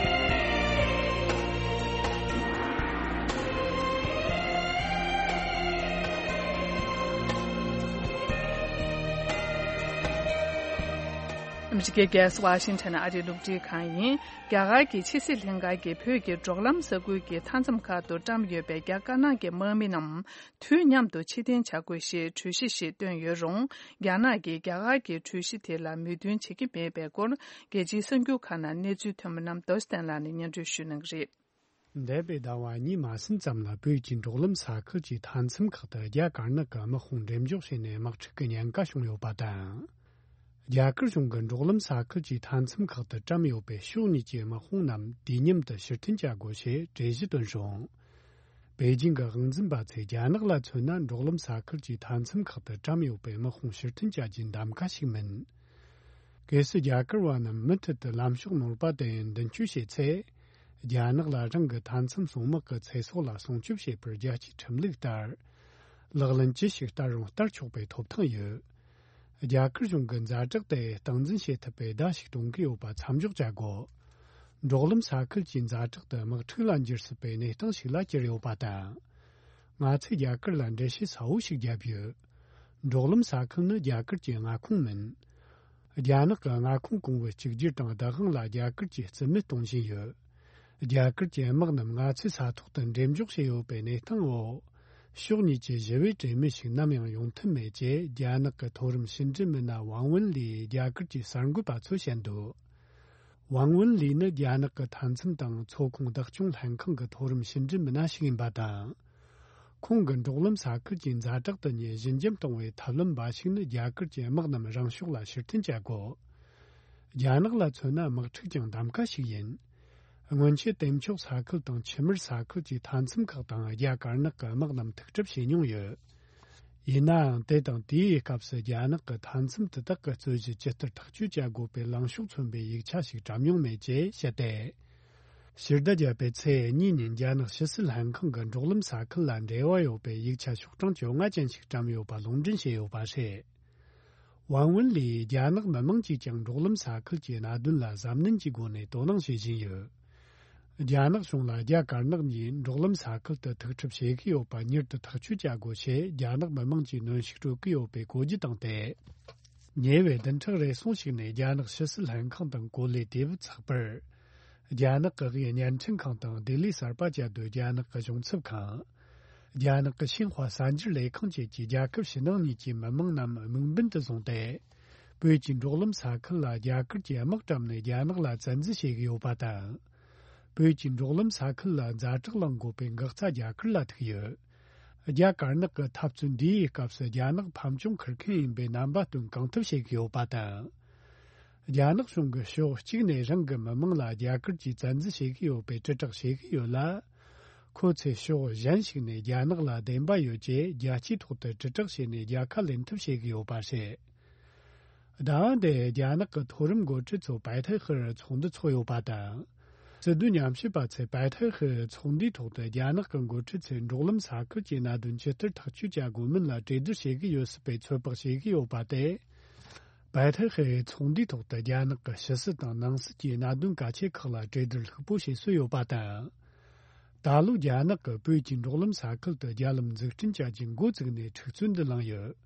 ཨ་མི་རི་ཀའི་རྒྱལ་ས་ཝ་ཤིང་ཊོན་ཨ་རིའི་རླུང་འཕྲིན་ཁང་ཡིན། རྒྱ་གར་གྱི་ཕྱི་སྲིད་ལྷན་ཁང་གིས་བོད་ཀྱི་འབྲོག་ལམ་ས་ཁུལ་གྱི་མཐའ་མཚམས་ཁག་ཏུ་བཀྲམ་ཡོད་པའི་རྒྱ་དཀར་ནག་གི་དམག་མི་རྣམས་དུས་མཉམ་དུ་ཕྱིར་འཐེན་བྱ་དགོས་ཞེས་གྲོས་གཞི་ཞིག་བཏོན་ཡོད་རུང་། རྒྱ་ནག་གིས་རྒྱ་གར་གྱི་གྲོས་གཞི་དེ་ལ་མོས་མཐུན་བྱེད་ཀྱི་མེད་པའི་སྐོར། རྒྱལ་སྤྱིའི་གསར་འགྱུར་ཁག་ནང་གནས་ཚུལ་ཐོན་པ་རྣམས་རྡོ་རྗེ་བསྟན་ལགས་ནས་སྙན་སྒྲོན་ཞུ་གནང་གི་རེད། འདས་པའི་ཟླ་བ་གཉིས་མ་ཟིན་ཙམ་ལ་བོད་ཀྱི་འབྲོག་ལམ་ས་ཁུལ་གྱི་མཐའ་མཚམས་ཁག་ཏུ་རྒྱ་དཀར་ནག་གི་དམག་དཔུང་འགྲེམས་འཇོག་བྱས་ནས་དམག་འཁྲུག་གི་ཉེན་ཁ་བྱུང་ཡོད་པ་དང་། རྒྱ་གར་གཞུང་གིས་འབྲོག་ལམ་ས་ཁུལ་གྱི་མཐའ་མཚམས་ཁག་ཏུ་བཀྲམ་ཡོད་པའི་ཕྱོགས་གཉིས་ཀྱི་དམག་དཔུང་རྣམས་དུས་མཉམ་དུ་ཕྱིར་འཐེན་བྱ་དགོས་ཞེས་གྲོས་གཞི་བཏོན་བྱུང་། པེ་ཅིང་གི་དབང་འཛིན་པ་ཚོས་རྒྱ་ནག་ལ་མཚོན་ན། འབྲོག་ལམ་ས་ཁུལ་གྱི་མཐའ་མཚམས་ཁག་ཏུ་བཀྲམ་ཡོད་པའི་དམག་དཔུང་ཕྱིར་འཐེན་བྱ་རྒྱུའི་གདམ་ག་ཞིག་མིན། གལ་སྲིད་རྒྱ་གར་བ་རྣམས་མུ་མཐུད་དུ་ལམ་ཕྱོགས་ནོར་བ་དེ་མདུན་སྐྱོད་བྱས་ཚེ། རྒྱ་ནག་ལ་རང་གི་མཐའ་མཚམས་སྲུང་དམག་གི་ཚེ་སྲོག་ལ་སྲུང་སྐྱོབ་བྱེད་པར་རྒྱལ་སྤྱིའི་ཁྲིམས་ལུགས་ལྟར། ལག་ལེན་ཅི་ཞིག་བསྟར་རུང་བསྟར་ཆོག་པའི་ཐོབ་ཐང་ཡོད། རྒྱ་གར་གཞུང་གི་ཛ་དྲག་དེ་སྟངས་འཛིན་བྱེད་ཐུབ་པའི་བརྡ་ཞིག་གཏོང་གི་ཡོད་པ་མཚམས་འཇོག་བྱ་དགོས། འབྲོག་ལམ་ས་ཁུལ་གྱི་ཛ་དྲག་དེ་དམག་འཁྲུག་ལ་འགྱུར་སྲིད་པའི་གནས་སྟངས་ཤིག་ལ་གྱུར་ཡོད་པ་དང་། ང་ཚོས་རྒྱ་གར་ལ་འགྲེལ་བཤད་གསལ་བོ་ཞིག་བརྒྱབ་ཡོད། འབྲོག་ལམ་ས་ཁུལ་ནི་རྒྱ་གར་གྱི་མངའ་ཁོངས་མིན། རྒྱ་ནག་གི་མངའ་ཁོངས་གོང་བུ་གཅིག་གྱུར་དང་བདག་དབང་ལ་རྒྱ་གར་གྱིས་རྩིས་མེད་གཏོང་བཞིན་ཡོད། རྒྱ་གར་གྱི་དམག་རྣམས་ང་ཚོའི་ས་ཐོག་ཏུ་འགྲེམས་འཇོག་བྱས་ཡོད་པའི་གནས་སྟངས་འོག་ཕྱོགས་གཉིས་ཀྱི་ཞི་བའི་གྲོས་མོལ་ཞིག་ནམ་ཡང་ཡོང་ཐབས་མེད་ཅེས་རྒྱ་ནག་གི་མཐོ་རིམ་ཕྱི་འབྲེལ་མི་སྣ་ཝང་ཝུན་ལིས་རྒྱ་གར་གྱི་གསར་འགོད་པ་ཚོར་བཤད་འདུག་ཝང་ཝུན་ལི་ནི་རྒྱ་ནག་གི་མཐའ་མཚམས་དང་མཚོ་ཁོངས་བདག་སྐྱོང་ལྷན་ཁང་གི་མཐོ་རིམ་ཕྱི་འབྲེལ་མི་སྣ་ཞིག་ཡིན་པ་དང་། ཁོང་གིས་འབྲོག་ལམ་ས་ཁུལ་གྱི་ཛ་དྲག་ཏུ་ཉེན་ཞི་འཇམ་གཏོང་བའི་ཐབས་ལམ་འབའ་ཞིག་ནི་རྒྱ་གར་གྱི་དམག་རྣམས་རང་ཕྱོགས་ལ་ཕྱིར་འཐེན་བྱ་དགོས། རྒྱ་ནག་ལ་མཚོན་ན་དམག་འཁྲུག་ཀྱང་གདམ་ག་ཞིག་ཡིན། སྔོན་ཆད་དེ་མཆོག་ས་ཁུལ་དང་ཆུ་དམར་ས་ཁུལ་གྱི་མཐའ་མཚམས་ཁག་དང་རྒྱ་དཀར་ནག་གི་དམག་རྣམས་ཐུག་གྲབས་བྱས་མྱོང་ཡོད། ཡིན་ནའང་། དེ་དང་དེའི་སྐབས་སུ་རྒྱ་ནག་གི་མཐའ་མཚམས་དེ་དག་གི་རྩོད་གཞི་ཇི་ལྟར་ཐག་གཅོད་བྱ་དགོས་པའི་ལངས་ཕྱོགས་མཚོན་པའི་ཡིག་ཆ་ཞིག་བཀྲམ་མྱོང་མེད་ཅེས་བཤད་དེ། ཕྱི་ཟླ་བརྒྱད་པའི་ཚེས་གཉིས་ཉིན་རྒྱ་ནག་ཕྱི་སྲིད་ལྷན་ཁང་གིས་འབྲོག་ལམ་ས་ཁུལ་ལ་འབྲེལ་བ་ཡོད་པའི་ཡིག་ཆ་ཤོག་གྲངས་བཅོ་ལྔ་ཅན་ཞིག་བཀྲམ་ཡོད་པ་ལུང་འདྲེན་བྱས་ཡོད་པ་རེད། ཝང་ཝུན་ལིས་རྒྱ་ནག་མི་དམངས་ཀྱིས་ཀྱང་འབྲོག་ལམ་ས་ཁུལ་གྱི་གནད་དོན་ལ་གཟབ་ནན་གྱི་སྒོ་ནས་དོ་སྣང་བྱེད་བཞིན་ཡོད། རྒྱ་ནག་གཞུང་ལ་རྒྱ་དཀར་ནག་གཉིས་འབྲོག་ལམ་ས་ཁུལ་དུ་ཐུག་འཕྲད་བྱེད་ཀྱི་ཡོད་པ་མྱུར་དུ་ཐག་གཅོད་བྱ་དགོས་ཞེས་རྒྱ་ནག་མི་དམངས་ཀྱིས་གནོན་ཤུགས་སྤྲོད་ཀྱི་ཡོད་པའི་གོ་རྒྱུ་བཏང་སྟེ། ཉེ་བའི་བདུན་ཕྲག་རེ་ཟུང་ཞིག་ནས་རྒྱ་ནག་ཕྱི་སྲིད་ལྷན་ཁང་དང་གོ་ལའི་དེ་བུ་ཚགས་པར། རྒྱ་ནག་གི་དབུས་བརྙན་འཕྲིན་ཁང་དང་ལྡི་ལི་གསར་པ་བཅའ་སྡོད་རྒྱ་ནག་གི་གཞུང་ཚབ་ཁང་། རྒྱ་ནག་གི་ཤིན་ཧྭ་གསར་འགྱུར་ལས་ཁང་བཅས་ཀྱིས་རྒྱལ་ཁབ་ཕྱི་ནང་གཉིས་ཀྱི་མི་དམངས་རྣམས་དམིགས་འབེན་དུ་བཟུང་སྟེ། བོད་ཀྱི་འབྲོག་ལམ་ས་ཁུལ་ལ་རྒྱ་གར་གྱི་དམག་བཀྲམ་ནས་རྒྱ་ནག་ལ་བཙན་འཛུལ་བྱེད་ཀྱི་ཡོད་པ་དང་། བོད་ཀྱི་འབྲོག་ལམ་ས་ཁུལ་ལ་ཛ་དྲག་ལངས་དགོས་པའི་འགག་རྩ་རྒྱ་གར་ལ་ཐུག་ཡོད། རྒྱ་དཀར་ནག་གི་འཐབ་རྩོད་འདིའི་སྐབས་སུ་རྒྱ་ནག་ཕམ་བྱུང་ཁུར་མཁན་ཡིན་པའི་རྣམ་པ་སྟོན་གང་ཐུབ་བྱེད་ཀྱི་ཡོད་པ་དང་། རྒྱ་ནག་གཞུང་གིས་ཕྱོགས་གཅིག་ནས་རང་གི་མི་དམངས་ལ་རྒྱ་གར་གྱིས་བཙན་འཛུལ་བྱེད་ཀྱི་ཡོད་པའི་དྲིལ་བསྒྲགས་བྱེད་ཀྱི་ཡོད་ལ། ཁོ་ཚོས་ཕྱོགས་གཞན་ཞིག་ནས་རྒྱ་ནག་ལ་བདེན་པ་ཡོད་ཅེས་རྒྱལ་སྤྱིའི་ཐོག་ཏུ་དྲིལ་བསྒྲགས་བྱས་ནས་རྒྱལ་ཁ་ལེན་ཐབས་བྱེད་ཀྱི་ཡོད་པ་རེད། ཟླ་བ་འདིར་རྒྱ་ནག་གི་མཐོ་རིམ་འགོ་ཁྲིད་ཚོ་པའེ་ཐའེ་ཧེར་ཚོགས་འདུ་ཚོགས་ཡོད་པ་དང་། སྲིད་དོན་ཉམས་ཞིབ་པ་ཚོས་པའེ་ཐའེ་ཧེར་ཚོགས་འདུའི་ཐོག་ཏུ་རྒྱ་ནག་གི་འགོ་ཁྲིད་ཚོས་འབྲོག་ལམ་ས་ཁུལ་གྱི་གནད་དོན་ཇི་ལྟར་ཐག་གཅོད་བྱ་དགོས་མིན་ལ་གྲོས་བསྡུར་བྱེད་ཀྱི་ཡོད་སྲིད་པའི་ཚོད་དཔག་བྱེད་ཀྱི་ཡོད་པ་སྟེ། པའེ་ཐའེ་ཧེར་ཚོགས་འདུའི་ཐོག་ཏུ་རྒྱ་ནག་གི་ཕྱི་སྲིད་དང་ནང་སྲིད་ཀྱི་གནད་དོན་གལ་ཆེ་ཁག་ལ་གྲོས་བསྡུར་ལྷུག་པོ་བྱེད་སྲོལ་ཡོད་པ་དང་། ད་ལོ་རྒྱ་ནག་གིས་བོད་ཀྱི་འབྲོག་ལམ་ས་ཁུལ་དུ་རྒྱ་ལམ་འཛུགས་སྐྲུན་བྱ་རྒྱུ་འགོ་བཙུགས་ནས་འཁྲུག་རྩོད་འདི་བསླངས་ཡོད།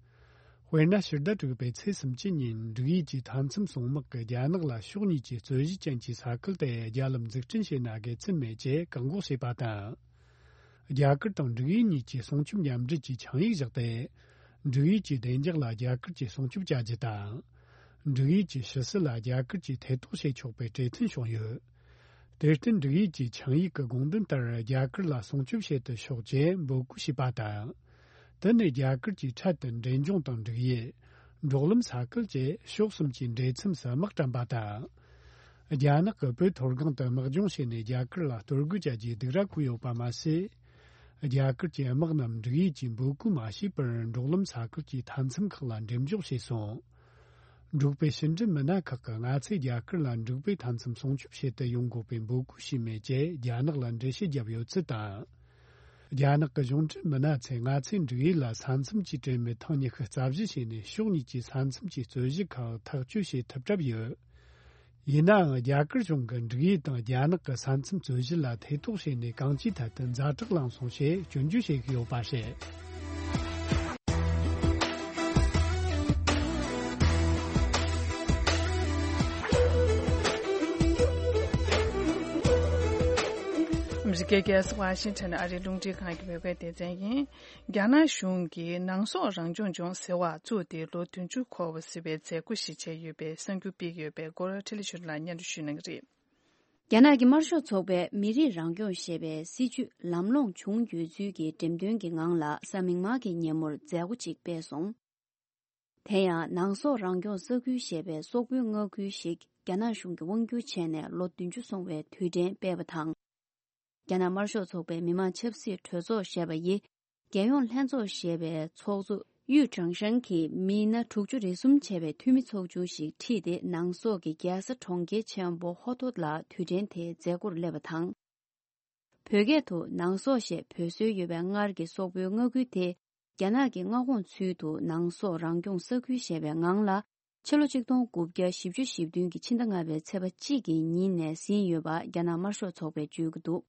དཔེར་ན། ཕྱི་ཟླ་དྲུག་པའི་ཚེས་སུམ་ཅུ་ཉིན་འབྲུག་ཡུལ་གྱི་མཐའ་མཚམས་སྲུང་དམག་གིས་རྒྱ་ནག་ལ་ཕྱོགས་གཉིས་ཀྱི་རྩོད་གཞི་ཅན་གྱི་ས་ཁུལ་དེར་རྒྱ་ལམ་འཛུགས་སྐྲུན་བྱས་ན་དགེ་མཚན་མེད་ཅེས་བཀག་འགོག་བྱས་པ་དང་། རྒྱ་གར་དང་འབྲུག་ཡུལ་གཉིས་ཀྱིས་སྲུང་སྐྱོབ་མཉམ་འབྲེལ་གྱི་ཆིངས་ཡིག་བཞག་སྟེ། འབྲུག་ཡུལ་གྱི་བདེ་འཇགས་ལ་རྒྱ་གར་གྱིས་སྲུང་སྐྱོབ་བྱ་རྒྱུ་དང་། འབྲུག་ཡུལ་གྱི་ཕྱི་སྲིད་ལ་རྒྱ་གར་གྱིས་ཐེ་གཏོགས་བྱེད་ཆོག་པའི་གྲོས་མཐུན་བྱུང་ཡོད། དེར་བརྟེན། འབྲུག་ཡུལ་གྱི་ཆིངས་ཡིག་གི་དགོངས་དོན་ལྟར་རྒྱ་གར་ལ་སྲུང་སྐྱོབ་བྱེད་དུ་ཤོག་ཅེས་འབོད་སྐུལ་བྱས་པ་དང་། དེ་ནི་རྒྱ་གར་གྱིས་འཕྲལ་དུ་འབྲས་ལྗོངས་དང་འབྲུག་ཡུལ། འབྲོག་ལམ་ས་ཁུལ་བཅས་ཕྱོགས་གསུམ་གྱི་འབྲེལ་མཚམས་སུ་དམག་བཀྲམ་པ་དང་། རྒྱ་ནག་གིས་བོད་མཐོ་སྒང་དུ་དམག་སྦྱོང་བྱས་ནས་རྒྱ་གར་ལ་གཏོར་རྒོལ་བྱ་རྒྱུའི་སྡིགས་ར་བསྐུལ་ཡོད་པ་མ་ཟད། རྒྱ་གར་གྱི་དམག་རྣམས་འབྲུག་ཡུལ་གྱིས་འབོད་སྐུལ་མ་བྱས་པར་འབྲོག་ལམ་ས་ཁུལ་གྱི་མཐའ་མཚམས་ཁག་ལ་འགྲེམས་འཇོག་བྱས་སོང་། འབྲུག་པའི་ཕྱི་འབྲེལ་མི་སྣ་ཁག་གིས་ང་ཚོས་རྒྱ་གར་ལ་འབྲུག་པའི་མཐའ་མཚམས་སྲུང་སྐྱོབ་བྱེད་དུ་ཡོང་དགོས་པའི་འབོད་སྐུལ་བྱས་མེད་ཅེས་རྒྱ་ནག་ལ་འགྲེལ་བཤད་བརྒྱབ་ཡོད་ཚུལ་དང་། རྒྱ་ནག་གི་གཞུང་འབྲེལ་མི་སྣ་ཚོས་ང་ཚོས་འབྲུག་ཡུལ་ལ་ས་མཚམས་ཀྱི་དྲན་མེད་ཐེངས་ཉི་ཤུ་རྩ་བཞི་བྱས་ནས་ཕྱོགས་གཉིས་ཀྱི་ས་མཚམས་ཀྱི་རྩོད་གཞི་ཁག་ཐག་གཅོད་བྱེད་ཐུབ་གྲབས་ཡོད། ཡིན་ནའང་། རྒྱ་གར་གཞུང་གིས་འབྲུག་ཡུལ་དང་རྒྱ་ནག་གི་ས་མཚམས་རྩོད་གཞི་ལ་ཐེ་གཏོགས་བྱས་ནས་གང་ཅིའི་ཐད་དུ་ཛ་དྲག་ལངས་སོང་ཞེས་སྐྱོན་བརྗོད་བྱེད་ཀྱི་ཡོད་པ་རེད། ཨ་མི་རི་ཀའི་རྒྱལ་ས་ཝ་ཤིང་ཊོན་ཨ་རིའི་རླུང་འཕྲིན་ཁང་གི་བོད་སྐད་སྡེ་ཚན་ཡིན། རྒྱ་ནག་གཞུང་གིས་ནང་སོག་རང་སྐྱོང་ལྗོངས་ཟེར་བ་བཙུགས་ཏེ་ལོ་བདུན་ཅུ་འཁོར་བ་ཟེར་བའི་མཛད་སྒོ་ཞིག་བྱས་ཡོད་པའི་གསར་འགྱུར་སྤེལ་ཡོད་པའི་སྐོར་འཕྲིན་ལས་ཆོས་སྒྲོན་ལགས་སྙན་སྒྲོན་ཞུ་གནང་གི་རེད། རྒྱ་ནག་གི་དམར་ཤོག་ཚོགས་པས་མི་རིགས་རང་སྐྱོང་ཞེས་པའི་སྲིད་ཇུས་ལམ་ལྷོང་བྱུང་ཡོད་ཚུལ་གྱི་འགྲེམས་སྟོན་གྱི་ངང་ལ་གཟའ་མིག་དམར་གྱི་ཉིན་མོར་མཛད་སྒོ་ཅིག་སྤེལ་སོང་། དེ་ཡང་ནང་སོག་རང་སྐྱོང་ས་ཁུལ་ཞེས་པའི་སོག་པོའི་མངའ་ཁུལ་ཞིག་རྒྱ་ནག་གཞུང་གིས་དབང་བསྒྱུར་བྱས་ནས་ལོ་བདུན་ཅུ་སོང་བའི་དུས་དྲན་སྤེལ་བ་དང་། རྒྱ་ནག་དམར་ཤོག་ཚོགས་པའི་མི་དམངས་ཆབ་སྲིད་གྲོས་ཚོགས་ཞེས་པ་ཡིས། རྒྱལ་ཡོངས་ལྷན་ཚོགས་ཞེས་པའི་ཚོགས་གཙོ་དབྱུས་ཀྲང་ཧྲེང་གིས་མི་སྣ་དྲུག་ཅུ་རེ་གསུམ་བྱས་པའི་འཐུས་མི་ཚོགས་ཆུང་ཞིག་ཁྲིད་དེ་ནང་སོག་གི་རྒྱལ་ས་གྲོང་ཁྱེར་ཆེན་པོ་ཧོ་ཐོད་ལ་དུས་དྲན་དེའི་མཛད་སྒོར་སླེབས་པ་དང་། བོད་སྐད་དུ་ནང་སོག་ཞེས་འབོད་སྲོལ་ཡོད་པའི་སྔར་གྱི་སོག་པོའི་མངའ་ཁུལ་དེ། རྒྱ་ནག་གི་མངའ་ཁོངས་ཚུལ་དུ་ནང་སོག་རང་སྐྱོང་ས་ཁུལ་ཞེས་པའི་ངང་ལ། ཕྱི་ལོ་ཆིག་སྟོང་དགུ་བརྒྱ་བཞི་བཅུ་ཞེ་བདུན་གྱི་ཕྱི་ཟླ་ལྔ་པའི་ཚེས་པ་གཅིག་གི་ཉིན་ནས་ཟིན་ཡོད་པ་རྒྱ་ནག་དམར་ཤོག་ཚོགས་པས་བརྗོད་ཀྱི་འདུག་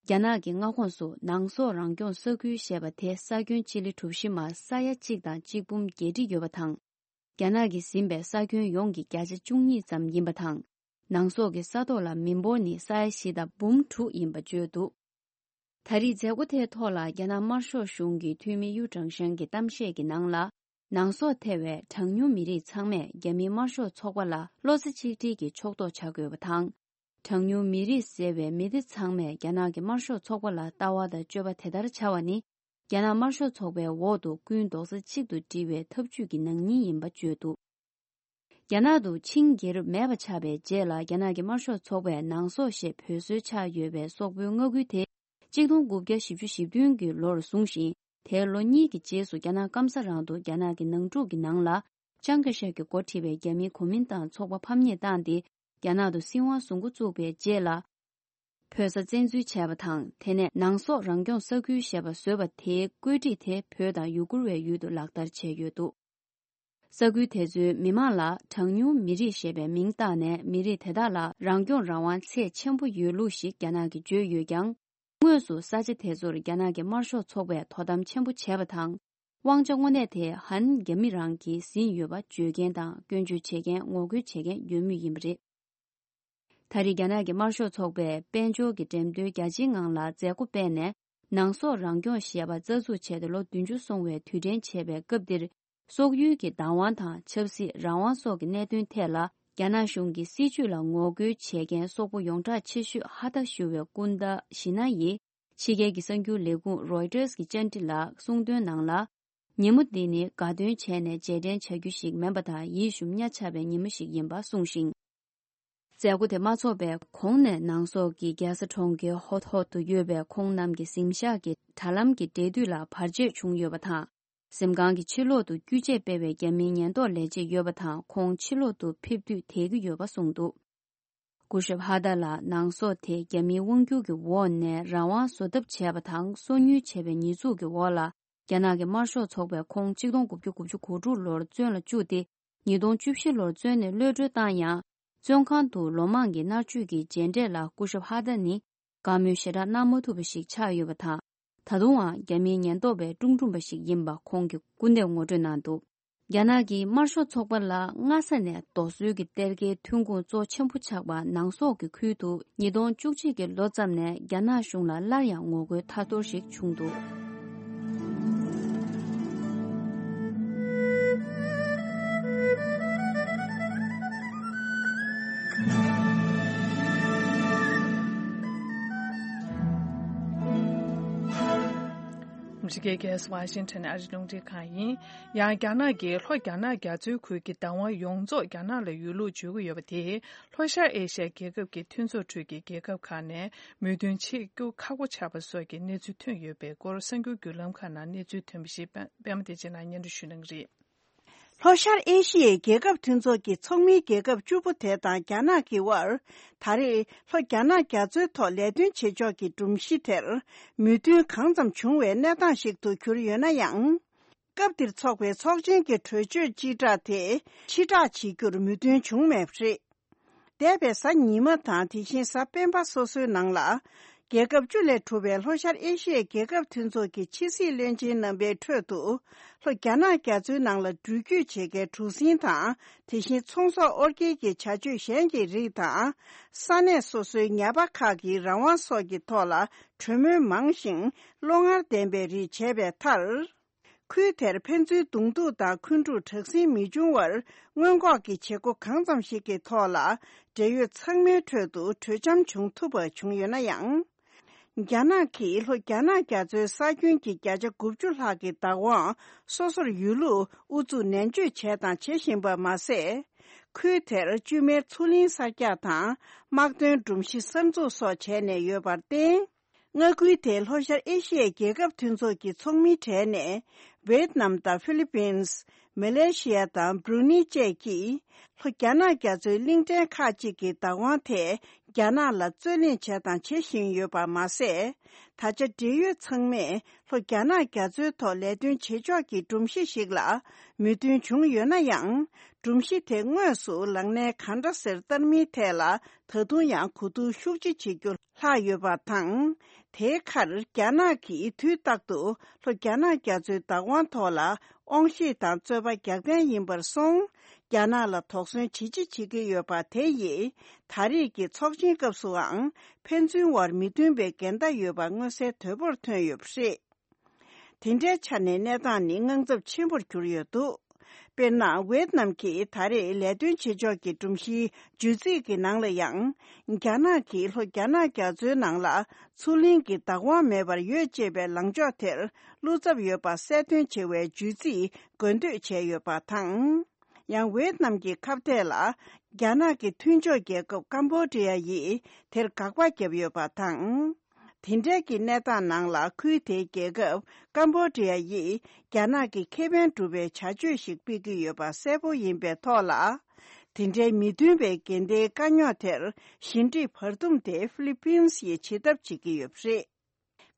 རྒྱ་ནག་གི་མངའ་ཁོངས་སུ་ནང་སོག་རང་སྐྱོང་ས་ཁུལ་ཞེས་པ་དེ་ས་ཁྱོན་སྤྱི་ལེ་གྲུ་བཞི་མ་ས་ཡ་གཅིག་དང་གཅིག་འབུམ་བརྒྱད་ཁྲི་ཡོད་པ་དང་། རྒྱ་ནག་གིས་ཟིན་པའི་ས་ཁྱོན་ཡོངས་ཀྱི་བརྒྱ་ཆ་བཅུ་གཉིས་ཙམ་ཡིན་པ་དང་། ནང་སོག་གི་ས་ཐོག་ལ་མི་འབོར་ནི་ས་ཡ་བཞི་དང་འབུམ་དྲུག་ཡིན་པ་བརྗོད་འདུག་ད་རེས་མཛད་སྒོ་དེའི་ཐོག་ལ་རྒྱ་ནག་དམར་ཤོག་གཞུང་གི་འཐུས་མི་དབྱུ་ཀྲང་ཧྲེང་གི་གཏམ་བཤད་ཀྱི་ནང་ལ། ནང་སོག་ཐེ་བའི་གྲངས་ཉུང་མི་རིགས་ཚང་མས་རྒྱ་མིའི་དམར་ཤོག་ཚོགས་པ་ལ་བློ་རྩེ་གཅིག་སྒྲིལ་གྱིས་ཕྱོགས་གཏོགས་བྱ་དགོས་པ་དང་། གྲངས་ཉུང་མི་རིགས་ཟེར་བའི་མི་སྡེ་ཚང་མས་རྒྱ་ནག་གི་དམར་ཤོག་ཚོགས་པ་ལ་ལྟ་བ་དང་སྤྱོད་པ་དེ་ལྟར་བྱ་བ་ནི། རྒྱ་ནག་དམར་ཤོག་ཚོགས་པའི་འོག་ཏུ་ཀུན་རྡོག་རྩ་གཅིག་ཏུ་སྒྲིལ་བའི་ཐབས་ཇུས་ཀྱི་ནང་སྙིང་ཡིན་པ་བརྗོད་འདུག་རྒྱ་ནག་ཏུ་ཆིང་རྒྱལ་རབས་མེད་པ་ཆགས་པའི་རྗེས་ལ་རྒྱ་ནག་གི་དམར་ཤོག་ཚོགས་པས་ནང་སོག་ཞེས་འབོད་སྲོལ་ཆགས་ཡོད་པའི་སོག་པོའི་མངའ་ཁུལ་དེ། ཆིག་སྟོང་དགུ་བརྒྱ་བཞི་བཅུ་ཞེ་བདུན་གྱི་ལོར་བཟུང་ཞིང་། དེའི་ལོ་གཉིས་ཀྱི་རྗེས་སུ་རྒྱ་ནག་སྐམ་ས་རང་དུ་རྒྱ་ནག་གི་ནང་འཁྲུག་གི་ནང་ལ། ཅང་ཀེ་ཤེག་གིས་འགོ་ཁྲིད་པའི་རྒྱ་མིའི་གོ་མིན་ཏང་ཚོགས་པ་ཕམ་ཉེས་བཏང་སྟེ། རྒྱ་ནག་ཏུ་སྲིད་དབང་བཟུང་འགོ་བཙུགས་པའི་རྗེས་ལ། བོད་ས་བཙན་འཛུལ་བྱས་པ་དང་། དེ་ནས་ནང་སོག་རང་སྐྱོང་ས་ཁུལ་ཞེས་པ་བཟོས་པ་དེའི་བཀོད་སྒྲིག་དེ་བོད་དང་ཡུ་གུར་བའི་ཡུལ་དུ་ལག་བསྟར་བྱས་ཡོད་འདུག་ས་ཁུལ་དེ་ཚོའི་མི་མང་ལ་གྲངས་ཉུང་མི་རིགས་ཞེས་པའི་མིང་བཏགས་ནས། མི་རིགས་དེ་དག་ལ་རང་སྐྱོང་རང་དབང་ཚད་ཆེན་པོ་ཡོད་ལུགས་ཤིག་རྒྱ་ནག་གིས་བརྗོད་ཡོད་ཀྱང་། དངོས་སུ་ས་ཆ་དེ་ཚོར་རྒྱ་ནག་གི་དམར་ཤོག་ཚོགས་པས་དོ་དམ་ཆེན་པོ་བྱས་པ་དང་། དབང་ཆ་དངོས་གནས་དེ་ཧན་རྒྱ་མི་རང་གིས་ཟིན་ཡོད་པ་བརྗོད་མཁན་དང་སྐྱོན་བརྗོད་བྱེད་མཁན། ངོ་རྒོལ་བྱེད་མཁན་ཡོད་མུས་ཡིན་པ་རེད། ད་རེས་རྒྱ་ནག་གི་དམར་ཤོག་ཚོགས་པས་དཔལ་འབྱོར་གྱི་འགྲེམས་སྟོན་རྒྱ་ཆེའི་ངང་ལ་མཛད་སྒོ་སྤེལ་ནས། ནང་སོག་རང་སྐྱོང་ཞེས་པ་རྩ་འཛུགས་བྱས་ཏེ་ལོ་བདུན་ཅུ་སོང་བའི་དུས་དྲན་བྱས་པའི་སྐབས་འདིར། སོག་ཡུལ་གྱི་བདག་དབང་དང་ཆབ་སྲིད་རང་དབང་སོགས་ཀྱི་གནད་དོན་ཐད་ལ། རྒྱ་ནག་གཞུང་གི་སྲིད་བྱུས་ལ་ངོ་རྒོལ་བྱེད་མཁན་སོག་པོ་ཡོངས་གྲགས་ཆེ་ཤོས་ཧ་ཐ་ཞུ་བའི་སྐུ་ཟླ་ཞི་ན་ཡིས་ཕྱི་རྒྱལ་གྱི་གསར་འགྱུར་ལས་ཁུངས་རོའི་ཊར་གྱི་བཅར་འདྲི་ལ་གསུངས་དོན་ནང་ལ། ཉིན་མོ་འདི་ནི་དགའ་སྟོན་བྱས་ནས་རྗེས་དྲན་བྱ་རྒྱུ་ཞིག་མིན་པ་དང་། ཡིད་ཞུམ་གཉའ་ཆག་པའི་ཉིན་མོ་ཞིག་ཡིན་པ་གསུངས་ཤིང་། མཛད་སྒོ་དེ་མ་ཚོགས་པའི་གོང་ནས་ནང་སོག་གི་རྒྱལ་ས་གྲོང་ཁྱེར་ཧོ་ཐོག་ཏུ་ཡོད་པའི་ཁོང་རྣམས་ཀྱི་གཟིམ་ཤག་གི་དྲ་ལམ་གྱི་འབྲེལ་མཐུད་ལ་བར་ཆད་བྱུང་ཡོད་པ་དང་། གཟིམ་ཁང་གི་ཕྱི་ལོག་ཏུ་རྒྱུ་ཆས་སྤེལ་བའི་རྒྱ་མིའི་ཉེན་རྟོག་ལས་བྱེད་ཡོད་པ་དང་། ཁོང་ཕྱི་ལོག་ཏུ་ཕེབས་དུས་དེད་ཀྱི་ཡོད་པ་གསུངས་འདུག། སྐུ་ཞབས་ཧ་ད་ལ་ནང་སོག་དེ་རྒྱ་མིའི་དབང་སྒྱུར་གྱི་འོག་ནས་རང་དབང་བཟོ་ཐབས་བྱས་པ་དང་། སོ་ཉུལ་བྱས་པའི་ཉེས་འཛུགས་ཀྱི་འོག་ལ། རྒྱ་ནག་གི་དམར་ཤོག་ཚོགས་པས་ཁོང་ཆིག་སྟོང་དགུ་བརྒྱ་དགུ་བཅུ་གོ་དྲུག་ལོར་བཙོན་ལ་བཅུག་སྟེ། ཉིས་སྟོང་བཅུ་བཞི་ལོར་བཙོན་ནས་གློད་གྲོལ་བཏང་ཡང་། བཙོན་ཁང་དུ་ལོ་མང་གི་མནར་གཅོད་ཀྱི་རྗེས་འབྲས་ལ་སྐུ་ཞབས་ཧ་ད་ནི་དགའ་མོས་ཞེ་དྲག་གནང་མ་ཐུབ་པ་ཞིག་ཆགས་ཡོད་པ་དང་། ད་དུང་ཡང་རྒྱ་མིའི་ཉེན་རྟོག་པས་དཀྲུག་དཀྲུག་པ་ཞིག་ཡིན་པ་ཁོང་གིས་སྐུར་འདེབས་ངོ་སྤྲོད་གནང་འདུག། རྒྱ་ནག་གིས་དམར་ཤོག་ཚོགས་པ་ལ་སྔ་ས་ནས་རྡོ་སོལ་གྱི་གཏེར་ཁའི་ཐོན་ཁུངས་གཙོ་ཆེན་པོ་ཆགས་པ་ནང་སོག་གི་ཁུལ་དུ། ཉིས་སྟོང་བཅུ་གཅིག་གི་ལོ་ཙམ་ནས་རྒྱ་ནག་གཞུང་ལ་སླར་ཡང་ངོ་རྒོལ་ཐར་ཐོར་ཞིག་བྱུང་འདུག། ཨ་མི་རི་ཀའི་རྒྱལ་ས་ཝ་ཤིང་ཊོན་ཨ་རིའི་རླུང་འཕྲིན་ཁང་ཡིན། ཡང་རྒྱ་ནག་གིས་ལྷོ་རྒྱ་ནག་རྒྱ་མཚོའི་ཁུལ་གྱི་བདག་དབང་ཡོངས་རྫོགས་རྒྱ་ནག་ལ་ཡོད་ལུགས་བརྗོད་ཀྱི་ཡོད་པ་དེས། ལྷོ་ཤར་ཨེ་ཤི་ཡའི་རྒྱལ་ཁབ་ཀྱི་མཐུན་ཚོགས་ཁྲོད་ཀྱི་རྒྱལ་ཁབ་ཁག་ནས་མོས་མཐུན་བྱེད་རྒྱུ་ཁག་པོ་ཆགས་པ་སོགས་ཀྱི་གནས་ཚུལ་ཐོན་ཡོད་པའི་སྐོར། གསར་འགྱུར་བརྒྱུད་ལམ་ཁག་ནང་གནས་ཚུལ་ཐོན་པ་ཞིག་པད་མ་བདེ་ཆེན་ལགས་སྙན་སྒྲོན་ཞུ་གནང་གི་རེད། ལྷོ་ཤར་ཨེ་ཤི་ཡའི་རྒྱལ་ཁབ་མཐུན་ཚོགས་ཀྱི་ཚོགས་མིའི་རྒྱལ་ཁབ་བཅུ་པོ་དེ་དང་རྒྱ་ནག་གི་དབར། ད་རེས་ལྷོ་རྒྱ་ནག་རྒྱ་མཚོའི་ཐོག་ལས་དོན་བྱེད་ཕྱོགས་ཀྱི་སྒྲོམ་གཞི་དེར་མོས་མཐུན་གང་ཙམ་བྱུང་བའི་གནས་སྟངས་ཤིག་ཏུ་གྱུར་ཡོད་ན་ཡང་། སྐབས་འདིར་ཚོགས་པའི་ཚོགས་ཆེན་གྱི་གྲོས་ཆོད་སྤྱི་བསྒྲགས་དེ་ཕྱིར་བསྒྲགས་བྱེད་རྒྱུར་མོས་མཐུན་བྱུང་མེད་པ་རེད། འདས་པའི་གཟའ་ཉི་མ་དང་དེ་བཞིན་གཟའ་སྤེན་པ་སོ་སོའི་ནང་ལ། རྒྱལ་ཁབ་བཅུ་ལས་གྲུབ་པའི་ལྷོ་ཤར་ཨེ་ཤི་ཡའི་རྒྱལ་ཁབ་མཐུན་ཚོགས་ཀྱི་ཕྱི་སྲིད་བློན་ཆེན་རྣམ་པའི་ཁྲོད་དུ། ལྷོ་རྒྱ་ནག་རྒྱ་མཚོའི་ནང་ལ་འགྲུལ་སྐྱོད་བྱེད་མཁན་གྲུ་གཟིངས་དང་། དེ་བཞིན་ཚོང་ཟོག་དབོར་སྐྱེལ་གྱི་བྱ་སྤྱོད་གཞན་གྱི་རིགས་དང་། ས་གནས་སོ་སོའི་ཉ་པ་ཁག་གི་རང་དབང་སོགས་ཀྱི་ཐོག་ལ་གྲོས་མོལ་མང་ཞིང་བློ་ངར་ལྡན་པའི་རིགས་བྱས་པའི་མཐར། ཁུལ་དེར་ཕན་ཚུན་གདོང་ཐུག་དང་འཁོན་འཁྲུག་དྲག་ཟིང་མི་འབྱུང་བར་སྔོན་འགོག་གི་བྱེད་སྒོ་གང་ཙམ་ཞིག་གི་ཐོག་ལ། འབྲེལ་ཡོད་ཚང་མའི་ཁྲོད་དུ་གྲོས་འཆམ་བྱུང་ཐུབ་པ་བྱུང་ཡོད་ན་ཡང་། རྒྱ་ནག་གིས་ལྷོ་རྒྱ་ནག་རྒྱ་མཚོའི་ས་ཁྱོན་གྱི་བརྒྱ་ཆ་དགུ་བཅུ་ལྷག་གི་བདག་དབང་སོ་སོར་ཡོད་ལུགས་ཨུ་ཚུགས་ནན་བརྗོད་བྱས་དང་བྱེད་བཞིན་པ་མ་ཟད། ཁུལ་དེར་བཅོས་མའི་མཚོ་གླིང་གསར་རྒྱག་དང་། དམག་དོན་སྒྲོམ་གཞི་གསར་འཛུགས་སོགས་བྱས་ནས་ཡོད་པར་བརྟེན། མངའ་ཁུལ་དེའི་ལྷོ་ཤར་ཨེ་ཤི་ཡའི་རྒྱལ་ཁབ་མཐུན་ཚོགས་ཀྱི་ཚོགས་མིའི་གྲས་ནས། ཝེད་ནམ་དང་ཧྥི་ལི་པིན། མ་ལེ་ཤི་ཡ་དང་བྷྲུ་ནི་བཅས་ཀྱིས། ལྷོ་རྒྱ་ནག་རྒྱ་མཚོའི་གླིང་ཕྲན་ཁག་ཅིག་གི་བདག་དབང་ཐད། རྒྱ་ནག་ལ་རྩོད་གླེང་བྱས་དང་བྱེད་བཞིན་ཡོད་པ་མ་ཟད། ད་ཆ་འབྲེལ་ཡོད་ཚང་མས། ལྷོ་རྒྱ་ནག་རྒྱ་མཚོའི་ཐོག་ལས་དོན་བྱེད་ཕྱོགས་ཀྱི་སྒྲོམ་གཞི་ཞིག་ལ། མོས་མཐུན་བྱུང་ཡོད་ན་ཡང་། སྒྲོམ་གཞི་དེ་དངོས་སུ་ལག་ལེན་ག་འདྲ་སེ་བསྟར་མིན་ཐད་ལ། ད་དུང་ཡང་གོ་བསྡུར་ཤུགས་ཆེ་བྱེད་རྒྱུ་ལྷག་ཡོད་པ་དང་། དེའི་ཁར་རྒྱ་ནག་གིས་དུས་རྟག་ཏུ་ལྷོ་རྒྱ་ནག་རྒྱ་མཚོའི་བདག་དབང་ཐོག་ལ་དབང་ཤེད་དང་རྩོད་པ་རྒྱག་མཁན་ཡིན་པར་སོང་། རྒྱ་ནག་ལ་དོགས་ཟོན་ཇི་ཆེ་བྱེད་ཀྱི་ཡོད་པ་དེ་ཡིས། ད་རེས་ཀྱི་ཚོགས་ཆེན་སྐབས་སུའང་ཕན་ཚུན་དབར་མི་མཐུན་པའི་འགལ་ཟླ་ཡོད་པ་མངོན་གསལ་དོད་པོར་ཐོན་ཡོད་པ་རེད། དེ་འདྲའི་ཆ་ནས་གནས་སྟངས་ནི་དངངས་འཚབ་ཆེན་པོར་གྱུར་ཡོད་འདུག། དཔེར་ན། ཝེད་ནམ་གྱིས་ད་རེས་ལས་དོན་བྱེད་ཕྱོགས་ཀྱི་སྒྲོམ་གཞིའི་བརྗོད་ཚིག་གི་ནང་ལ་ཡང་། རྒྱ་ནག་གིས་ལྷོ་རྒྱ་ནག་རྒྱ་མཚོའི་ནང་ལ་མཚོ་གླིང་གི་བདག་དབང་མེད་པར་ཡོད་ཅེས་པའི་ལངས་ཕྱོགས་དེར་བློ་འཚབ་ཡོད་པ་གསལ་སྟོན་བྱེད་པའི་བརྗོད་ཚིག་འགོད་འདོད་བྱས་ཡོད་པ་དང་། ཡང་ཝེད་ནམ་གྱི་ཁ་གཏད་ལ། རྒྱ་ནག་གི་མཐུན་ཕྱོགས་རྒྱལ་ཁབ་ཀམ་བྷོ་ཌི་ཡ་ཡིས་དེར་དགག་པ་བརྒྱབ་ཡོད་པ་དང་། དེ་འབྲེལ་གྱི་གནས་སྟངས་ནང་ལ། ཁུལ་དེའི་རྒྱལ་ཁབ་ཀམ་བྷོ་ཌི་ཡ་ཡིས་རྒྱ་ནག་གི་ཁེ་ཕན་སྒྲུབ་པའི་བྱ་སྤྱོད་ཞིག་སྤེལ་གྱི་ཡོད་པ་གསལ་པོ་ཡིན་པའི་ཐོག་ལ། དེ་འབྲེལ་མི་མཐུན་པའི་འགལ་ཟླའི་དཀའ་རྙོག་དེར་ཞི་འགྲིག་བར་འདུམ་དེ་ཧྥི་ལི་པིན་སི་ཡིས་བྱེད་ཐབས་བྱེད་ཀྱི་ཡོད་པ་རེད།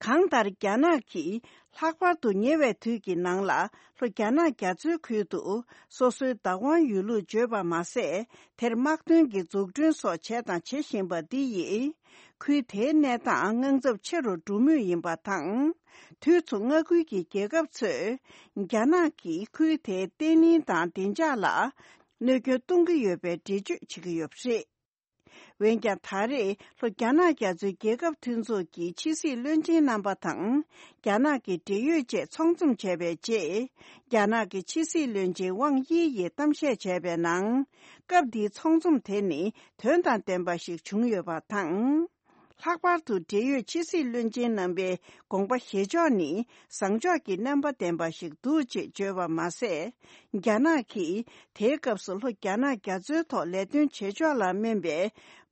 གང་ལྟར། རྒྱ་ནག་གིས་ལྷག་པར་དུ་ཉེ་བའི་དུས་ཀྱི་ནང་ལ་ལྷོ་རྒྱ་ནག་རྒྱ་མཚོའི་ཁུལ་དུ་སོ་སོའི་བདག་དབང་ཡོད་ལུགས་བརྗོད་པ་མ་ཟད། དེར་དམག་དོན་གྱི་འཛུགས་སྐྲུན་སོགས་བྱས་དང་བྱེད་བཞིན་པ་འདི་ཡིས། ཁུལ་དེའི་གནས་སྟངས་དངངས་འཚབ་ཆེ་རུ་འགྲོ་མུས་ཡིན་པ་དང་། དུས་མཚུངས་མངའ་ཁུལ་གྱི་རྒྱལ་ཁབ་ཚོས། རྒྱ་ནག་གིས་ཁུལ་དེའི་བརྟན་ལྷིང་དང་བདེ་འཇགས་ལ། གནོད་སྐྱོན་གཏོང་གི་ཡོད་པའི་འགྲེལ་བརྗོད་བྱེད་ཀྱི་ཡོད་པ་རེད། འོན་ཀྱང་། ད་རེས་ལྷོ་རྒྱ་ནག་རྒྱ་མཚོའི་རྒྱལ་ཁབ་མཐུན་ཚོགས་ཀྱི་ཕྱི་སྲིད་བློན་ཆེན་རྣམ་པ་དང་། རྒྱ་ནག་གི་འབྲེལ་ཡོད་བཅས་ཚོགས་འཛོམས་བྱས་པའི་རྗེས། རྒྱ་ནག་གི་ཕྱི་སྲིད་བློན་ཆེན་ཝང་དབྱི་ཡིས་གཏམ་བཤད་བྱས་པའི་ནང་། སྐབས་འདིའི་ཚོགས་འཛོམས་དེ་ནི་དོན་དང་ལྡན་པ་ཞིག་བྱུང་ཡོད་པ་དང་། ལྷག་པར་དུ་འབྲེལ་ཡོད་ཕྱི་སྲིད་བློན་ཆེན་རྣམ་པའི་དགོངས་པ་བཞེས་ཕྱོགས་ནི་བཟང་ཕྱོགས་ཀྱི་རྣམ་པ་ལྡན་པ་ཞིག་འདུག་ཅེས་བརྗོད་པ་མ་ཟད། རྒྱ་ནག་གིས་དེའི་སྐབས་སུ་ལྷོ་རྒྱ་ནག་རྒྱ་མཚོའི་ཐོག་ལས་དོན་བྱེད་ཕྱོགས་ལ་སྨན་པའི་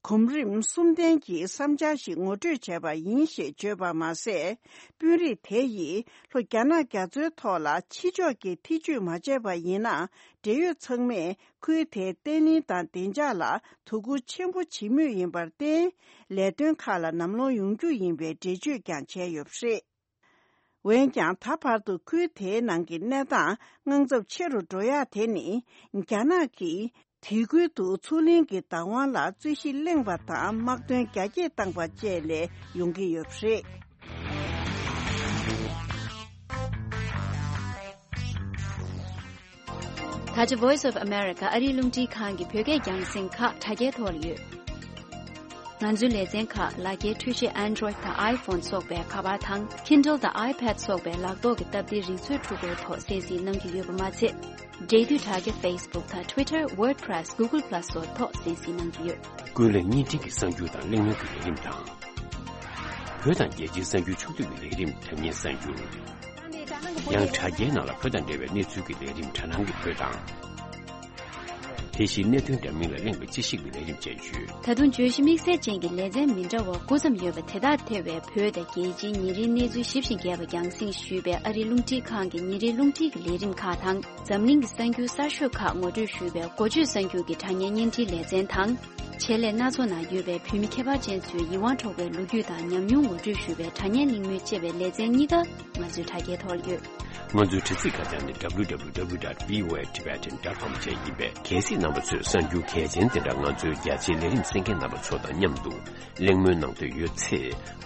གོམ་རིམ་གསུམ་ལྡན་གྱི་བསམ་འཆར་ཞིག་ངོ་སྤྲོད་བྱས་པ་ཡིན་ཞེས་བརྗོད་པ་མ་ཟད། དཔོན་རིགས་དེ་ཡིས་ལྷོ་རྒྱ་ནག་རྒྱ་མཚོའི་ཐོག་ལ་ཕྱི་ཕྱོགས་ཀྱི་ཐེ་ཇུས་མ་བྱས་པ་ཡིན་ན། འབྲེལ་ཡོད་ཚང་མས་ཁུལ་དེའི་བརྟན་ལྷིང་དང་བདེ་འཇགས་ལ་དོ་ཁུར་ཆེན་པོ་བྱེད་མུས་ཡིན་པར་བརྟེན། ལས་དོན་ཁག་ལ་ནམ་ལངས་ཡོང་རྒྱུ་ཡིན་པའི་འགྲེལ་བརྗོད་ཀྱང་བྱས་ཡོད་པ་རེད། འོན་ཀྱང་། ད་བར་དུ་ཁུལ་དེའི་ནང་གི་གནས་སྟངས་དངངས་འཚབ་ཆེ་རུ་འགྲོ་ཡག་དེ་ནི། རྒྱ་ནག་གིས་དེ་ཁུལ་དུ་མཚོ་གླིང་གི་བདག་དབང་ལ་རྩོད་གཞི་གླེང་བ་དང་། དམག་དོན་རྒྱ་སྐྱེད་བཏང་བ་བཅས་ལས་ཡོང་གི་ཡོད་པ་རེད། ད་ཆ་Voice of America ཨ་རིའི་རླུང་འཕྲིན་ཁང་གི་བོད་སྐད་རྒྱང་སྲིང་ཁག་དྲ་རྒྱའི་ཐོག་ལ་ཡོད། ང་ཚོའི་ལེ་ཚན་ཁག་ལག་འཁྱེར་འཕྲུལ་ཆས་Android དང་iPhone སོགས་པའི་ཁ་པར་དང་། Kindle དང་iPad སོགས་པའི་ལག་ཐོག་གི་སྟབས་བདེའི་རིག་མཛོད་འཕྲུལ་འཁོར་ཐོག་གསན་གཟིགས་གནང་རྒྱུ་ཡོད་པ་མ་ཚད། འབྲེལ་མཐུད་དྲ་རྒྱ་Facebook དང་Twitter, WordPress, Google Plus སོགས་ཐོག་གསན་གཟིགས་གནང་རྒྱུ་ཡོད། ཀུན་གླེང་བརྙན་འཕྲིན་གྱི་གསར་འགྱུར་དང་གླེང་མོལ་གྱི་ལས་རིམ་དང་། བོད་དང་རྒྱལ་སྤྱིའི་གསར་འགྱུར་ཕྱོགས་བསྡུས་ཀྱི་ལས་རིམ་དྲ་བརྙན་གསར་འགྱུར། ཡང་དྲ་རྒྱའི་ནང་ལ་བོད་དང་འབྲེལ་བའི་གནས་ཚུལ་གྱི་ལས་རིམ་དྲ་ནང་གི་བོད་དང་། དེ་བཞིན་གནད་དོན་འདྲ་མིན་ལ་གླེང་བའི་དཔྱད་ཞིབ་ཀྱི་ལས་རིམ་བཅས་ཡོད། ད་དུང་བརྗོད་གཞི་དམིགས་བསལ་ཅན་གྱི་ལེ་ཚན་མི་འདྲ་བ་དགུ་ཙམ་ཡོད་པ་དེ་དག་ཐེ་བའི་བོད་དང་རྒྱལ་སྤྱིའི་ཉིན་རེའི་གནས་ཚུལ་ཞིབ་ཅིང་རྒྱས་པ་རྒྱང་སྲིང་ཞུས་པའི་ཨ་རིའི་རླུང་འཕྲིན་ཁང་གི་ཉིན་རེའི་རླུང་འཕྲིན་གྱི་ལས་རིམ་ཁག་དང་། འཛམ་གླིང་གི་གསར་འགྱུར་གསར་ཤོས་ཁག་ངོ་སྤྲོད་ཞུས་པའི་འགོ་བརྗོད་གསར་འགྱུར་གྱི་དྲ་བརྙན་བརྙན་འཕྲིན་ལེ་ཚན་དང་། ཆེད་ལས་སྣ་ཚོགས་ནང་ཡོད་པའི་བོད་མི་ཁྱད་པར་ཅན་ཚོའི་ཡིད་དབང་འཕྲོག་པའི་ལོ་རྒྱུས་དང་ཉམས་མྱོང་ངོ་སྤྲོད་ཞུས་པའི་དྲ་བརྙན་གླེང་མོལ་ཅེས་པའི་ལེ་ཚན་གཉིས་ཀ་ང་ཚོའི་དྲ་རྒྱའི་ཐོག་ལ་ཡོད། ང་ཚོའི་དྲ་ཚིགས་ཁ་བྱང་ནི་www.voatibetan.com བཅས་ཡིན་པས། གལ་སྲིད་རྣམ་པ་ཚོས་གསར་འགྱུར་གལ་ཆེན་དེ་འདྲ་ང་ཚོའི་རྒྱ་ཆེའི་ལས་རིམ་གསན་མཁན་རྣམ་པ་ཚོ་དང་མཉམ་དུ་གླེང་མོལ་གནང་འདོད་ཡོད་ཚེ།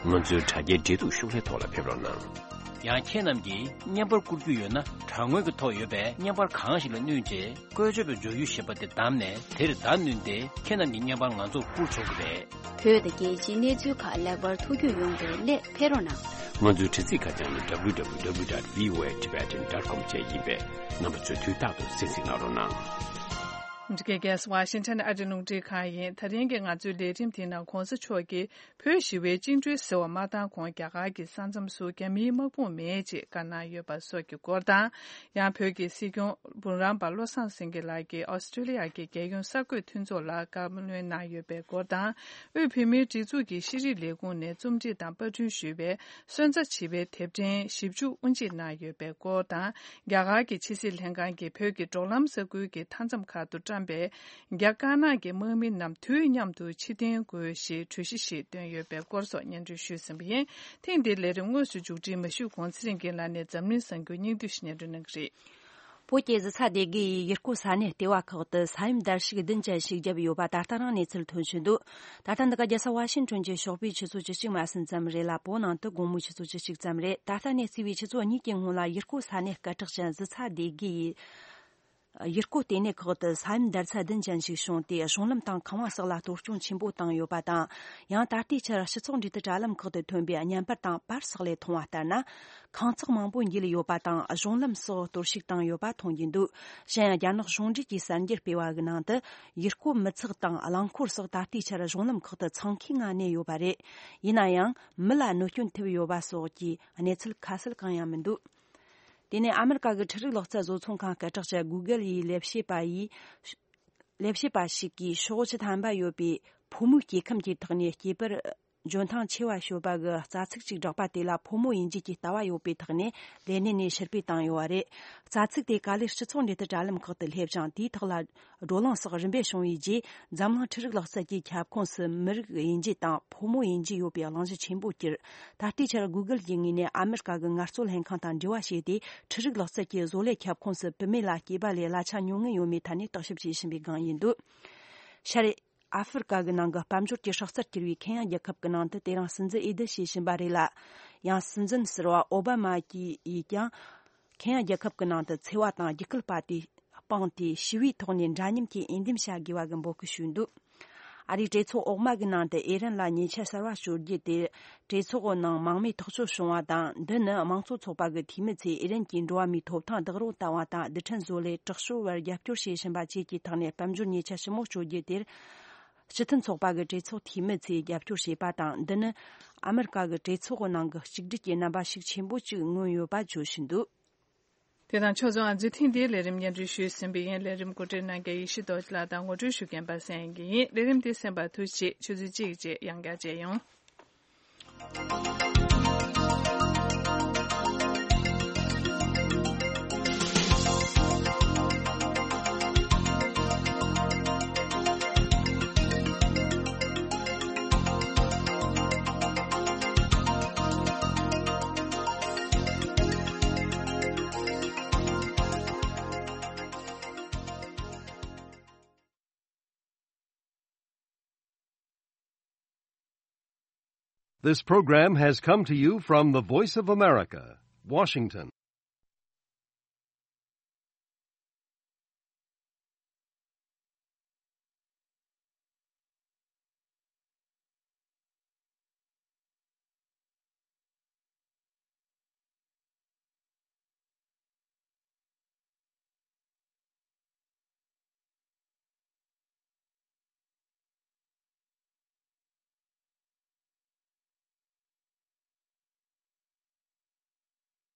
ང་ཚོའི་དྲ་རྒྱའི་འབྲེལ་གཏུག་ཤོག་ལྷེ་ཐོག་ལ་ཕེབས་རོགས་གནང་། ཡང་ཁྱེད་རྣམས་ཀྱིས་བརྙན་པར་བསྐུར་རྒྱུ་ཡོད་ན། དྲ་ངོས་ཀྱི་ཐོག་ཡོད་པའི་བརྙན་པར་གང་ཞིག་ལ་བསྣུན་རྗེས། བཀོལ་སྤྱོད་པའི་འཇོག་ཡུལ་ཞེས་པ་དེ་བདམས་ནས། དེར་བརྡ་བསྣུན་ཏེ། ཁྱེད་རྣམས་ཀྱི་བརྙན་པར་ང་ཚོར་བསྐུར་ཆོག་གི་རེད། བོད་དང་རྒྱལ་སྤྱིའི་གནས་ཚུལ་ཁག་ལེགས་པར་ཐུགས་རྒྱུས་ཡོང་བའི་སླད་ཕེབས་རོགས་གནང་། ང་ཚོའི་དྲ་ཚིགས་ཁ་བྱང་ནི་www.voatibetan.com བཅས་ཡིན་པས། རྣམ་པ་ཚོས་དུས་རྟག་ཏུ་གསན་གཟིགས་གནང་རོགས་གནང་། འདི་གའི་རྒྱལ་ས་ཝ་ཤིང་ཊོན་ཨ་རིའི་རླུང་འཕྲིན་ཁང་ཡིན། ད་རིང་གི་ང་ཚོའི་ལས་རིམ་དེའི་ནང་གོང་ས་མཆོག་གིས་བོད་ཞི་བའི་བཅིངས་འགྲོལ་ཟེར་བ་མ་བཏང་གོང་རྒྱ་གར་གྱི་ས་མཚམས་སུ་རྒྱ་མིའི་དམག་དཔུང་མེད་ཅེས་བཀའ་གནང་ཡོད་པ་སོགས་ཀྱི་སྐོར་དང་། ཡང་བོད་ཀྱི་སྲིད་སྐྱོང་སྤུན་རམ་པ་བློ་བཟང་སེང་གེ་ལགས་ཀྱིས་ཨོ་སི་ཀྲོ་ལི་ཡ་གི་རྒྱལ་ཡོངས་གསར་འགོད་མཐུན་ཚོགས་ལ་བཀའ་མོལ་གནང་ཡོད་པའི་སྐོར་དང་། དབུས་བོད་མིའི་སྒྲིག་འཛུགས་ཀྱི་ཤེས་རིག་ལས་ཁུངས་ནས་རྩོམ་སྒྲིག་དང་པར་སྐྲུན་ཞུས་པའི་སོན་རྩ་བྱིས་པའི་དེབ་ཕྲེང་བཞི་བཅུ་དབུ་འབྱེད་གནང་ཡོད་པའི་སྐོར་དང་། རྒྱ་གར་གྱི་ཕྱི་སྲིད་ལྷན་ཁང་གིས་བོད་ཀྱི་འབྲོག་ལམ་ས་ཁུལ་གྱི་མཐའ་མཚམས་ཁག་ཏུ་བཀྲམ་པའི་རྒྱ་དཀར་ནག་གི་དམག་མི་རྣམས་དུས་མཉམ་དུ་ཕྱིར་འཐེན་དགོས་ཞེས་གྲོས་གཞི་ཞིག་བཏོན་ཡོད་པའི་སྐོར་སོགས་སྙན་སྒྲོན་ཞུས་ཟིན་པ་ཡིན། ཐེངས་འདིའི་ལས་རིམ་དངོས་སུ་མཇུག་སྒྲིལ་མ་ཞུས་གོང་ཚེ་རིང་རྒན་ལགས་ནས་འཛམ་གླིང་གསར་འགྱུར་སྙིང་བསྡུས་ཤིག་སྙན་སྒྲོན་གནང་གི་རེད། བོད་ཀྱི་གཟི་ཚ་སྡེ་དགུ་ཡི་ཡུལ་སྐོར་ས་གནས་ལྟེ་བ་ཁག་ཏུ་ས་ཡོམ་བརྡར་ཤིག་བདུན་ཅན་ཞིག་བརྒྱབ་ཡོད་པ་ད་ལྟ་རང་གནས་ཚུལ་ཐོན་བཞིན་འདུག་ད་ལྟ་འདི་ག་རྒྱལ་ས་ཝ་ཤིང་ཊོན་གྱི་ཞོགས་པའི་ཆུ་ཚོད་བཅུ་གཅིག་མ་ཟིན་ཙམ་རེད་ལ། བོད་ནང་དུ་དགོང་མོའི་ཆུ་ཚོད་བཅུ་གཅིག་ཙམ་རེད། ད་ལྟ་ནས་བརྩིས་པའི་ཆུ་ཚོད་གཉིས་ཀྱི་སྔོན་ལ་ཡུལ་སྐོར་ས་གནས་སྐད་གྲགས་ཅན་གཟི་ཚ་སྡེ་དགུ་ཡི་ཡུལ་སྐོར་ལྟེ་གནས་ཁག་ཏུ་ས་ཡོམ་བརྡར་ཚད་བདུན་ཅན་ཞིག་བྱུང་སྟེ། གཞུང་ལམ་དང་ཁང་བ་སོགས་ལ་གཏོར་སྐྱོན་ཆེན་པོ་བཏང་ཡོད་པ་དང་། ཡང་ད་ལྟའི་ཆར་སྤྱི་ཚོགས་འབྲེལ་མཐུད་དྲ་ལམ་ཁག་ཏུ་ཐོན་པའི་བརྙན་པར་དང་པར་སོགས་ལས་མཐོང་བ་ལྟར་ན། ཁང་བརྩེགས་མང་པོ་འགྱེལ་ཡོད་པ་དང་། གཞུང་ལམ་སོགས་གཏོར་བཤིག་བཏང་ཡོད་པ་མཐོང་རྒྱུ་འདུག་གཞན་ཡང་། རྒྱ་ནག་གཞུང་འབྲེལ་གྱི་གསར་འགྱུར་སྤེལ་བ་གི་ནང་དུ། ཡུལ་སྐོར་མི་ཚགས་དང་རླངས་འཁོར་སོགས་ད་ལྟའི་ཆར་གཞུང་ལམ་ཁག་ཏུ་འཚང་ཁའི་ངང་གནས་ཡོད་པ་རེད། ཡིན་ན་ཡང་། མི་ལ་གནོད་སྐྱོན་ཐེབས་ཡོད་པ་སོགས་ཀྱི་གནས་ཚུལ་ཁ་གསལ་གང་ཡང་མི་འདུག་དེ་ནས་ཨ་མེ་རི་ཀ་གི་འཕྲུལ་རིག་ལག་རྩལ་བཟོ་ཚོང་ཁང་སྐད་གྲགས་ཅན་Google ཡི་ལས་བྱེད་པ་ཡིས། ལས་བྱེད་པ་ཞིག་གིས་ཕྱོགས་བཞི་ཐམ་པ་ཡོད་པའི་ཕོ་མོའི་སྐྱེ་ཁམས་ཀྱི་ཐོག་ནས་སྐྱེས་པར་འཇོན་ཐང་ཆེ་བ་ཤོད་པ་གི་རྩ་ཚིག་ཅིག་བསྒྲགས་པ་དེ་ལ་ཕོ་མོ་ཡིན་རྒྱུ་གྱི་ལྟ་བ་ཡོད་པའི་ཐོག་ནས་ལས་གནས་ནས་ཕྱིར་འབུད་བཏང་ཡོད་པ་རེད། རྩ་ཚིག་དེ་ག་ལེར་སྤྱི་ཚོགས་འབྲེལ་མཐུད་དྲ་ལམ་ཁག་ཏུ་སླེབས་ཤིང་། དེའི་ཐོག་ལ་བགྲོ་གླེང་སོགས་རིམ་པས་བྱུང་བའི་རྗེས། འཛམ་གླིང་འཕྲུལ་རིག་ལག་རྩལ་གྱི་ཁྱབ་ཁོངས་སུ་མི་རིགས་དབྱེ་འབྱེད་དང་ཕོ་མོ་དབྱེ་འབྱེད་ཡོད་པའི་གླེང་གཞི་ཆེན་པོ་གྱུར། ད་ལྟའི་ཆར་Google གྱི་ངོས་ནས་ཨ་མེ་རི་ཀ་གི་ངལ་རྩོལ་ལྷན་ཁང་དང་འབྲེལ་བ་བྱས་ཏེ། འཕྲུལ་རིག་ལག་རྩལ་གྱི་བཟོ་ལས་ཁྱབ་ཁོངས་སུ་བུད་མེད་ལ་སྐྱེས་པ་ལས་གླ་ཆ་ཉུང་ངུ་ཡོད་མེད་ཐད་ནས་བརྟག་ཞིབ་བྱེད་བཞིན་པའི་སྒང་ཡིན་འདུག་ཤར་ཨ་ཧྥེ་རི་ཀ་གི་ནང་གི་དཔལ་འབྱོར་གྱི་སྲོག་རྩར་གྱུར་བའི་ཁེན་ཡ་རྒྱལ་ཁབ་ཀྱི་ནང་དུ་དེ་རིང་སྲིད་འཛིན་འོས་བསྡུ་བྱེད་བཞིན་པ་རེད་ལ། ཡང་སྲིད་འཛིན་ཟུར་པ་ཨོ་བྷ་མ་གྱིས་ཡིས་ཀྱང་། ཁེན་ཡ་རྒྱལ་ཁབ་ཀྱི་ནང་དུ་འཚེ་བ་དང་རྒྱུད་སྐུལ་སྤངས་ཏེ། ཞི་བའི་ཐོག་ནས་འདྲ་མཉམ་གྱི་འོས་འདེམས་བྱ་དགོས་པ་གི་འབོད་སྐུལ་ཞུས་འདུག་ཨ་རིའི་གྲོས་ཚོགས་འོག་མ་གི་ནང་དུ་ཨི་རན་ལ་ཉེས་ཆད་གསར་བ་གཅོད་རྒྱུ་དེ། གྲོས་ཚོགས་ནང་མང་མོས་ཐག་གཅོད་བྱུང་བ་དང་། འདི་ནི་དམངས་གཙོ་ཚོགས་པ་གི་འཐུས་མི་ཚོས་ཨི་རན་གྱི་འགྲོ་བ་མིའི་ཐོབ་ཐང་བདག་རོགས་བཏང་བ་དང་། རྡུལ་ཕྲན་བཟོ་ལས་དྲག་སྤྱོད་པར་རྒྱབ་སྐྱོར་བྱེད་བཞིན་པ་བཅས་ཀྱི་ཐོག་ནས་དཔལ་འབྱོར་ཉེས་ཆད་ཞིབ་མོ་གཅོད་རྒྱུ་དེར། སྤྱི་མཐུན་ཚོགས་པ་གི་གྲོས་ཚོགས་འཐུས་མི་ཚོས་རྒྱབ་སྐྱོར་བྱས་པ་དང་། འདི་ནི་ཨ་མི་རི་ཀ་གི་གྲོས་ཚོགས་ནང་གི་གཅིག་སྒྲིལ་གྱི་རྣམ་པ་ཤུགས་ཆེན་པོ་ཅིག་མངོན་ཡོད་པ་བརྗོད་བཞིན་འདུག་དེ་དང་ཕྱོགས་མཚུངས། ཨ་མདོའི་ཐེངས་འདིའི་ལས་རིམ་སྙན་སྒྲོན་ཞུས་ཟིན་པ་ཡིན། ལས་རིམ་གོ་སྒྲིག་གནང་མཁན་ཡེ་ཤེས་རྡོ་རྗེ་ལགས་དང་ངོ་སྤྲོད་ཞུ་མཁན་པ་སངས་དབྱངས་སྐྱིད་ཡིན། ལས་རིམ་འདི་གསན་པར་ཐུགས་རྗེ་ཆེ། ཆུ་ཚོད་གཅིག་རྗེས་ཡང་བསྐྱར་མཇལ་ཡོང་། This program has come to you from the Voice of America, Washington.